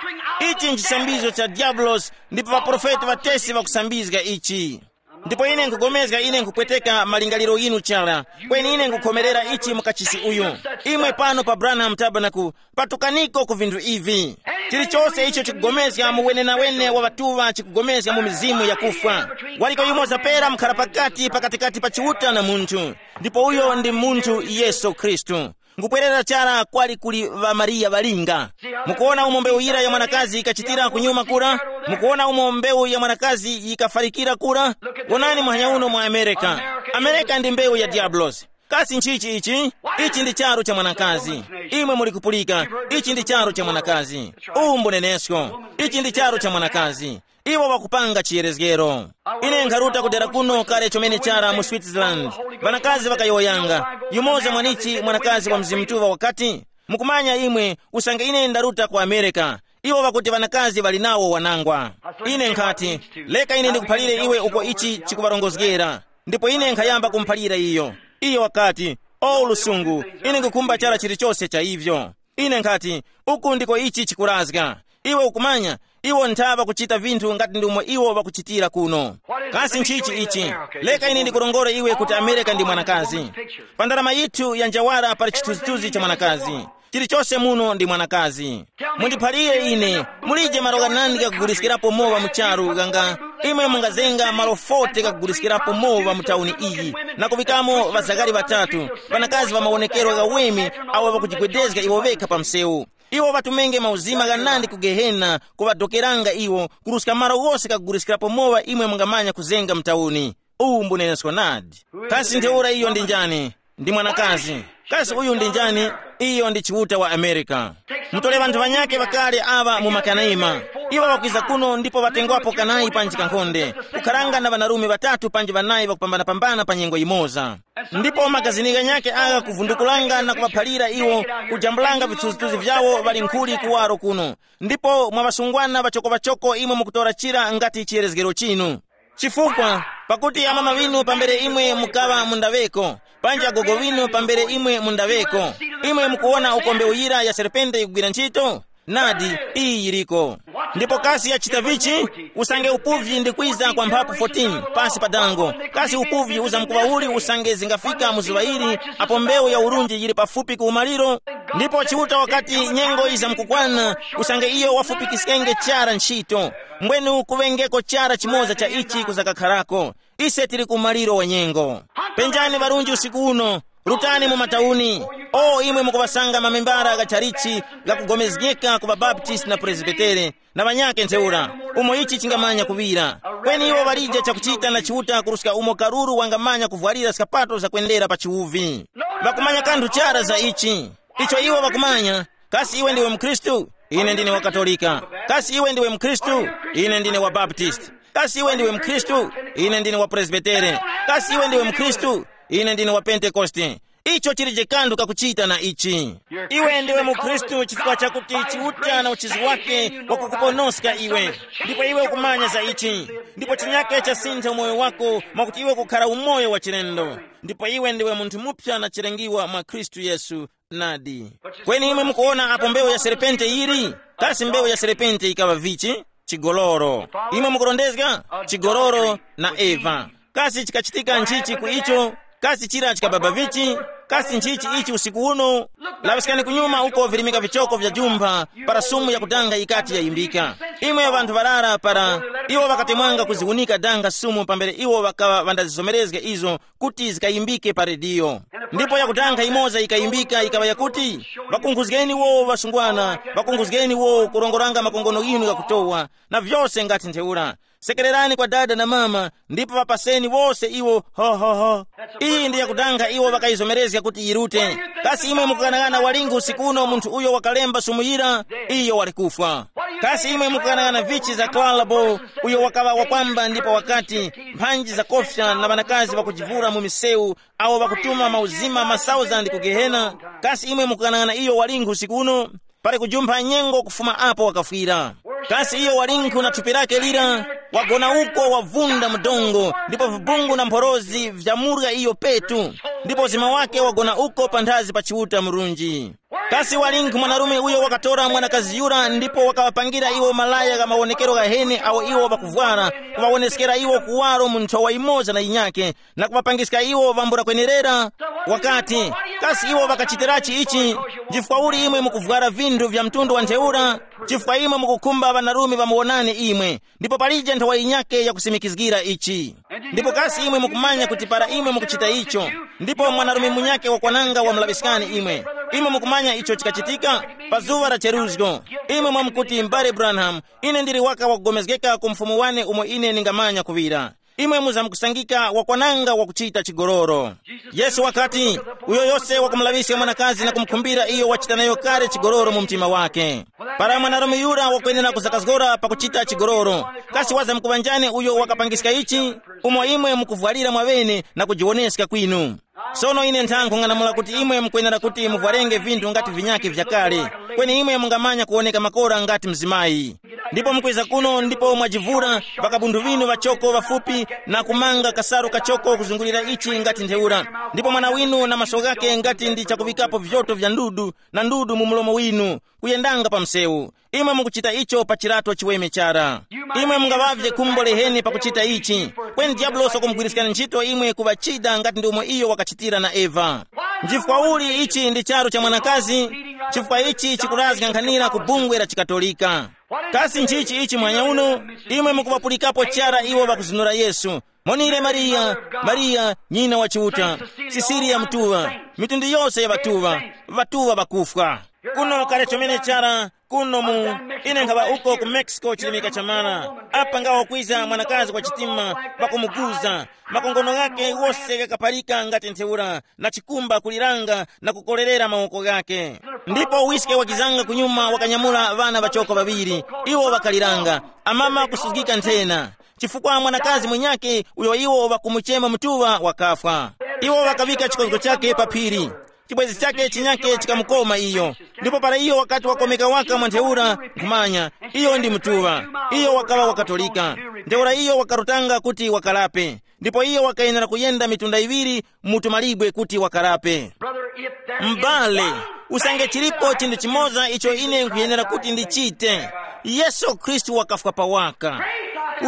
Ichi nchisambizo cha Diabulosi, ndipo ŵaprofeti ŵatesi ŵakusambizga ichi. Ndipo ine nkugomezga, ine nkupweteka malingaliro yinu chara. Kweni ine nkukhomerera ichi mu kachisi uyu. Imwe pano pa Branham Tabernacle, patukaniko ku vinthu ivi. Chilichonse icho chikugomezga mu wenenawene wa ŵatuŵa chikugomezga mu mizimu yakufwa. Waliko yumoza pera mukhara pakati pakatikati pa Chiuta na munthu, ndipo uyo ndi munthu Yesu Khristu. Ngupwerera chara kwali kuli ŵa Mariya ŵalinga. Mukuona umo mbewu yira ya mwanakazi ikachitira kunyuma kura? Mukuona umo mbewu ya mwanakazi yikafarikira kura? Wonani muhanya uno mu Amerika. Amerika ndi mbewu ya Diabulosi. Kasi nchichi ichi? Ichi ndi charu cha mwanakazi. Imwe muli kupulika, ichi ndi charu cha mwanakazi. Uwu mbunenesko. Ichi ndi charu cha mwanakazi. Iwo ŵakupanga chiyerezgero. Ine nkharuta kudera kuno kale chomene chara mu Switzerland. Ŵanakazi ŵakayowoyanga. Yumoza mwanichi mwanakazi wa Mzimu Mutuŵa wakati, mukumanya imwe, usange ine ndaruta ku Amerika, iwo ŵakuti ŵanakazi ŵali nawo wanangwa. Ine nkhati, leka ine ndikuphalire iwe uko ichi chikuŵarongozgera. Ndipo ine nkhayamba kumuphalira iyo. Iyo wakati, o lusungu, ine nkukhumba chara chilichose cha ivyo. Ine nkhati, uku ndiko ichi chikurazga. Iwe ukumanya, iwo nthaŵa kuchita vinthu ngati ndimo iwo ŵakuchitira kuno. Kasi nchichi ichi? Leka ine ndikurongore iwe kuti Amerika ndi mwanakazi. Pa ndarama yithu ya njawara pali chithunzithunzi cha mwanakazi. Chilichose muno ndi mwanakazi. Mundiphalire ine, mulije malo ghanandi ghakuguliskirapo mowa mu charu ghanga? Imwe mungazenga malo forty ghakuguliskirapo mowa mu tauni iyi, na kuŵikamo ŵazakali ŵatatu, ŵanakazi ŵa mawonekero ghaweme, awo ŵakujigwedezga iwo ŵekha pa msewu. Iwo ŵatumenge mauzima ghanandi ku Gehena kuŵadokeranga iwo, kuruska malo ghose ghakuguliskirapo mowa imwe mungamanya kuzenga mu tauni. Uwu mbunenesko nadi. Kasi ntheura iyo ndi njani? Ndi mwanakazi. Kasi uyu ndi njani? Iyo ndi Chiuta wa Amerika. Mutole ŵanthu ŵanyakhe ŵakale aŵa mu makanaima. Iwo ŵakwiza kuno ndipo ŵatengwapo kanayi panji kankhonde, kukharanga na ŵanarume ŵatatu panji ŵanayi ŵakupambanapambana pa nyengo yimoza. Ndipo magazini ghanyakhe agha kuvundukulanga na kuŵaphalira iwo, kujambulanga vithunzithunzi vyawo ŵali nkhuli kuwaro kuno. Ndipo mwa ŵasungwana ŵachokoŵachoko imwe mukutora chira ngati chiyerezgero chinu. Chifukwa, pakuti amama ŵinu pambere imwe mukaŵa mu ndaŵeko, panji agogo ŵinu pambere imwe mu ndaŵeko, imwe mukuwona uko mbewu yira ya serpente ikugwira ntchito? Nadi, iyi yiriko. Ndipo kasi yachita vichi? Usange upuvyi ndi kwiza kwa mphapu fourteen pasi pa dango, kasi upuvyi uzamkuŵa uli usange zingafika mu zuŵa ili, apo mbewu ya urunji yili pafupi ku umaliro? Ndipo Chiuta wakati nyengo izamkukwana, usange iyo wafupikiskenge chara ntchito. Mbwenu kuŵengeko chara chimoza cha ichi kuzakakharako. Ise tili ku maliro wa nyengo. Penjani ŵarunji usiku uno, rutani mu matauni. O imwe mukuŵasanga mamembara gha chalichi ghakugomezgeka ku ŵabaptisti na presbitere, na ŵanyakhe ntheura, umo ichi chingamanya kuŵira. Kweni iwo ŵalije chakuchita na Chiuta kuruska umo karuru wangamanya kuvwarira skapato zakwendera pa chiwuvi. Ŵakumanya kanthu chara za ichi. Icho iwo ŵakumanya, kasi iwe ndiwe mkhristu? Ine ndine wa Katolika. Kasi iwe ndiwe mkhristu? Ine ndine wa Baptist. Kasi iwe ndiwe mkhristu? Ine ndine wa Presbitere. Kasi iwe ndiwe mkhristu? Ine ndine wa Pentekoste. Icho chilije kanthu kakuchita na ichi. Iwe ndiwe mukhristu chifukwa chakuti Chiuta na uchizi wake wakukuponoska iwe. Ndipo iwe ukumanya za ichi. Ndipo chinyake chasintha umoyo wako mwakuti iwe kukhara umoyo wa chilendo. Ndipo iwe ndiwe munthu mupya na chilengiwa mwa Khristu Yesu. Nadi. Kweni imwe mukuwona apo mbewu ya serpente yili? Kasi mbewu ya serpente yikaŵa vichi? Chigoloro. Imwe mukurondezga? Chigoloro na Eva. Kasi chikachitika nchichi ku icho? Kasi chira chikababa vichi? Kasi nchichi ichi usiku uno? Laŵiskani kunyuma uko virimika vichoko vya jumpha, para sumu yakudanga yikati yayimbika. Imwe ŵanthu ŵarara para, iwo ŵakatemwanga kuziwunika danga sumu pambere iwo ŵakaŵa ŵandazizomerezga izo kuti zikayimbike pa rediyo. Ndipo yakudanga imoza yikayimbika yikaŵa yakuti, ŵakunkhuzgeni wowo ŵasungwana, ŵakunkhuzgeni wowo kurongoranga makongono ghinu ghakutowa, na vyose ngati ntheura. Sekererani kwa dada na mama, ndipo ŵapaseni wose iwo hohoho. Iyi ndi yakudanga iwo ŵakayizomerezga kuti yirute. Kasi imwe mukughanagana walingi usiku uno munthu uyo wakalemba sumu yira? Iyo wali kufwa. Kasi imwe mukughanagana vichi za Clarabo, uyo wakaŵa wakwamba ndipo wakati, mphanji zakofya na ŵanakazi ŵakujivura mu misewu, awo ŵakutuma mauzima ma thousand ku gehena? Kasi imwe mukughanagana iyo walingi usiku uno? Pali kujumpha nyengo kufuma apo wakafwira. Kasi iyo walinkhu na thupi lake lira? Wagona uko wavunda mdongo, ndipo vibungu na mphorozi vyamurya iyo petu, ndipo uzima wake wagona uko panthazi pa Chiuta murunji. Kasi walinkhu mwanarume uyo wakatora mwanakazi yura ndipo wakaŵapangira iwo malaya gha mawonekero ghaheni awo iwo ŵakuvwara, kuŵawoneskera iwo kuwaro mu nthowa yimoza na yinyake, na kuŵapangiska iwo ŵambula kwenerera? Wakati, kasi iwo ŵakachitirachi ichi? Chifukwa uli imwe mukuvwara vinthu vya mtundu wa ntheura? Chifukwa imwe mukukhumba ŵanarume ŵamuwonani imwe, ndipo palije nthowa yinyake yakusimikizgira ichi. Ndipo kasi imwe mukumanya kuti para imwe mukuchita icho, ndipo mwanarume munyakhe wakwananga wamulaŵiskani imwe, imwe mukumanya icho chikachitika? Pa zuŵa la cheruzgo, imwe mwamukuti, mbale Branham, ine ndili waka wakugomezgeka ku mfumu wane umo ine ningamanya kuŵira. Imwe muzamkusangika wakwananga wakuchita chigololo. Yesu wakati, uyo yose wakumulaŵiska mwanakazi na kumukhumbira iyo wachita nayo kale chigololo mu mtima wake. Para mwanarume yura wakwenera kuzakazgora pakuchita chigololo, kasi wazamkuŵa njani uyo wakapangiska ichi? Umo imwe mukuvwalira mwaŵene na kujiwoneska kwinu. Sono ine nthankhu ng'anamula kuti imwe mukwenera kuti muvwarenge vinthu ngati vinyakhe vyakale, kweni imwe mungamanya kuwoneka makora ngati mzimayi. Ndipo mukwiza kuno ndipo mwajivura, ŵakabunthu ŵinu ŵachoko ŵafupi, na kumanga kasaru kachoko kuzungulira ichi ngati ntheura, ndipo mwana winu na maso ghake ngati ndi chakuŵikapo vyoto vya ndudu, na ndudu mu mlomo winu, kuyendanga pa msewu. Imwe mukuchita icho pa chilato chiweme chara. Imwe mungaŵavye khumbo leheni pakuchita ichi. Kweni diyabulosi wakumugwiriskani ntchito imwe kuŵa chida ngati ndi umo iyo wakachitira na Eva. Nchifukwa uli ichi ndi charu cha mwanakazi? Chifukwa ichi chikurazga nkhanira ku bungwe la chikatolika. Kasi nchichi ichi mwanya uno? Imwe mukuŵapulikapo chara iwo ŵakuzinura Yesu. Monire Mariya, Mariya nyina wa Chiuta, Sisiriya mutuŵa, mitundu yose ya ŵatuŵa, ŵatuŵa ŵakufwa. Kuno kale chomene chara, kuno mu, ine nkhaŵa uko ku Mexico chilimika chamara. Apa ngawo kwiza mwanakazi wa chitima, wakumuguza, makongono ghake wose ghakapalika ngati ntheura, na chikumba kuliranga na kukolerera mawoko ghake. Ndipo wiske wakizanga kunyuma wakanyamula ŵana ŵachoko ŵaŵiri, iwo ŵakaliranga, amama kusuzgika nthena, chifukwa mwanakazi mwenyakhe uyo iwo ŵakumuchema mutuŵa wakafwa. Iwo ŵakaŵika chikozgo chakhe pa phiri, chibwenzi chakhe chinyakhe chikamukoma iyo. Ndipo para iyo wakati wakomeka waka mwa ntheura, nkhumanya, iyo ndi mutuŵa, iyo wakaŵa wakatolika. Ntheura iyo wakarutanga kuti wakalape, ndipo iyo wakayenera kuyenda mitunda iŵiri mu tumalibwe kuti wakalape. Mbale, usange chilipo chinthu chimoza icho ine nkhuyenera kuti ndichite, Yesu Khristu wakafwa pawaka.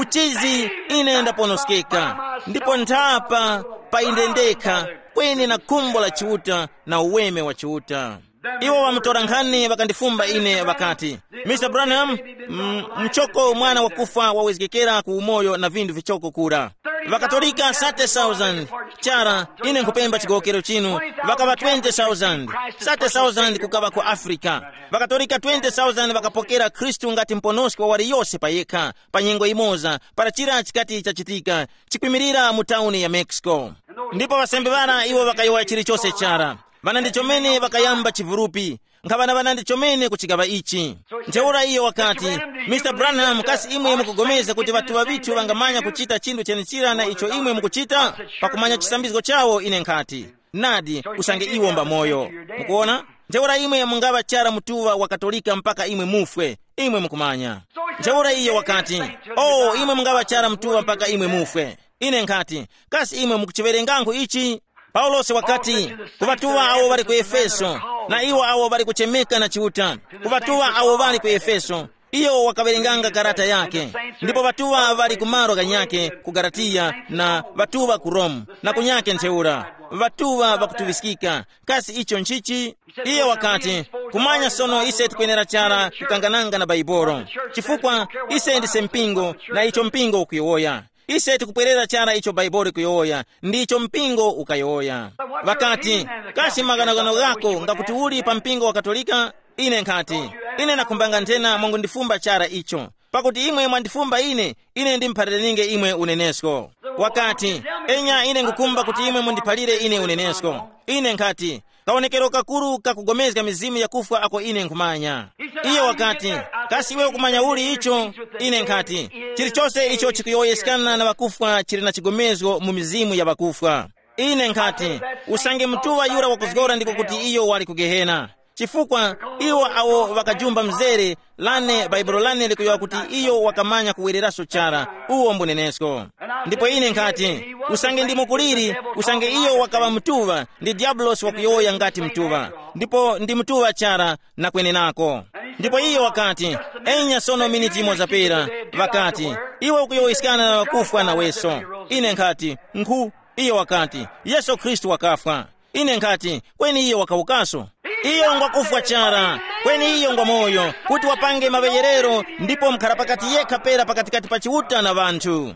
Uchizi, ine ndaponoskeka, ndipo nthapa pa ine ndekha, kweni na khumbo la Chiuta na uweme wa Chiuta. Iwo ŵamutora nkhani ŵakandifumba ine ŵakati, Mister Branham, m- mchoko mwana wakufwa wawezgekera ku umoyo na vinthu vichoko kura. Ŵakatolika thirty thousand. Chara, ine nkhupemba chigowokero chinu, ŵakaŵa twenty thousand. Thirty thousand kukaŵa ku Africa. Ŵakatolika twenty thousand ŵakapokera Khristu ngati muponoski wa waliyose pa yekha, pa nyengo imoza, para chira chikati chachitika, chikwimirira mu tauni ya Mexico. Ndipo ŵasembe ŵara iwo ŵakayowoya chilichose chara. Ŵanandi chomene ŵakayamba chivurupi. Nkhaŵanaŵanandi chomene kuchigaŵa ichi. Ntheura iyo wakati, Mister Branham, kasi imwe mukugomeza kuti ŵatuŵa ŵithu ŵangamanya kuchita chinthu chenechira na icho imwe mukuchita? Pakumanya chisambizgo chawo ine nkhati, nadi, usange iwo mbamoyo. Mukuona? Ntheura imwe mungaŵa chara mutuŵa wa Katolika mpaka imwe mufwe. Imwe mukumanya. Ntheura iyo wakati, oh, imwe mungaŵa chara mutuŵa mpaka imwe mufwe. Ine nkhati, kasi imwe mukuchiwerengankhu ichi? Paulosi wakati, ku ŵatuŵa awo ŵali ku Efeso, na iwo awo ŵali kuchemeka na Chiuta, ku ŵatuŵa awo ŵali ku Efeso, Iyo wakawerenganga karata yake. Ndipo ŵatuŵa ŵali ku malo ghanyakhe ku Galatiya, na ŵatuŵa ku Rome, na kunyakhe ntheura. Ŵatuŵa ŵakutuŵiskika. Kasi icho nchichi? Iye wakati, kumanya sono ise tikwenera chara kukangananga na Baibolo, chifukwa ise ndise mpingo, na icho mpingo ukuyowoya. Ise tikupwerera chara icho Baibolo ikuyowoya, ndicho mpingo ukayowoya. Ŵakati, kasi maghanoghano ghako ngakuti uli pa mpingo wa Katolika? Ine nkhati, ine nakhumbanga nthena mwangundifumba chara icho. Pakuti imwe mwandifumba ine, ine ndimuphaliraninge imwe unenesko. Wakati, enya ine ngukumba kuti imwe mundiphalire ine unenesko. Ine nkhati, kawonekero kakuru kakugomezga mizimu yakufwa ako ine nkhumanya. Iyo wakati, kasi iwe ukumanya uli icho? Ine nkhati, chilichose icho chikuyowoyeskana na ŵakufwa chili na chigomezgo mu mizimu ya ŵakufwa. Ine nkhati, usange mutuŵa yura wakuzgora ndiko kuti iyo wali ku Gehena. Chifukwa iwo awo ŵakajumba mzere lane, Baibulo lane likuyowoya kuti iyo wakamanya kuwereraso chara, uwo mbunenesko. Ndipo ine nkhati, usange ndi mukuliri, usange iyo wakaŵa mutuŵa, ndi Diabulosi wakuyowoya ngati mutuŵa, ndipo ndi mutuŵa chara na kwenenako. Ndipo iyo wakati, enya sono miniti imo zapera, ŵakati, iwe ukuyowoyeskana na ŵakufwa naweso. Ine nkhati, nkhu, iyo wakati, Yesu Khristu wakafwa. Ine nkhati, kweni iyo wakawukaso. Iyo ngwakufwa chara, kweni iyo ngwamoyo, kuti wapange maŵeyerero ndipo mkhara pakati yekha pera pakatikati pa Chiuta na ŵanthu.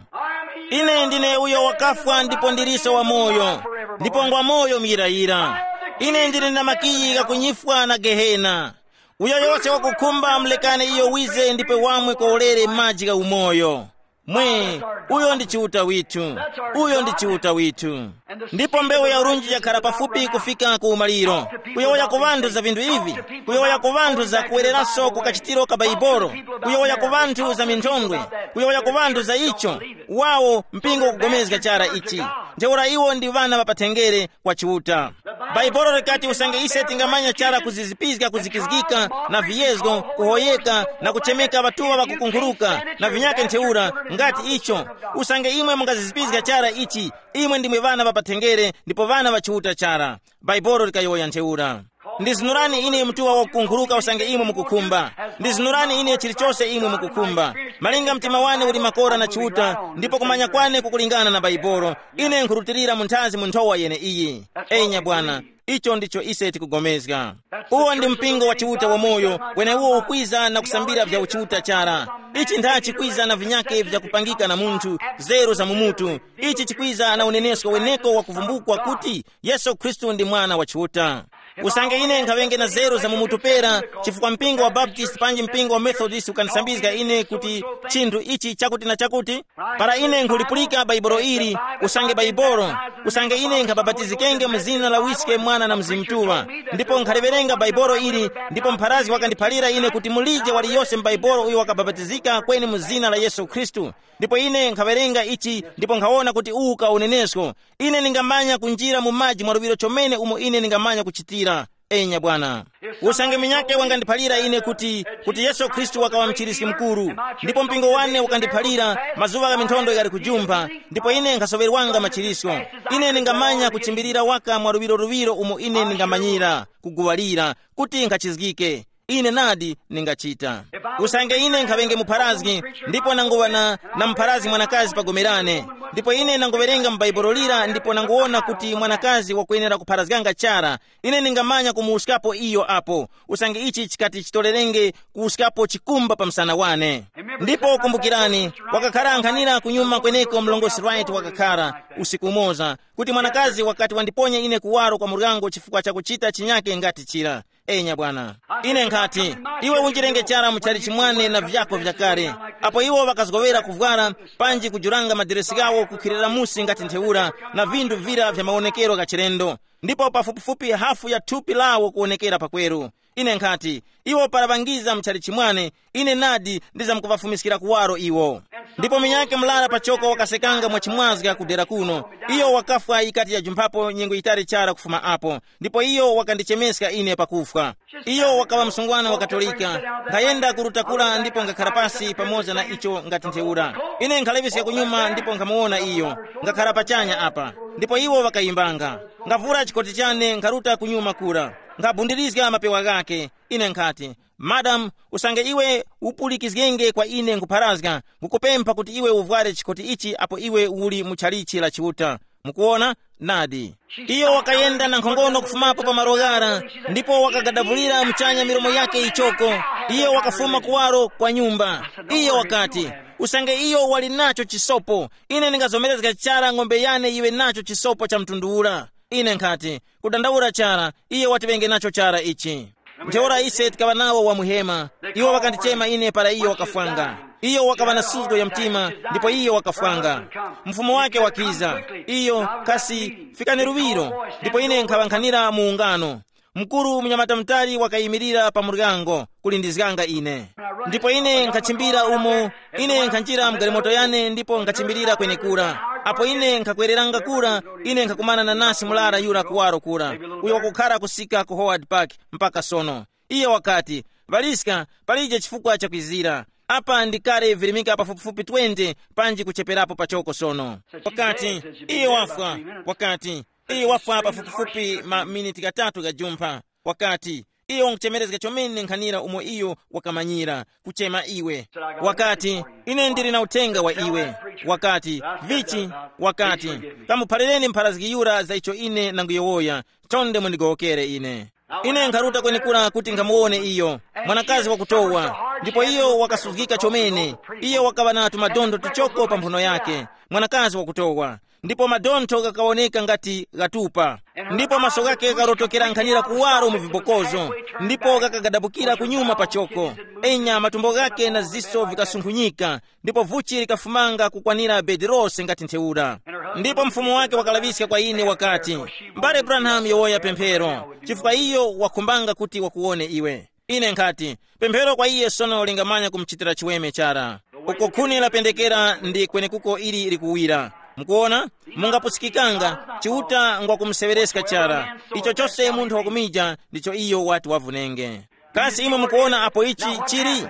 Ine ndine uyo wakafwa ndipo ndiliso wamoyo, ndipo ngwamoyo muyirayira. Ine ndili na makiyi ghakunyifwa na Gehena. Uyo yose wakukhumba mulekane iyo wize ndipe wamwe kwa ulere maji gha umoyo. Mwe, uyo ndi Chiuta withu. Uyo ndi Chiuta withu. Ndipo mbewu ya urunji yakhala pafupi kufika ku umaliro. Kuyowoya ku ŵanthu za vinthu ivi, kuyowoya ku ŵanthu za kuwereraso ku kachitiro ka Baibolo, kuyowoya ku ŵanthu za minthondwe, kuyowoya ku ŵanthu za icho. Wawo mpingo ukugomezga chara ichi. Ntheura iwo ndi ŵana ŵa pathenngere kwa Chiuta. Bhaibolo likati usange ise tingamanya chara kuzizipizga kuzikizgika na viyezgo, kuhoyeka na kuchemeka ŵatuŵa ŵakukunkhuluka na vinyakhe ntheura, ngati icho, usange imwe mungazizipizga chara ichi, imwe ndimwe ŵana ŵa pathenngere ndipo ŵana ŵa Chiuta chara. Bhaibolo likayowoya ntheura. Ndizinurani ine mutuŵa wakukunkhuluka usange imwe mukukhumba. Ndizinurani ine chilichose imwe mukukhumba. Malinga mtima wane uli makora na Chiuta, ndipo kumanya kwane kukulingana na Bhaibolo, ine nkhurutilira mu nthazi mu nthowa yeneiyi. Enya bwana, icho ndicho ise tikugomezga. Uwo ndi mpingo wa Chiuta wamoyo, weneuwo ukwiza na kusambira vya uchiuta chara. Ichi nthachi kwiza na vinyake vyakupangika na munthu, zeru za mumutu. Ichi chikwiza na unenesko weneko wakuvumbukwa kuti Yesu Khristu ndi Mwana wa Chiuta. Usange ine nkhaŵenge na zeru za mumutu pera, chifukwa mpingo wa Baptist panji mpingo wa Methodist ukandisambizga ine kuti chinthu ichi chakuti na chakuti, para ine nkhulipulika Bhaibolo ili, usange Bhaibolo, usange ine nkhabapatizikenge mu zina la Wiske, Mwana na Mzimu Mutuŵa, ndipo nkhaliŵerenga Bhaibolo ili, ndipo mpharazi wakandiphalira ine kuti mulije waliyose m'Bhaibolo uyo wakabapatizika kweni mu zina la Yesu Khristu. Ndipo ine nkhawerenga ichi ndipo nkhawona kuti uwu ka unenesko. Ine ndingamanya kunjira mu maji mwaluŵiro chomene umo ine ndingamanya kuchitira. Enya bwana. Usange munyakhe wangandiphalira ine kuti, kuti Yesu Khristu wakaŵa mchiriski mukuru, ndipo mpingo wane ukandiphalira, mazuŵa gha minthondo ghali kujumpha, ndipo ine nkhasoŵerwanga machirisko. Ine ndingamanya kuchimbirira waka mwaluŵiro luŵiro umo ine ndingamanyira, kuguŵalira, kuti nkhachizgike. Ine nadi ningachita. Usange ine nkhaŵenge mupharazgi, ndipo nanguŵa na, na mupharazgi mwanakazi pa gome lane, ndipo ine nanguŵerenga mu Bhaibuli lira ndipo nanguwona kuti mwanakazi wakwenera kupharazganga chara, ine ningamanya kumuwuskapo iyo apo, usange ichi chikati chitorerenge kuwuskapo chikumba pa msana wane. Ndipo kumbukirani, wakakhara ankhanira kunyuma kweneko mlongosi Wright wakakhara, usiku umoza, kuti mwanakazi wakati wandiponya ine kuwaro kwa muryango chifukwa cha kuchita chinyake ngati chira. Enya bwana. Ine nkhati, iwe unjirenge chara mu chalichi mwane na vyako vyakale. Apo iwo ŵakazgowera kuvwara, panji kujuranga madiresi ghawo kukhirira musi ngati ntheura, na vinthu vira vya mawonekero gha chilendo, ndipo pafupifupi hafu ya thupi lawo kuwonekera pakweru. Ine nkhati, iwo para ŵangiza mu chalichi mwane, ine nadi ndizamkuŵafumiskira kuwaro iwo. Ndipo munyakhe murara pachoko wakasekanga mwachimwazga kudera kuno. Iyo wakafwa yikati yajumphapo nyengo yitali chara kufuma apo, ndipo iyo wakandichemeska ine pakufwa. Iyo wakaŵa msungwana wa Katolika. Nkhayenda kuruta kura ndipo ngakhara pasi pamoza na icho ngati ntheura. Ine nkhaleŵeska kunyuma ndipo nkhamuwona iyo. Ngakhara pachanya apa. Ndipo iwo ŵakayimbanga. Ngavura chikoti chane nkharuta kunyuma kura. Nkhabundirizga mapewa ghakhe. Ine nkhati, Madamu, usange iwe upulikizgenge kwa ine nkupharazga, nkukupempha kuti iwe uvware chikoti ichi apo iwe uli mu chalichi la Chiuta. Mukuona? Nadi. Iyo wakayenda na nkhongono kufumapo pa malo ghara, ndipo wakagadabulira muchanya milomo yake yichoko. Iyo wakafuma kuwaro kwa nyumba. Iyo wakati, usange iyo wali nacho chisopo, ine ndingazomerezga chara ng'ombe yane yiwe nacho chisopo cha mtundu ura. Ine nkhati, kudandaula chara, iye watiŵenge nacho chara ichi. Ntheura ise tikaŵa nawo wa muhema. Iwo ŵakandichema ine para iyo wakafwanga. Iyo wakaŵa na suzgo ya mtima, ndipo iyo wakafwanga. Mfumu wake wakiza. Iyo, kasi, fikani luŵiro. Ndipo ine nkhaŵankhanira mu ungano. Mkuru munyamata mutali wakayimirira pa muryango kulindizganga ine. Ndipo ine nkhachimbira umo. Ine nkhanjira mgalimoto yane ndipo nkhachimbirira kwenekura. Apo ine nkhakwereranga kura, ine nkhakumana na nasi mulara yura kuwaro kura, uyo wakukhara kusika ku Howard Park mpaka sono. Iye wakati, ŵaliska, palije chifukwa chakwizira. Apa ndi kale virimika pafupifupi twenty, panji kucheperapo pachoko sono. Wakati, iye wafwa. Wakati, iye wafwa pafupifupi maminiti ghatatu ghajumpha. Wakati, iyo wankuchemerezga chomene nkhanira umo iyo wakamanyira, kuchema iwe. Wakati, ine ndili na uthenga wa iwe. Wakati, vichi? Wakati, kamuphalireni mpharazgi yura za icho ine nanguyowoya. Chonde mundigowokere ine. Ine nkharuta kwenekura kuti nkhamuwone iyo. Mwanakazi wakutowa. Ndipo iyo wakasuzgika chomene. Iyo wakaŵa na tumadontho tuchoko pa mphuno yake. Mwanakazi wakutowa. Ndipo madontho ghakawoneka ngati ghatupa. Ndipo maso ghake ghakarotokera nkhanira kuwaro mu vibokozo. Ndipo ghakagadabukira kunyuma pachoko. Enya, matumbo ghake na ziso vikasunkhunyika. Ndipo vuchi likafumanga kukwanira bedi lose ngati ntheura. Ndipo mfumu wake wakalaŵiska kwa ine wakati, mbale Branham, yowoya pemphero, chifukwa iyo wakhumbanga kuti wakuwone iwe. Ine nkhati, pemphero kwa iye sono lingamanya kumuchitira chiweme chara. Uko khuni lapendekera ndi kwenekuko ili likuwira. Mukuona? Mungapusikikanga, Chiuta ngwakumuseŵereska chara. Icho chose munthu wakumija ndicho iyo wati wavunenge. Kasi imwe mukuona apo ichi chili?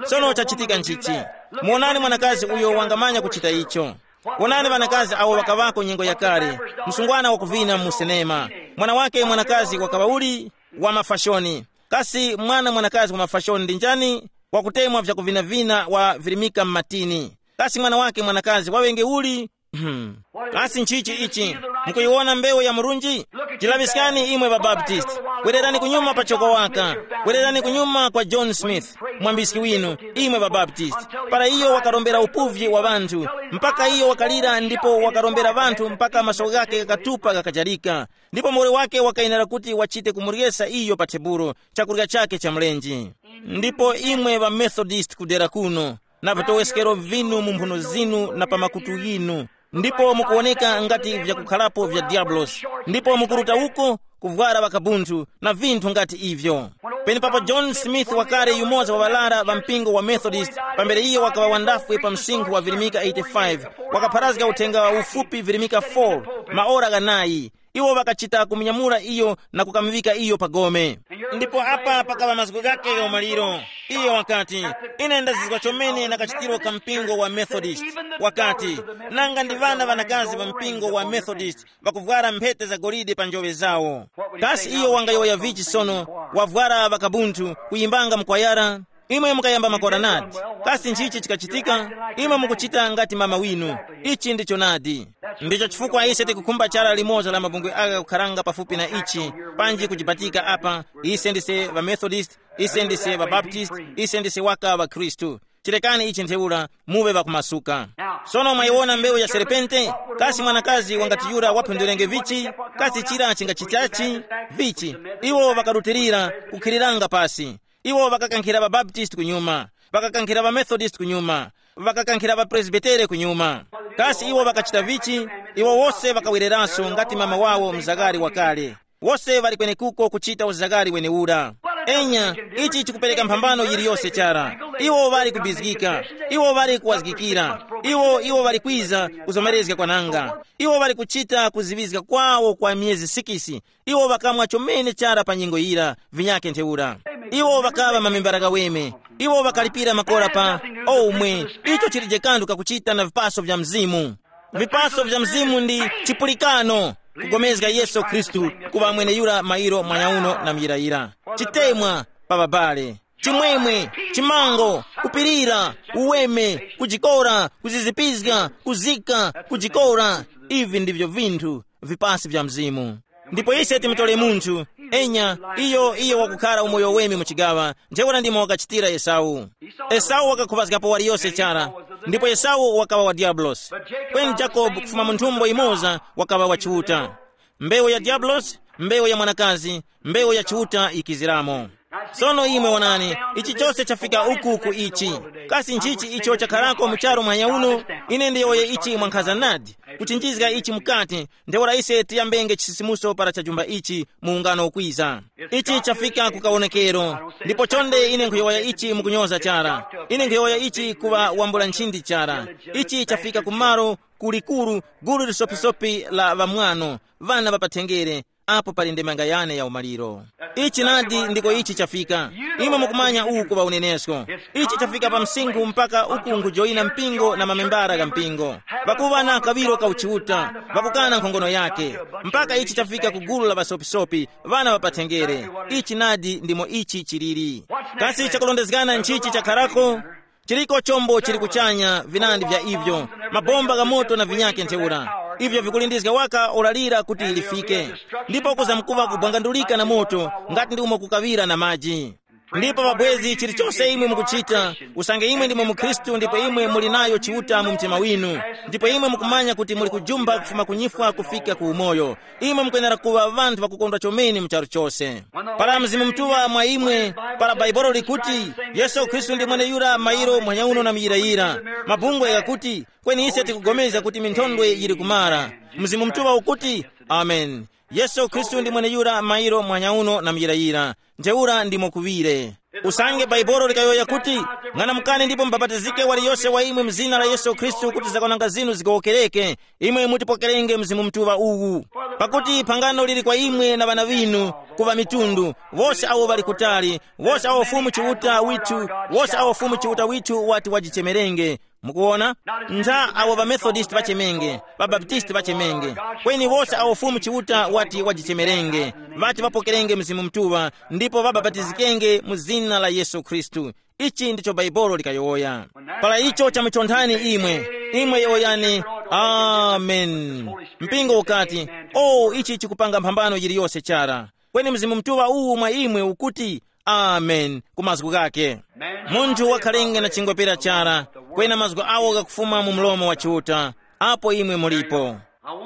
Sono chachitika nchichi. Muonani mwanakazi uyo wangamanya kuchita icho. Wonani ŵanakazi awo ŵakaŵako nyengo yakale, msungwana wakuvina mu sinema. Mwana wake mwanakazi wakaŵa uli wa mafashoni. Kasi mwana mwanakazi wa mafashoni ndi njani? Wakutemwa vyakuvinavina wa virimika m'matini. Kasi mwana wake mwanakazi waŵenge uli? Hmm. Kasi nchichi ichi? Mukuyiwona mbewu ya murunji? Jilaŵiskani imwe ŵabaptisti. Wererani kunyuma pa choko waka. Wererani kunyuma kwa John Smith, mwambiski winu, imwe ŵabaptisti. Para iyo wakarombera upuvyi wa ŵanthu, mpaka iyo wakalira ndipo wakarombera ŵanthu mpaka maso ghake ghakatupa ghakajarika. Ndipo muwoli wake wakayenera kuti wachite kumuryesa iyo pa tebulo chakurya chake cha mlenje. Ndipo imwe ŵamethodist kudera kuno, na vitoweskero vinu mu mphuno zinu na pa makutu ghinu, ndipo mukuwoneka ngati vyakukhalapo vya diabulosi, ndipo mukuruta uko kuvwara ŵakabunthu na vinthu ngati ivyo. Penepapo John Smith wakale yumoza wa ŵalara ŵa mpingo wa Methodist, pambere iyo wakaŵa wandafwe pa msinkhu wa virimika eighty-five, wakapharazga uthenga wa ufupi virimika four, maora ghanayi. Iwo ŵakachita kumunyamula iyo na kukamuŵika iyo pa gome. Ndipo apa pakaŵa mazgu ghake gha umaliro. Iyo wakati, ine ndazizwa chomene na kachitiro ka mpingo wa Methodist. Wakati, nanga ndi ŵana ŵanakazi ŵa mpingo wa Methodist ŵakuvwara mphete za golide pa njoŵe zawo. Kasi iyo wangayowoya vichi sono? Wavwara ŵakabunthu, kuyimbanga mkwayara. Imwe mukayamba makoranati. Kasi nchichi chikachitika? Imwe mukuchita ngati mama winu. Ichi ndicho nadi. Ndicho chifukwa ise tikukhumba chara limoza la mabungwe agha kukharanga pafupi na ichi, panji kujibatika apa. Ise ndise ŵamethodist, ise ndise ŵabaptist, ise ndise waka ŵakhristu. Chirekani ichi ntheura, muŵe ŵakumasuka. Sono mwayiwona mbewu ya serpente? Kasi mwanakazi wangati yura waphundulenge vichi? Kasi chira chingachitachi? Vichi? Iwo ŵakarutilira, kukhiriranga pasi. Iwo ŵakakankhira ŵabaptisti kunyuma, ŵakakankhira ŵamethodist kunyuma, ŵakakankhira ŵapresbitere kunyuma. Kasi iwo ŵakachita vichi? Iwo wose ŵakawereranso ngati mama wawo mzakari wakale. Wose ŵali kwenekuko kuchita uzakari wenewura. Enya, ichi chikupereka mphambano yiliyose chara. Iwo ŵali kubizgika. Iwo ŵali kuwazgikira. Iwo iwo ŵali kwiza kuzomerezga kwananga. Iwo ŵali kuchita kuziŵizga kwawo kwa myezi sikisi. Iwo ŵakamwa chomene chara pa nyengo yira, vinyake ntheura. Iwo ŵakaŵa mamembara ghaweme. Iwo ŵakalipira makora pa omwe. Icho chilije kanthu kakuchita na vipaso vya Mzimu. Vipaso vya Mzimu ndi chipulikano, kugomezga Yesu Khristu kuŵa mweneyura mairo mwanyauno na muyirayira. Chitemwa pa babale. Chimwemwe, chimango, kupirira, uweme, kujikora, kuzizipizga, kuzika, kujikora. Ivi ndivyo vinthu vipasi vya mzimu. Ndipo ise timutore munthu, enya, iyo iyo wakukhala umoyo wemi mu chigaŵa, ntheura ndimo wakachitira Esau. Esau wakakhuvazgapo waliyose chara, ndipo Esau wakaŵa wa Diabulosi. Kweni Jakobu kufuma mu nthumbo imoza wakaŵa wa Chiuta. Mbewu ya Diabulosi, mbewu ya mwanakazi, mbewu ya Chiuta yikiziramo. Sono imwe wonani, ichi chose chafika uku ku ichi. Kasi nchichi icho chakharako mu charu mwanya uno? Ine ndiyowoye ichi mwankhaza nadi, kuchinjizga ichi mukati, ntheura ise tiyambenge chisisimuso para chajumba ichi mu ungano ukwiza. Ichi chafika ku kawonekero, ndipo chonde ine nkhuyowoya ichi mukunyoza chara. Ine nkhuyowoya ichi kuŵa wambula nchindi chara. Ichi chafika ku malo kulikuru, gulu lisopisopi la ŵamwano, ŵana ŵa pathenjere, apo pali ndemanga yane ya umaliro. Ichi nadi ndiko ichi chafika. Imwe mukumanya uwu kuŵa unenesko. Ichi chafika pa msinkhu mpaka uku nkhujoyina mpingo na mamembara gha mpingo. Pakuŵa na kaŵiro ka uchiuta, pakukana nkhongono yake. Mpaka ichi chafika ku gulu la ŵasopisopi, ŵana ŵa pathenjere. Ichi nadi ndimo ichi chiliri. Kasi chakulondezgana nchichi chakharako? Chiliko chombo chili kuchanya vinandi vya ivyo, mabomba gha moto na vinyake ntheura. Ivyo vikulindizga waka ora lira kuti lifike, ndipo kuzamkuva kubwangandulika na moto, ngati ndi umo kukaŵira na maji. Ndipo pabwezi chilichose imwe mukuchita, usange imwe ndimwe mukhristu ndipo imwe muli nayo Chiuta mu mtima winu, ndipo imwe mukumanya kuti muli kujumba kufuma kunyifwa kufika ku umoyo, imwe mukwenera kuŵa ŵanthu ŵakukondwa chomene mu charu chose. Para Mzimu Mutuŵa mwa imwe, para Baibolo likuti, Yesu Khristu ndi mweneyura mairo mphanya uno na muyirayira. Mabungwe ghakuti, kweni ise tikupulikana kuti minthondwe yili kumara. Mzimu Mutuŵa ukuti, amen. Yesu Khristu ndi mweneyura mairo mphanya uno na muyirayira. Ntheura ndimo kuŵire. Usange Baibolo likayowoya kuti, ng'anamukani ndipo mubapatizike waliyose wa imwe mu zina la Yesu Khristu kuti zakwananga zinu zigowokereke, imwe mutipokerenge Mzimu Mutuŵa uwu. Pakuti phangano lili kwa imwe na ŵana ŵinu, ku ŵamitundu, wose awo ŵali kutali, wose awo Fumu Chiuta withu, wose awo Fumu Chiuta withu wati wajichemerenge. Mukuwona? Ntha awo ŵaMethodist ŵachemenge, ŵaBaptist ŵachemenge, kweni wose awo Fumu Chiuta wati wajichemerenge, ŵati ŵapokerenge Mzimu Mutuŵa ndipo ŵabapatizikenge mu zina la Yesu Khristu. Ichi ndicho Baibolo likayowoya. Para icho chamuchonthani imwe, imwe yowoyani, amen. Mpingo ukati, o, ichi chikupanga mphambano yiliyose chara. Kweni Mzimu Mutuŵa uwu mwa imwe ukuti, amen, ku mazgu ghake. Munthu wakhalenge na chingwepera chara, kwena mazgu awo ghakufuma mu mlomo wa Chiuta, apo imwe mulipo.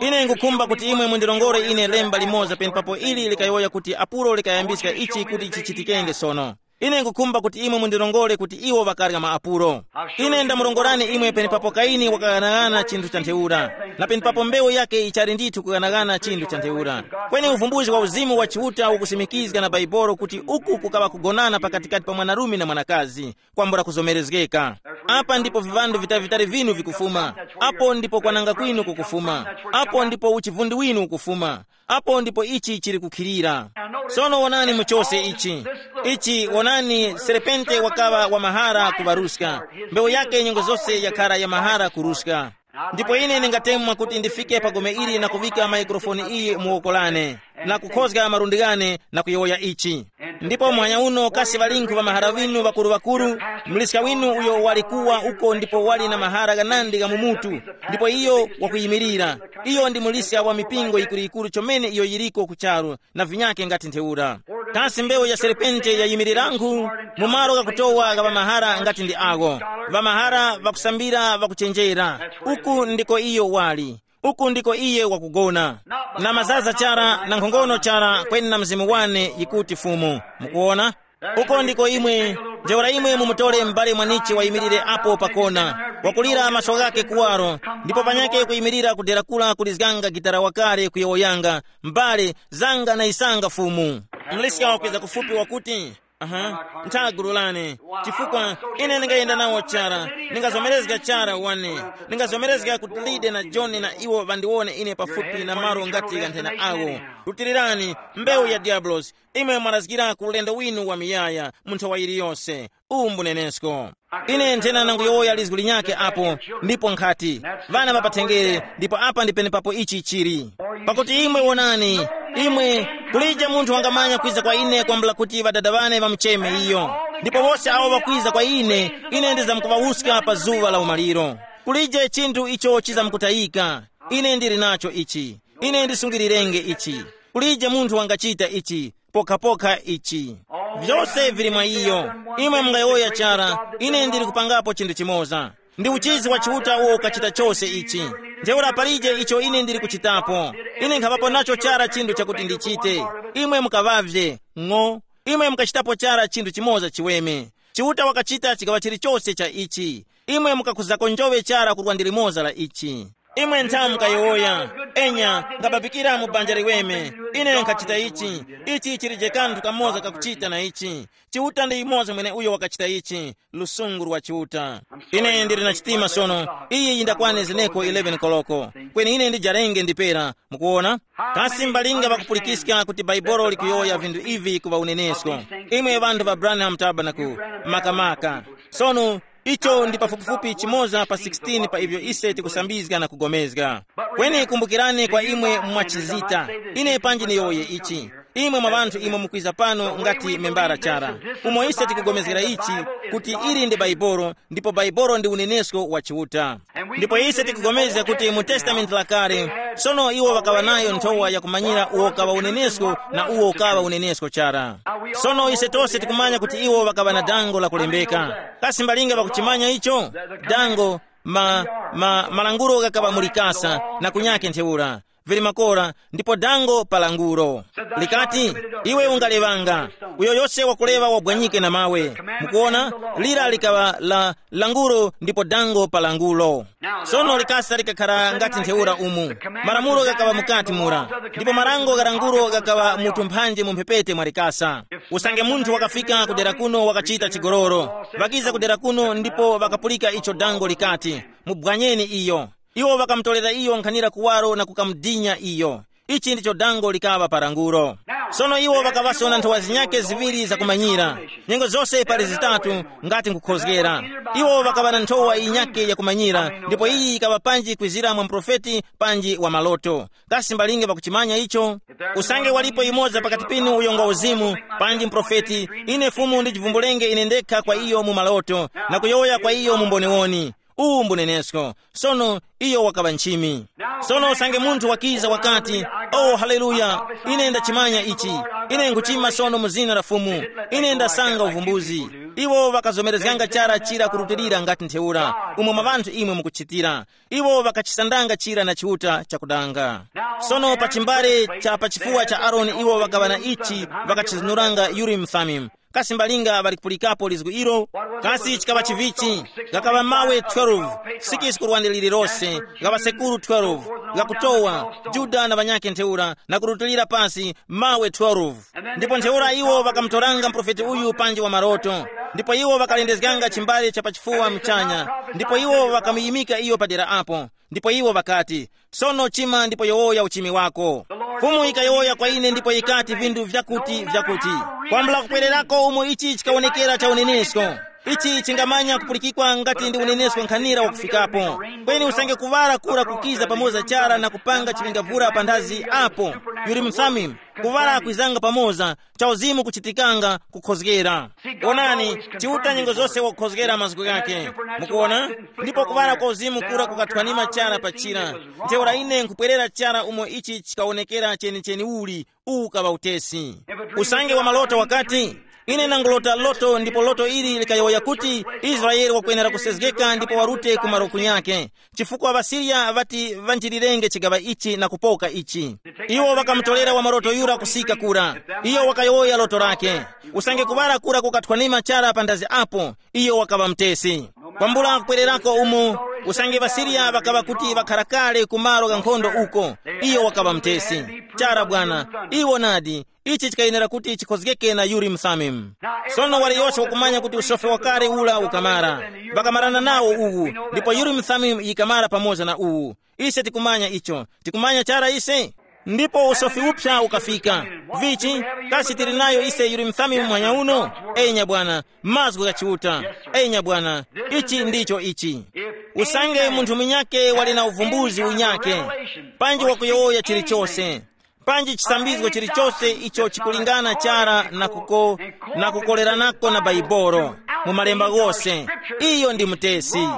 Ine ngukhumba kuti imwe mundirongore ine lemba limoza penepapo ili likayowoya kuti apulo likayambiska ichi kuti chichitikenge sono. Ine ngukhumba kuti imwe mundirongore kuti iwo ŵakarya maapulo. Ine ndamurongorani imwe penepapo Kaini wakaghanagana chinthu cha ntheura, na penepapo mbewu yake ichali ndithu kughanagana chinthu cha ntheura. Kweni uvumbuzi wa uzimu wa Chiuta ukusimikizga na Baibolo kuti uku kukaŵa kugonana pakatikati pa mwanarume na mwanakazi, kwambula kuzomerezgeka. Apa ndipo viŵandu vitali-vitali vinu vikufuma. Apo ndipo kwananga kwinu kukufuma. Apo ndipo uchivundi winu ukufuma. Apo ndipo ichi chili kukhilira. Sono wonani mu chose ichi. Ichi wonani, serepente wakaŵa wa mahara kuŵaruska. Mbewu yake nyengo zose yakhara ya mahara kuruska. Ndipo ine ndingatemwa kuti ndifike pa gome ili na kuŵika maikrofoni iyi mu woko lane, na kukhozga malundi ghane na kuyowoya ichi. Ndipo muhanya uno kasi ŵalinkhu ŵa mahara ŵinu ŵakuru-ŵakuru, mliska winu uyo wali kuwa uko ndipo wali na mahara ghanandi gha mu mutu, ndipo iyo wakuyimirira. Iyo ndi muliska wa mipingo yikuru-yikuru chomene iyo yiriko ku charu, na vinyake ngati ntheura. Kasi mbewu ya serpente yayimirirangu? Mu malo ghakutowa gha ŵamahara ngati ndi agho, ŵamahara ŵakusambira ŵakuchenjera, uku ndiko iyo wali. Uku ndiko iye wakugona, na mazaza chara na nkhongono chara kweni na mzimu wane yikuti Fumu. Mukuona? Uko ndiko imwe, ntheura imwe mumutore m'bale mwanichi wayimirire apo pakona, wakulira maso ghake kuwaro, ndipo panyake kuyimirira kudera kula kulizganga gitara wakale kuyowoyanga, m'bale, zanga na isanga Fumu. Mliska wakweza kufupi wakuti, aha, ntha gulu lane, chifukwa ine ndingayenda nawo chara, ndingazomerezga chara wane, ndingazomerezga kuti Lide na Joni na iwo ŵandiwone ine pafupi na malo ngati ghanthena awo. Rutilirani, mbewu ya Diabulosi, imwe mwarazgira ku ulendo winu wa miyaya mu nthawa yiliyose. Uwu mbunenesko. Ine nthena nanguyowoya lizgu linyakhe apo, ndipo nkhati, ŵana ŵa pathengere, ndipo apa ndi penepapo ichi chili. Pakuti imwe wonani, imwe, kulije munthu wangamanya kwiza kwa ine kwambula kuti ŵadada ŵane ŵamucheme iyo. Ndipo wose awo ŵakwiza kwa ine, ine ndizamkuŵawuska pa zuŵa la umaliro. Kulije chinthu icho chizamkutayika. Ine ndili nacho ichi. Ine ndisungirirenge ichi. Kulije munthu wangachita ichi, pokhapokha ichi. Vyose vili mwa iyo. Imwe mungayowoya chara, ine ndili kupangapo chinthu chimoza. Ndi uchizi wa Chiuta uwo ukachita chose ichi. Ntheura palije icho ine ndili kuchitapo. Ine nkhapapo nacho chara chinthu chakuti ndichite. Imwe mukaŵavye, ng'o. Imwe mukachitapo chara chinthu chimoza chiweme. Chiuta wakachita chigaŵa chilichose cha ichi. Imwe mukakhuzako njoŵe chara kurwa ndi limoza la ichi. Imwe nthamu mukayowoya, enya, ngababikira mu banja liweme. Ine nkhachita ichi. Ichi chilije kanthu kamoza kakuchita na ichi. Chiuta ndi yumoza mwene uyo wakachita ichi. Lusungu lwa Chiuta. Ine ndili na chitima sono. Iyi yindakwane zeneko eleven koloko. Kweni ine ndijarenge ndipera. Mukuona? Kasi mbalinga ŵakupulikiska kuti Baibolo likuyowoya vinthu ivi ku ŵaunenesko? Imwe ŵanthu ŵa Branham Tabernacle, makamaka. Sono, icho ndi pafupifupi chimoza pa sixteen pa ivyo ise tikusambizga na kugomezga. Kweni kumbukirani kwa imwe mwachizita, ine panji niyowoye ichi. Imwe mwa ŵanthu imwe mukwiza pano ngati membara chara, umo ise tikugomezgera ichi, kuti ili ndi Baibolo, ndipo Baibolo ndi unenesko wa Chiuta. Ndipo ise tikugomezga kuti mu Testamenti Lakale, sono iwo ŵakaŵa nayo nthowa yakumanyira uwo ukaŵa unenesko na uwo ukaŵa unenesko chara. Sono ise tose tikumanya kuti iwo ŵakaŵa na dango lakulembeka. Kasi mbalinga ŵakuchimanya icho? Dango, ma, ma, malangulo ghakaŵa mu likasa, na kunyake ntheura. Vili makora, ndipo dango pa langulo. Likati, iwe ungalewanga. Uyo yose wakulewa wabwanyike na mawe. Mukuona, lira likaŵa la langulo ndipo dango pa langulo. Sono likasa likakhara ngati ntheura umu. Malamulo ghakaŵa mukati mura. Ndipo marango gha langulo ghakaŵa mu tumphanje mu mphepete mwa likasa. Usange munthu wakafika kudera kuno wakachita chigololo, ŵakiza kudera kuno ndipo ŵakapulika icho dango likati, mubwanyeni iyo. Iwo ŵakamutorera iyo nkhanira kuwaro na kukamudinya iyo. Ichi ndicho dango likaŵa pa langulo. Sono iwo ŵakaŵaso na nthowa zinyake ziŵiri zakumanyira. Nyengo zose pali zitatu, ngati nkukhozgera. Iwo ŵakaŵa na nthowa yinyake yakumanyira, ndipo iyi yikaŵa panji kwizira mwa muprofeti panji wa maloto. Kasi mbalinge ŵakuchimanya icho? Usange walipo yumoza pakati pinu uyo ngwa uzimu, panji muprofeti, ine Fumu ndijivumbulenge ine ndekha kwa iyo mu maloto, na kuyowoya kwa iyo mu mboniwoni. Uwu mbunenesko. Sono, iyo wakaŵa nchimi. Sono usange munthu wakiza wakati, "Oh, haleluya, ine ndachimanya ichi. Ine nkuchima sono mu zina la Fumu. Ine ndasanga uvumbuzi." Iwo ŵakazomerezganga chara chira kurutilira ngati ntheura, umo mwa ŵanthu imwe mukuchitira. Iwo ŵakachisandanga chira na Chiuta chakudanga. Sono pa chimbale cha pa chifuwa cha Aroni iwo ŵakaŵa na ichi, ŵakachizunuranga Urimu Thumimu. Kasi mbalinga ŵali kupulikapo lizgu ilo? Kasi chikaŵa chivichi? Ghakaŵa mawe twelve, sikisi ku lwande lililose, ghaŵa sekuru twelve, ghakutowa, Juda na ŵanyakhe ntheura, na kurutilira pasi mawe twelve. Ndipo ntheura iwo ŵakamutoranga muprofeti uyu panji wa maroto, ndipo iwo ŵakalendezganga chimbale cha pachifuwa muchanya, ndipo iwo ŵakamuyimika iyo padera apo. Ndipo iwo ŵakati, "Sono chima ndipo yowoya uchimi wako." Fumu yikayowoya kwa ine ndipo yikati vinthu vyakuti vyakuti. Kwambula kupwererako umo ichi chikawonekera cha unenesko. Ichi chingamanya kupulikikwa ngati ndi unenesko nkhanira wakufikapo. Kweni usange kuwala kura kukiza pamoza chara na kupanga chipingavura panthazi apo, yuli msamimu, kuwala kwizanga pamoza, cha uzimu kuchitikanga kukhozgera. Onani, Chiuta nyengo zose wakukhozgera mazgu ghake. Mukuona? Ndipo kuwala kwa uzimu kura kukathwanima chara pa chira. Ntheura ine nkupwerera chara umo ichi chikawonekera chenicheni uli, uwu ukaŵa utesi. Usange wa maloto wakati, "Ine nangulota loto ndipo loto ili likayowoya kuti Israele wakwenera kusezgeka ndipo warute ku malo kunyake, chifukwa ŵaSiriya ŵati ŵanjirirenge chigaŵa ichi na kupoka ichi." Iwo ŵakamutolera wa maloto yura kusika kura. Iyo wakayowoya loto lake. Usange kuŵala kura kukathwanima chara pa ndazi apo, iyo wakaŵa mutesi. Kwambula kupwererako umo, usange ŵaSiriya ŵakaŵa kuti ŵakhara kale ku malo gha nkhondo uko, iyo wakaŵa mutesi. Chara bwana, iwo nadi, ichi chikayenera kuti chikhozgeke na Urimu Thumimu. Sono waliyose wakumanya kuti usofi wakale ula ukamara. Ŵakamarana nawo uwu, ndipo Urimu Thumimu yikamara pamoza na uwu. Ise tikumanya icho. Tikumanya chara ise? Ndipo usofi uphya ukafika. Vichi, kasi tili nayo ise Urimu Thumimu muhanya uno? Enya bwana, mazgu gha Chiuta. Enya bwana, ichi ndicho ichi. Usange munthu munyake wali na uvumbuzi unyake, panji wakuyowoya chilichose, Panji chisambizgo chilichose icho chikulingana chara na kuko na kukoleranako na Baibolo, mu malemba ghose, iyo ndi mutesi.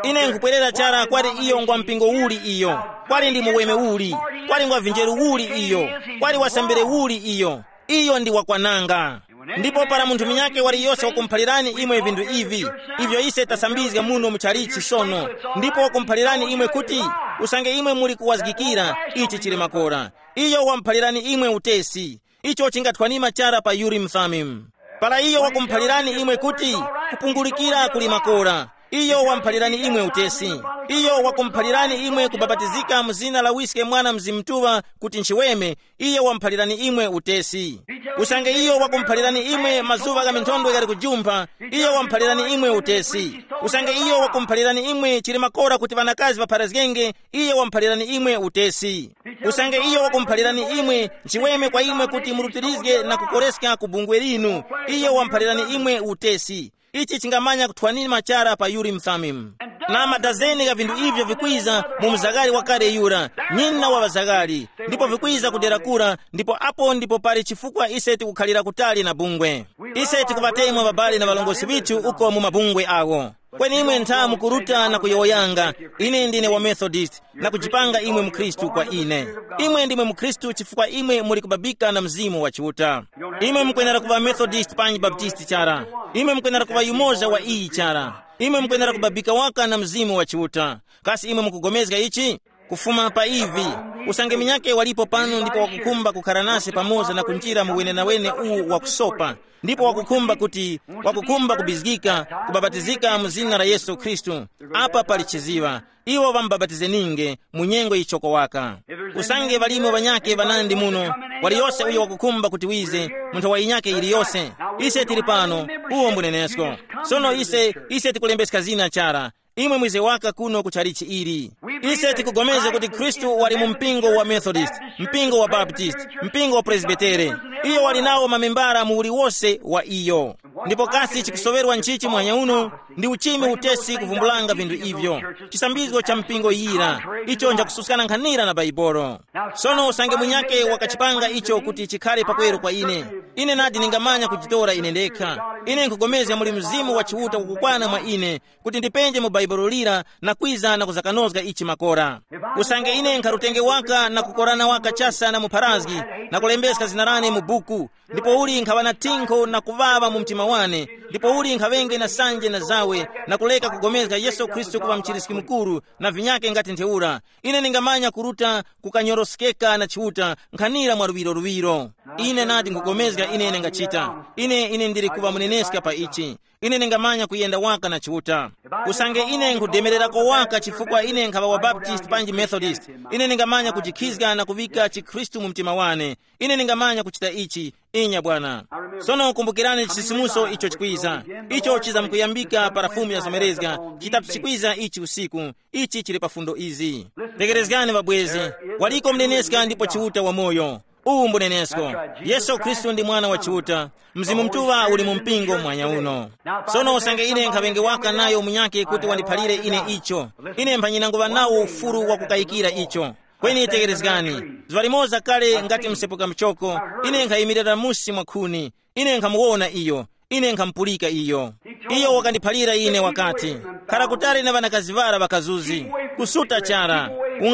Ine nkupwerera chara kwali iyo ngwa mpingo uli iyo, kwali ndi muweme uli, kwali ngwa vinjeru uli iyo, kwali wasambire uli iyo, iyo ndi wakwananga. Ndipo para munthu munyakhe waliyose wakumuphalirani imwe vinthu ivi, ivyo ise tasambizga muno mu chalichi sono, ndipo wakumuphalirani imwe kuti, usange imwe muli kuwazgikira, ichi chili makora. Iyo wamuphalirani imwe utesi. Icho chingathwanima chara pa Urim Thummim. Para iyo wakumuphalirani imwe kuti, kupungulikira kuli makora, iyo wamuphalirani imwe utesi. Iyo wakumuphalirani imwe kubapatizika mu zina la Wiske, Mwana, Mzimu Mutuŵa, kuti nchiweme, iyo wamuphalirani imwe utesi. Usange iyo wakumuphalirani imwe mazuŵa gha minthondwe ghali kujumpha, iyo wamuphalirani imwe utesi. Usange iyo wakumuphalirani imwe chili makora kuti ŵanakazi ŵapharazgenge, iyo wamuphalirani imwe utesi. Usange iyo wakumuphalirani imwe, nchiweme kwa imwe kuti murutirizge na kukoreska ku bungwe linu, iyo wamuphalirani imwe utesi. Ichi chingamanya kuthwanima chara pa Urim Thummim. Na madazeni gha vinthu ivyo vikwiza mu mzagari wakale yura, nyina wa ŵazagari, ndipo vikwiza kudera kura, ndipo apo ndipo pali chifukwa ise tikukhalira kutali na bungwe. Ise tikuŵatemwa ŵabale na ŵalongosi ŵithu uko mu mabungwe awo. Kweni imwe ntha mukuruta na kuyowoyanga, ine ndine wa Methodist, na kujipanga imwe mukhristu kwa ine. Imwe ndimwe mukhristu chifukwa imwe muli kubabika na Mzimu wa Chiuta. Imwe mukwenera kuŵa Methodist panji Baptist chara. Imwe mukwenera kuŵa yumoza wa iyi chara. Imwe mukwenera kubabika waka na Mzimu wa Chiuta. Kasi imwe mukugomezga ichi? Kufuma pa ivi, usange minyake walipo pano ndipo wakukhumba kukhara nase pamoza na kunjira mu wenenawene uwu wakusopa, ndipo wakukhumba kuti, wakukhumba kubizgika, kubapatizika mu zina la Yesu Khristu, apa pali chiziŵa. Iwo ŵamubapatizeninge mu nyengo yichoko waka. Usange ŵalimo ŵanyakhe ŵanandi muno, waliyose uyo wakukhumba kuti wize, munthu wa yinyakhe yiliyose, ise tili pano, uwo mbunenesko. Sono ise, ise tikulembeska zina chara. Imwe mwize waka kuno ku chalichi ili. Ise tikugomeza kuti Khristu wali mu mpingo wa Methodist, mpingo wa Baptist, mpingo wa Presbytere. Iyo wali nawo mamembara mu uliwose wa iyo. Ndipo kasi chikusoŵerwa nchichi mwanya uno? Ndi uchimi utesi kuvumbulanga vinthu ivyo. Chisambizgo cha mpingo yira, icho njakususkana nkhanira na Baibolo. Sono usange munyake wakachipanga icho kuti chikhale pakweru kwa ine, ine nadi ningamanya kujitora ine ndekha. Ine nkugomezga muli Mzimu wa Chiuta ukukwana mwa ine, kuti ndipenje mu Baibulo lira na kwiza na kuzakanozga ichi makora. Usange ine nkharutenge waka na kukorana waka chasa na mupharazgi, na kulembeska zina lane mu buku, ndipo uli nkhaŵa na thinkho na kuŵaŵa mu mtima wane, ndipo uli nkhaŵenge na sanje na zawe, na kuleka kugomezga Yesu Khristu kuŵa mchiriski mukuru, na vinyake ngati ntheura, ine ningamanya kuruta kukanyoroskeka na Chiuta nkhanira mwa luŵiro luŵiro. Ine nadi nkugomezga ine nengachita. Ine ine ndili kuŵa muneneska pa ichi. Ine ningamanya kuyenda waka na Chiuta. Usange ine nkhudemererako waka chifukwa ine nkhaŵa wa Baptist panji Methodist, ine ningamanya kujikhizga na kuŵika chikhristu mu mtima wane. Ine ningamanya kuchita ichi. Inya bwana. Sono kumbukirani chisisimuso icho chikwiza. Icho chizamkuyambika para fumu yazomerezga, chitatu chikwiza ichi usiku. Ichi chili pa fundo izi. Tekerezgani ŵabwezi. Waliko mneneska ndipo Chiuta wamoyo. Uwu mbunenesko. Yesu Khristu ndi Mwana wa Chiuta. Mzimu Mutuŵa uli mu mpingo mwanya uno. Sono usange ine nkhaŵenge waka nayo munyake kuti wandiphalire ine icho, ine mphanyina nguŵa nawo ufuru wa kukayikira icho. Kweni tekerezgani, zuŵa limoza kale ngati msepuka mchoko, ine nkhayimirira musi mwa khuni, ine nkhamuwona iyo, ine nkhamupulika iyo. Iyo wakandiphalira ine wakati, khara kutali na ŵanakazi ŵara ŵakazuzi, kusuta chara,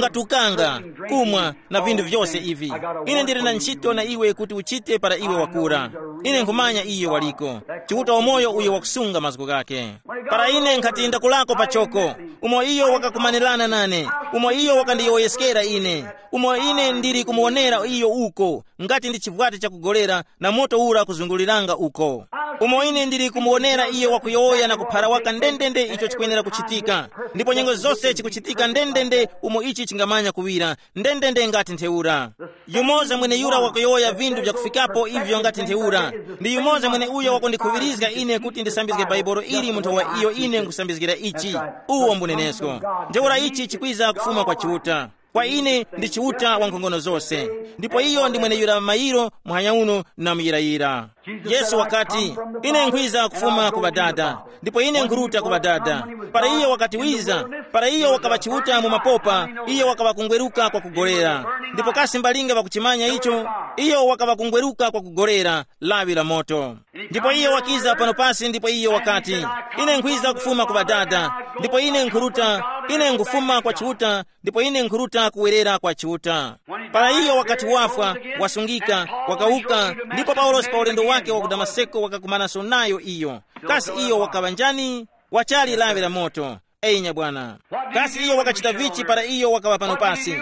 ungatukanga, kumwa, na vinthu vyose ivi. Ine ndili na ntchito na iwe kuti uchite para iwe wakura. Ine nkhumanya iyo waliko, Chiuta wamoyo uyo wakusunga mazgu ghake. Para ine nkhati ndakulako pachoko, umo iyo wakakumanirana nane, umo iyo wakandiyowoyeskera ine, umo ine ndili kumuwonera iyo uko, ngati ndi chivwati chakugolera, na moto ura kuzunguliranga uko. Umo ine ndili kumuwonera iyo wakuyowoya na kuphara waka ndendende icho chikwenera kuchitika, ndipo nyengo zose chikuchitika ndendende umo ichi chingamanya kuŵira, ndendende ngati ntheura. Yumoza mweneyura wakuyowoya vinthu vyakufikapo ivyo ngati ntheura. Ndi yumoza mweneuyo wakundikhuŵirizga ine kuti ndisambizge Baibolo ili munthu wa iyo ine nkhusambizgira ichi. Uwo mbunenesko. Ntheura ichi chikwiza kufuma kwa Chiuta. Kwa ine ndi Chiuta wa nkhongono zose. Ndipo iyo ndi mweneyura mayiro, muhanya uno, na muyirayira. Yesu wakati, ine nkhwiza kufuma ku Ŵadada, ndipo ine nkhuruta ku Ŵadada. Para iyo wakati wiza, para iyo wakaŵa Chiuta mu mapopa, iyo wakaŵa kungweruka kwa kugolera. Ndipo kasi mbalinga ŵakuchimanya icho? Iyo wakaŵa kungweruka kwa kugolera lawi la moto. Ndipo iyo wakiza pano pasi, ndipo iyo wakati, "Ine nkhwiza kufuma ku Ŵadada, ndipo ine nkhuruta, ine nkufuma kwa Chiuta, ndipo ine nkhuruta kuwerera kwa Chiuta." Para iyo wakati wafwa, wasungika, wakawuka, ndipo Paulosi pa ulendo wake wa ku Damaseko wakakumananso nayo iyo. Kasi iyo wakaŵa njani? Wachali lawi la moto. Eyi nyabwana. Kasi iyo wakachita vichi para iyo wakaŵa pano pasi?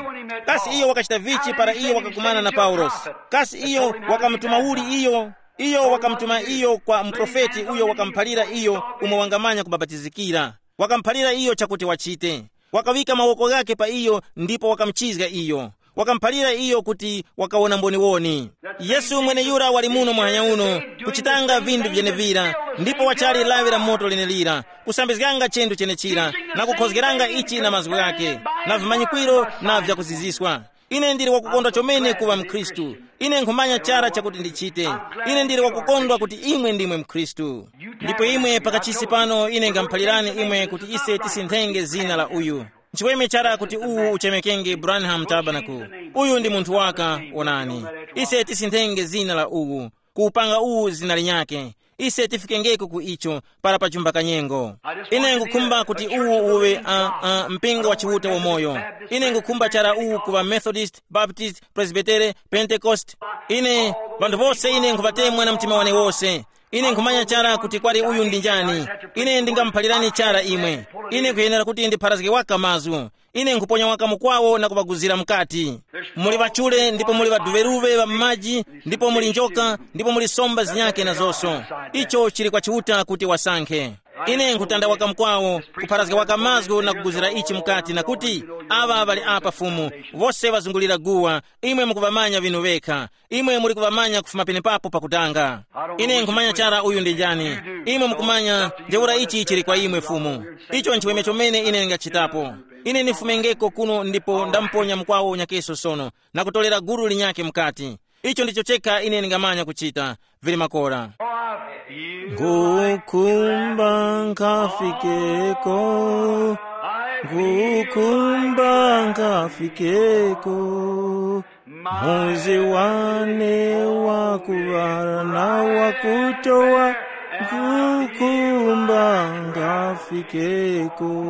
Kasi iyo wakachita vichi para iyo wakakumana na Paulosi? Kasi iyo wakamutuma uli iyo? Iyo wakamutuma iyo kwa muprofeti uyo wakamuphalira iyo umo wangamanya kubapatizikira. Wakamuphalira iyo chakuti wachite. Wakaŵika mawoko ghakhe pa iyo ndipo wakamuchizga iyo. Wakamuphalira iyo kuti wakawona mboniwoni. Yesu mweneyura wali muno muhanya uno, kuchitanga vinthu vyenevira, ndipo wachali lawi la moto lenelira, kusambizganga chinthu chenechira, na kukhozgeranga ichi na mazgu ghake, na vimanyikwiro na vyakuziziswa. Ine ndili wakukondwa chomene kuŵa mkhristu. Ine nkhumanya chara chakuti ndichite. Ine ndili wakukondwa kuti imwe ndimwe mkhristu. Ndipo imwe pakachisi pano ine ngamuphalirani imwe kuti ise tisinthenge zina la uyu. Nchiweme chara kuti uwu uchemekenge Branham Tabernacle. Uyu ndi munthu waka, onani. Ise tisinthenge zina la uwu, kuwupanga uwu zina linyakhe. Ise tifikengeko ku icho para pajumba kanyengo. Ine ngukhumba kuti uwu uwe uh, uh, mpingo wa Chiuta wamoyo. Ine ngukhumba chara uwu kuŵa Methodist, Baptist, Presbytere, Pentecost. Ine, vanthu vose ine nkhuvatemwa na mtima wane wose. Ine nkhumanya chara kuti kwali uyu ndi njani. Ine ndingamuphalirani chara imwe. Ine nkhuyenera kuti ndipharazge waka mazgu. Ine nkhuponya waka mukwawo na kuŵaguzira mukati. Muli ŵachule ndipo muli ŵaduŵeruŵe ŵa m'maji, ndipo muli njoka, ndipo muli somba zinyakhe na zonso. Icho chili kwa Chiuta kuti wasankhe. Ine nkhutanda waka mukwawo, kupharazga waka mazgu na kuguzira ichi mukati na kuti, aŵa ŵali apa Fumu, wose ŵazungulira guwa, imwe mukuŵamanya ŵinu ŵekha. Imwe muli kuŵamanya kufuma penepapo pakutanga. Ine nkhumanya chara uyu ndi njani. Imwe mukumanya, ntheura ichi chili kwa imwe Fumu. Icho nchiweme chomene ine ndingachitapo. Ine ndifumengeko kuno ndipo ndamuponya mukwawo nyakeso sono, na kutolera gulu linyakhe mukati. Icho ndicho chekha ine ndingamanya kuchita. Vili makora. Ngukumba nkafikeko, ngukumba nkafikeko. Muzi wane wakuŵala na wakutowa, ngukumba ngafikeko.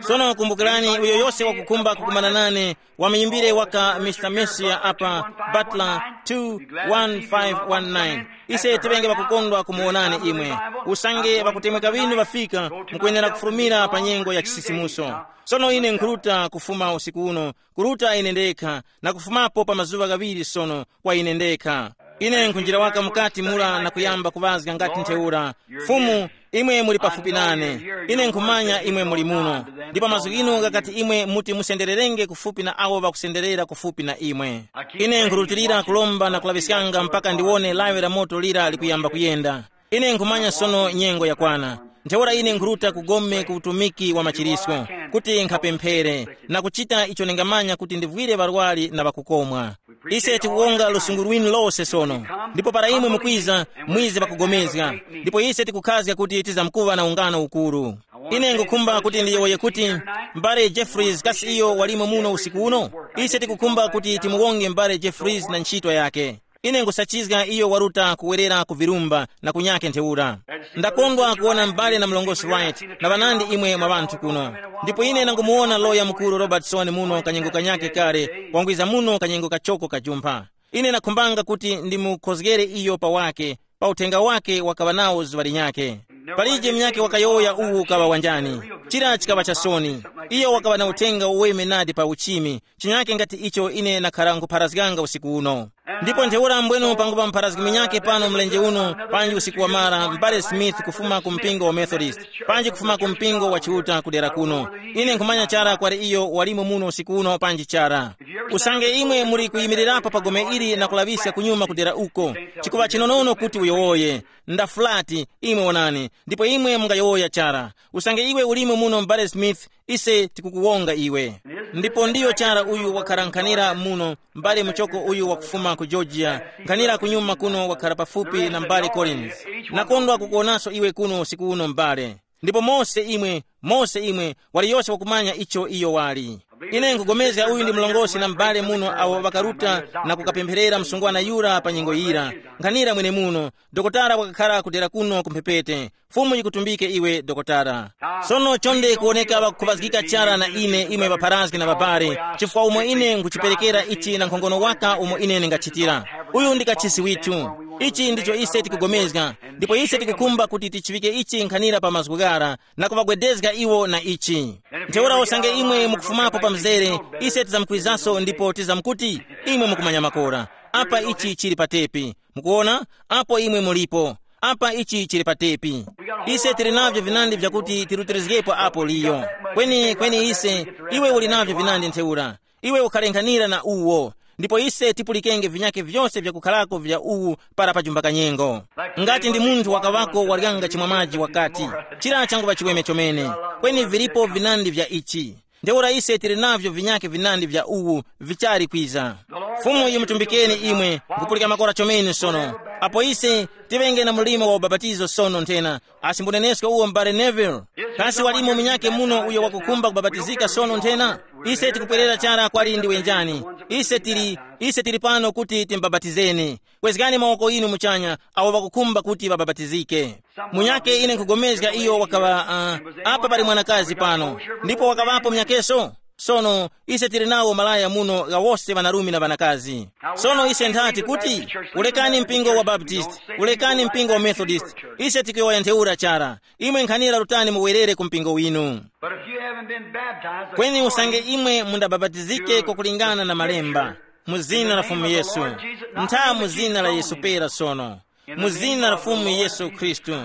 Sono kumbukirani, uyo yose wakukhumba kukumana nane, wamuyimbire waka Mister Mercier apa, Butler two one five one nine. Ise tiŵenge ŵakukondwa kumuwonani imwe. Usange ŵakutemweka ŵinu ŵafika, mukwenera kufulumira pa nyengo ya chisisimuso. Sono ine nkhuruta kufuma usiku uno, kuruta ine ndekha, na kufumapo pa mazuŵa ghaŵiri sono kwa ine ndekha. Ine nkhunjira waka mukati mura na kuyamba kuŵazga ngati ntheura, Fumu, imwe muli pafupi nane. Ine nkhumanya imwe muli muno. Ndipo mazgu ghinu ghakati imwe muti musendererenge kufupi na awo ŵakusenderera kufupi na imwe. Ine nkhurutilira kulomba na kulaŵiskanga mpaka ndiwone lawi la moto lira likuyamba kuyenda. Ine nkhumanya sono nyengo yakwana. Ntheura ine nkhuruta ku gome ku utumiki wa machirisco, kuti nkhapemphere, na kuchita icho ndingamanya kuti ndivwire ŵarwari na ŵakukomwa. Ise tikuwonga lusungu lwinu lose sono, ndipo para imwe mukwiza, mwize pakugomezga, ndipo ise tikukhazga kuti tizamkuŵa na ungano ukuru. Ine ngukhumba kuti ndiyowoye kuti, m'bale Jeffries kasi iyo walimo muno usiku uno? Ise tikukhumba kuti timuwonge m'bale Jeffries na ntchito yake. Ine nkhusachizga iyo waruta kuwerera ku virumba na kunyake ntheura. Ndakondwa kuwona m'bale na mlongosi Wright na ŵanandi imwe mwa ŵanthu kuno. Ndipo ine ndangumuwona loya mukuru Robertson muno kanyengo kanyake kale, wangwiza muno kanyengo kachoko kajumpha. Ine ndakhumbanga kuti ndimukhozgere iyo pa wake, pa uthenga wake wakaŵa nawo zuŵa linyakhe. Palije munyakhe wakayowoya uwu ukaŵa wanjani. Chira chikaŵa cha soni. Iyo wakaŵa na uthenga uweme nadi pa uchimi, chinyakhe ngati icho ine nakhara nkhupharazganga usiku uno. Ndipo ntheura mbwenu pangupa mupharazgi munyakhe pano mlenje uno, panji usiku wamara, m'bale Smith kufuma ku mpingo wa Methodist, panji kufuma ku mpingo wa Chiuta kudera kuno. Ine nkhumanya chara kwali iyo walimo muno usiku uno panji chara. Usange imwe muli kuyimirirapo pa gome ili na kulaŵiska kunyuma kudera uko, chikuŵa chinonono kuti uyowoye. Ndafulati, imwe wonani, ndipo imwe mungayowoya chara. Usange iwe ulimo muno m'bale Smith, ise tikukuwonga iwe. Ndipo ndiyo chara uyu wakhara nkhanira muno, m'bale muchoko uyu wakufuma ku Georgia, nkhanira kunyuma kuno wakhara pafupi na m'bale Collins. Nakondwa kukuwonanso iwe kuno usiku uno m'bale. Ndipo mose imwe, mose imwe, waliyose wakumanya icho iyo wali. Ine nkugomezga uyu ndi mlongosi na m'bale muno awo ŵakaruta na kukapempherera msungwana yura pa nyengo yira. Nkhanira mwenemuno, dokotala wakakhala kudera kuno kumphepete. Fumu yikutumbike iwe, dokotala. Sono chonde kuwoneka ŵakukhuŵazgika chara na ine, imwe ŵapharazgi na ŵabale, chifukwa umo ine nkhuchiperekera ichi na nkhongono waka umo ine ndingachitira. Uyu ndi kachisi withu. Ichi ndicho ise tikugomezga, ndipo ise tikukhumba kuti tichiŵike ichi nkhanira pa mazgu ghara, na kuŵagwedezga iwo na ichi. Ntheura usange imwe mukufumapo pa mzere, ise tizamkwizaso ndipo tizamkuti, imwe mukumanya makora. Apa ichi chili pa tepi. Mukuona? Apo imwe mulipo. Apa ichi chili pa tepi. Ise tili navyo vinandi vyakuti tirutirizgepo apo liyo. Kweni, kweni ise, iwe uli navyo vinandi ntheura. Iwe ukharenkhanira na uwo. Ndipo ise tipulikenge vinyakhe vyose vyakukharako vya uwu para pajumba kanyengo. Ngati ndi munthu wakaŵako waryanga chimwa maji wakati, chira changuŵa chiweme chomene. Kweni vilipo vinandi vya ichi. Ntheura ise tili navyo vinyakhe vinandi vya uwu vichali kwiza. Fumu yimutumbikeni imwe, nkupulika makora chomene sono. Apo ise tiŵenge na mlimo wa ubapatizo sono nthena, asi mbunenesko uwo m'bale Neville? Kasi walimo munyakhe muno uyo wakukhumba kubabatizika sono nthena? Ise tikupwerera chara kwali ndiwe njani. Ise tili, ise tili pano kuti timbabatizeni. Kwezgani mawoko inu muchanya, awo ŵakukhumba kuti ŵababatizike. Munyakhe ine nkugomezga iyo wakaŵa, uh, apa pali mwanakazi pano, ndipo wakaŵapo munyakeso. Sono ise tili nawo malaya muno ghawose ŵanarume na ŵanakazi. Sono ise nthati kuti, ulekani mpingo wa Baptist, ulekani mpingo wa Methodist. Ise tikuyowoya ntheura chara. Imwe nkhanira rutani muwerere ku mpingo winu. But if you haven't been baptized, kweni usange imwe mundababatizike kwakulingana na malemba, mu zina la Fumu Yesu, ntha mu zina la Yesu pera sono, mu zina la Fumu Yesu Khristu,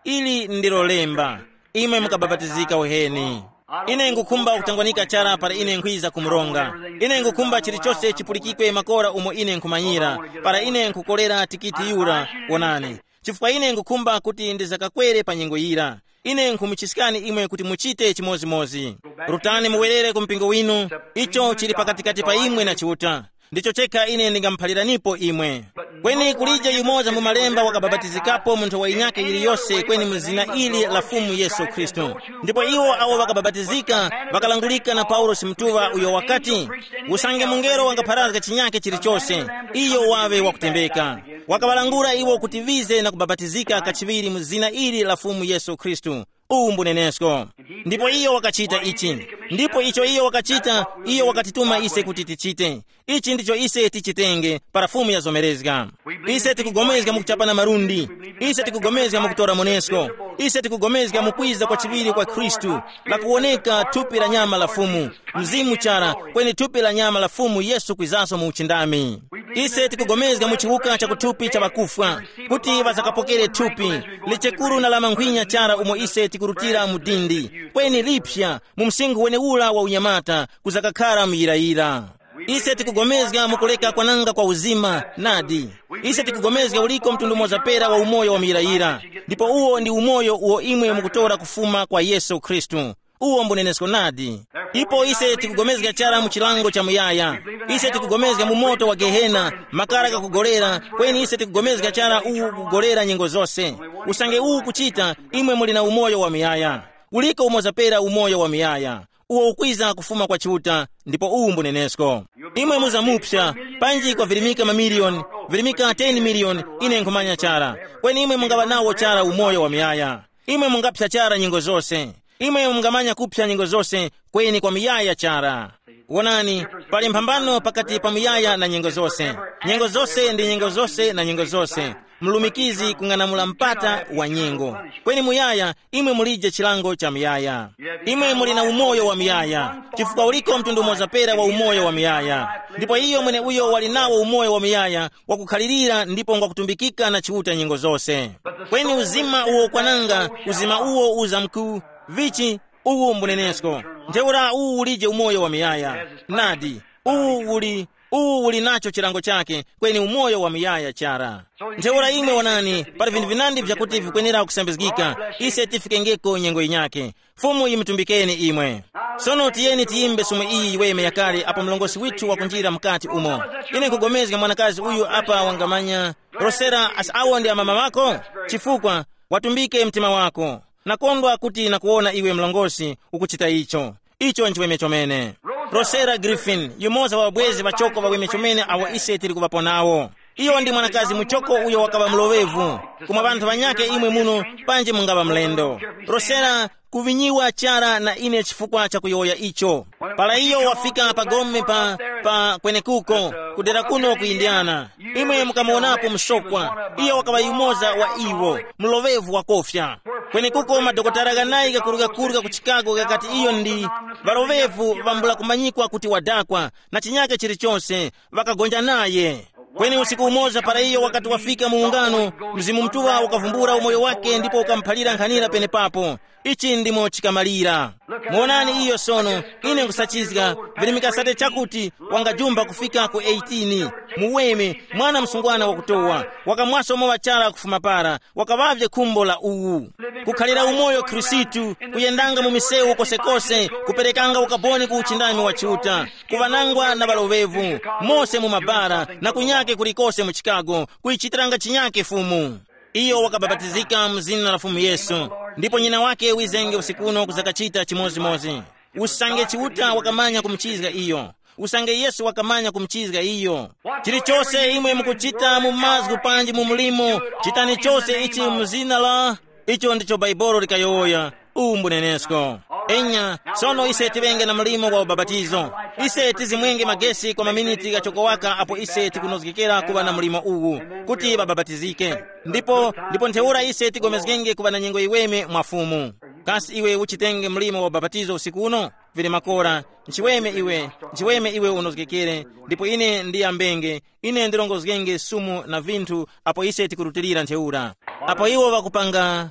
ili ndilo lemba, imwe mukababatizika uheni. Ine ngukhumba kutangwanika chara para ine nkhwiza ku mronga. Ine ngukhumba chilichose chipulikikwe makora umo ine nkhumanyira, para ine nkhukolera tikiti yura. Wonani, chifukwa ine ngukhumba kuti ndizakakwere pa nyengo yira. Ine nkhumuchiskani imwe kuti muchite chimodzimodzi. Rutani muwerere ku mpingo winu. Icho chili pakatikati pa imwe na Chiuta. Ndicho chekha ine ndingamuphaliranipo imwe. Kweni kulije yumoza mu malemba wakababatizikapo munthu wa inyake yiliyose kweni mu zina ili la Fumu Yesu Khristu. Ndipo iwo awo ŵakababatizika ŵakalangulika na Paulosi Mutuŵa uyo wakati, usange mungelo wangapharazga chinyake chilichose, iyo waŵe wakutembeka. Wakaŵalangula iwo kuti ŵize na kubabatizika kachiŵiri mu zina ili la Fumu Yesu Khristu. Uwu mbunenesko. Ndipo iyo wakachita ichi. Ndipo icho iyo wakachita, iyo wakatituma ise kuti tichite. Ichi ndicho ise tichitenge para Fumu yazomerezga. Ise tikugomezga mu kuchapana malundi. Ise tikugomezga mu kutora monesko. Ise tikugomezga mu kwiza kwa chiŵiri kwa Khristu, lakuwoneka thupi la nyama la Fumu, mzimu chara, kweni thupi la nyama la Fumu Yesu kwizaso mu uchindami. Ise tikugomezga mu chiwuka cha kuthupi cha ŵakufwa, kuti ŵazakapokere thupi lichekuru na la mankhwinya chara umo ise tikurutira mu dindi, kweni lipsa, mu msinkhu wenewura wa unyamata, kuzakakhala muyirayira. Ise tikugomezga mu kuleka kwananga kwa uzima, nadi. Ise tikugomezga uliko mtundu umoza pera wa umoyo wa muyirayira, ndipo uwo ndi umoyo uwo imwe mukutora kufuma kwa Yesu Khristu. Uwo mbunenesko nadi. Ipo ise tikugomezga chara mu chilango cha muyaya. Ise tikugomezga mu moto wa Gehena, makara ghakugolera, kweni ise tikugomezga chara uwu kugolera nyengo zose. Usange uwu kuchita, imwe muli na umoyo wa muyaya. Uliko umoza pera umoyo wa muyaya, uwo ukwiza kufuma kwa Chiuta, ndipo uwu mbunenesko. Imwe muzamupsa, panji kwavirimika mamiliyoni, virimika ten miliyoni, ine nkhumanya chara. Kweni imwe mungaŵa nawo chara umoyo wa muyaya. Imwe mungaphya chara nyengo zose. Imwe mungamanya kuphya nyengo zose, kweni kwa muyaya chara. Wonani, pali mphambano pakati pa muyaya na nyengo zose. Nyengo zose ndi nyengo zose na nyengo zose. Mlumikizi kung'anamula mpata wa nyengo. Kweni muyaya, imwe mulije chilango cha muyaya. Imwe muli na umoyo wa muyaya, chifukwa uliko mtundu umoza pera wa umoyo wa muyaya. Ndipo iyo mwene uyo wali nawo umoyo wa muyaya wakukhalirira ndipo ngwakutumbikika na Chiuta nyengo zose. Kweni uzima uwo ukwananga, uzima uwo uza mku, vichi, uwu mbunenesko. Ntheura uwu ulije umoyo wa muyaya. Nadi, uwu uli, uwu uli nacho chilango chake, kweni umoyo wa muyaya chara. Ntheura imwe wonani, pali vinthu vinandi vyakuti vikwenera kusambizgika, ise tifikengeko nyengo yinyakhe. Fumu yimutumbikeni imwe. Sono tiyeni tiyimbe sumu iyi yiweme yakale apo mlongosi withu wakunjira mukati umo. Ine nkugomezga mwanakazi uyu apa wangamanya, Rosera, asi awo ndi amama wako? Chifukwa, watumbike mtima wako. Nakondwa kuti nakuwona iwe mlongosi ukuchita icho. Icho nchiweme chomene. Rosera Griffin, yumoza wa ŵabwezi ŵachoko ŵaweme chomene awo ise tili kuŵapo nawo. Iyo ndi mwanakazi muchoko uyo wakaŵa muloŵevu. Kumwa ŵanthu ŵanyakhe imwe muno, panji mungaŵa mlendo. Rosera, kuvinyiwa chara na ine chifukwa cha kuyowoya icho. Para iyo wafika pa gome pa, pa kwenekuko, kudera kuno ku Indiana, imwe mukamuwonapo msokwa. Iyo wakaŵa yumoza wa iwo, mloŵevu wakofya. Kwenekuko madokotala ghanayi ghakurughakurugha ku Chicago ghakati iyo ndi ŵaloŵevu ŵambula kumanyikwa kuti wadakwa, na chinyake chilichonse, ŵakagonja naye. Kweni usiku umoza para iyo wakati wafika mu ungano, Mzimu Mutuŵa ukavumbula umoyo wake ndipo ukamuphalira nkhanira penepapo. Ichi ndimo chikamalira. Muonani iyo sono, ine nkusachizga, virimika sate chakuti wangajumba kufika ku eighteen. Muweme, mwana msungwana wakutowa, wakamwaso mowa chara kufuma para, wakaŵavye khumbo la uwu. Kukhalira umoyo Khristu, kuyendanga mu misewu kosekose, kuperekanga ukaboni ku uchindami wa Chiuta, kuŵanangwa na ŵaloŵevu, mose mu mabara, na kunyake kulikose mu Chicago, kuyichitiranga chinyake Fumu. Iyo wakabapatizika mu zina la Fumu Yesu, ndipo nyina wake wizenge usiku uno kuzakachita chimodzimodzi. Usange Chiuta wakamanya kumuchizga iyo, usange Yesu wakamanya kumuchizga iyo. Chilichose imwe mukuchita mu mazgu panji mu mulimo, chitani chose ichi mu zina la, icho ndicho Bhaibuli likayowoya. Uwu mbunenesko. Enya, sono ise tiŵenge na mlimo wa ubapatizo. Ise tizimwenge magesi kwa maminiti ghachokowaka apo ise tikunozgekera kuŵa na mlimo uwu, kuti ŵabapatizike. Ndipo, ndipo ntheura ise tigomezgenge kuŵa na nyengo yiweme mwa Fumu. Kasi iwe uchitenge mlimo wa ubapatizo usiku uno? Vili makora, nchiweme iwe, nchiweme iwe unozgekere, ndipo ine ndiyambenge, ine ndilongozgenge sumu na vinthu apo ise tikurutilira ntheura. Apo iwo ŵakupanga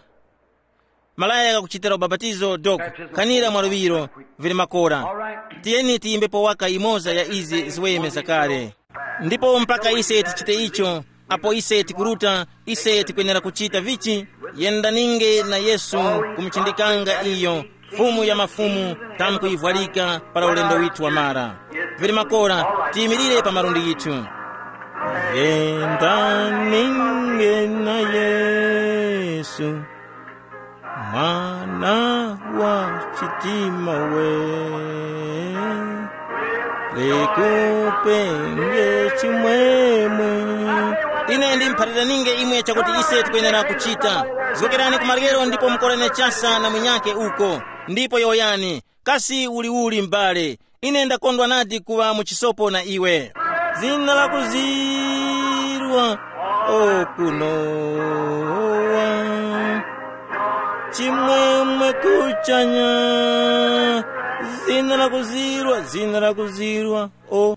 malaya ghakuchitira ubapatizo doko, khanira mwa luŵiro, vili makora. Tiyeni tiyimbepo waka imoza ya izi ziweme zakale. Ndipo mpaka ise tichite icho, apo ise tikuruta, ise tikwenera kuchita vichi? Yendaninge na Yesu, kumuchindikanga iyo, Fumu ya mafumu, tamkuyivwalika para ulendo withu wamara. Vili makora, tiyimirire pa malundi yithu. Yendaninge na Yesu, mwana wa chitima we, likupenge chimwemwe. Ine ndimphaliraninge imwe chakuti ise tikwenera kuchita. Zokerani ku maryero ndipo mukorane chasa na munyakhe uko, ndipo yowoyani, kasi uliuli m'bale? Ine ndakondwa nadi kuŵa mu chisopo na iwe. Zina lakuzirwa okunowa, chimwemwe kuchanya. Zina lakuzirwa, zina lakuzirwa, o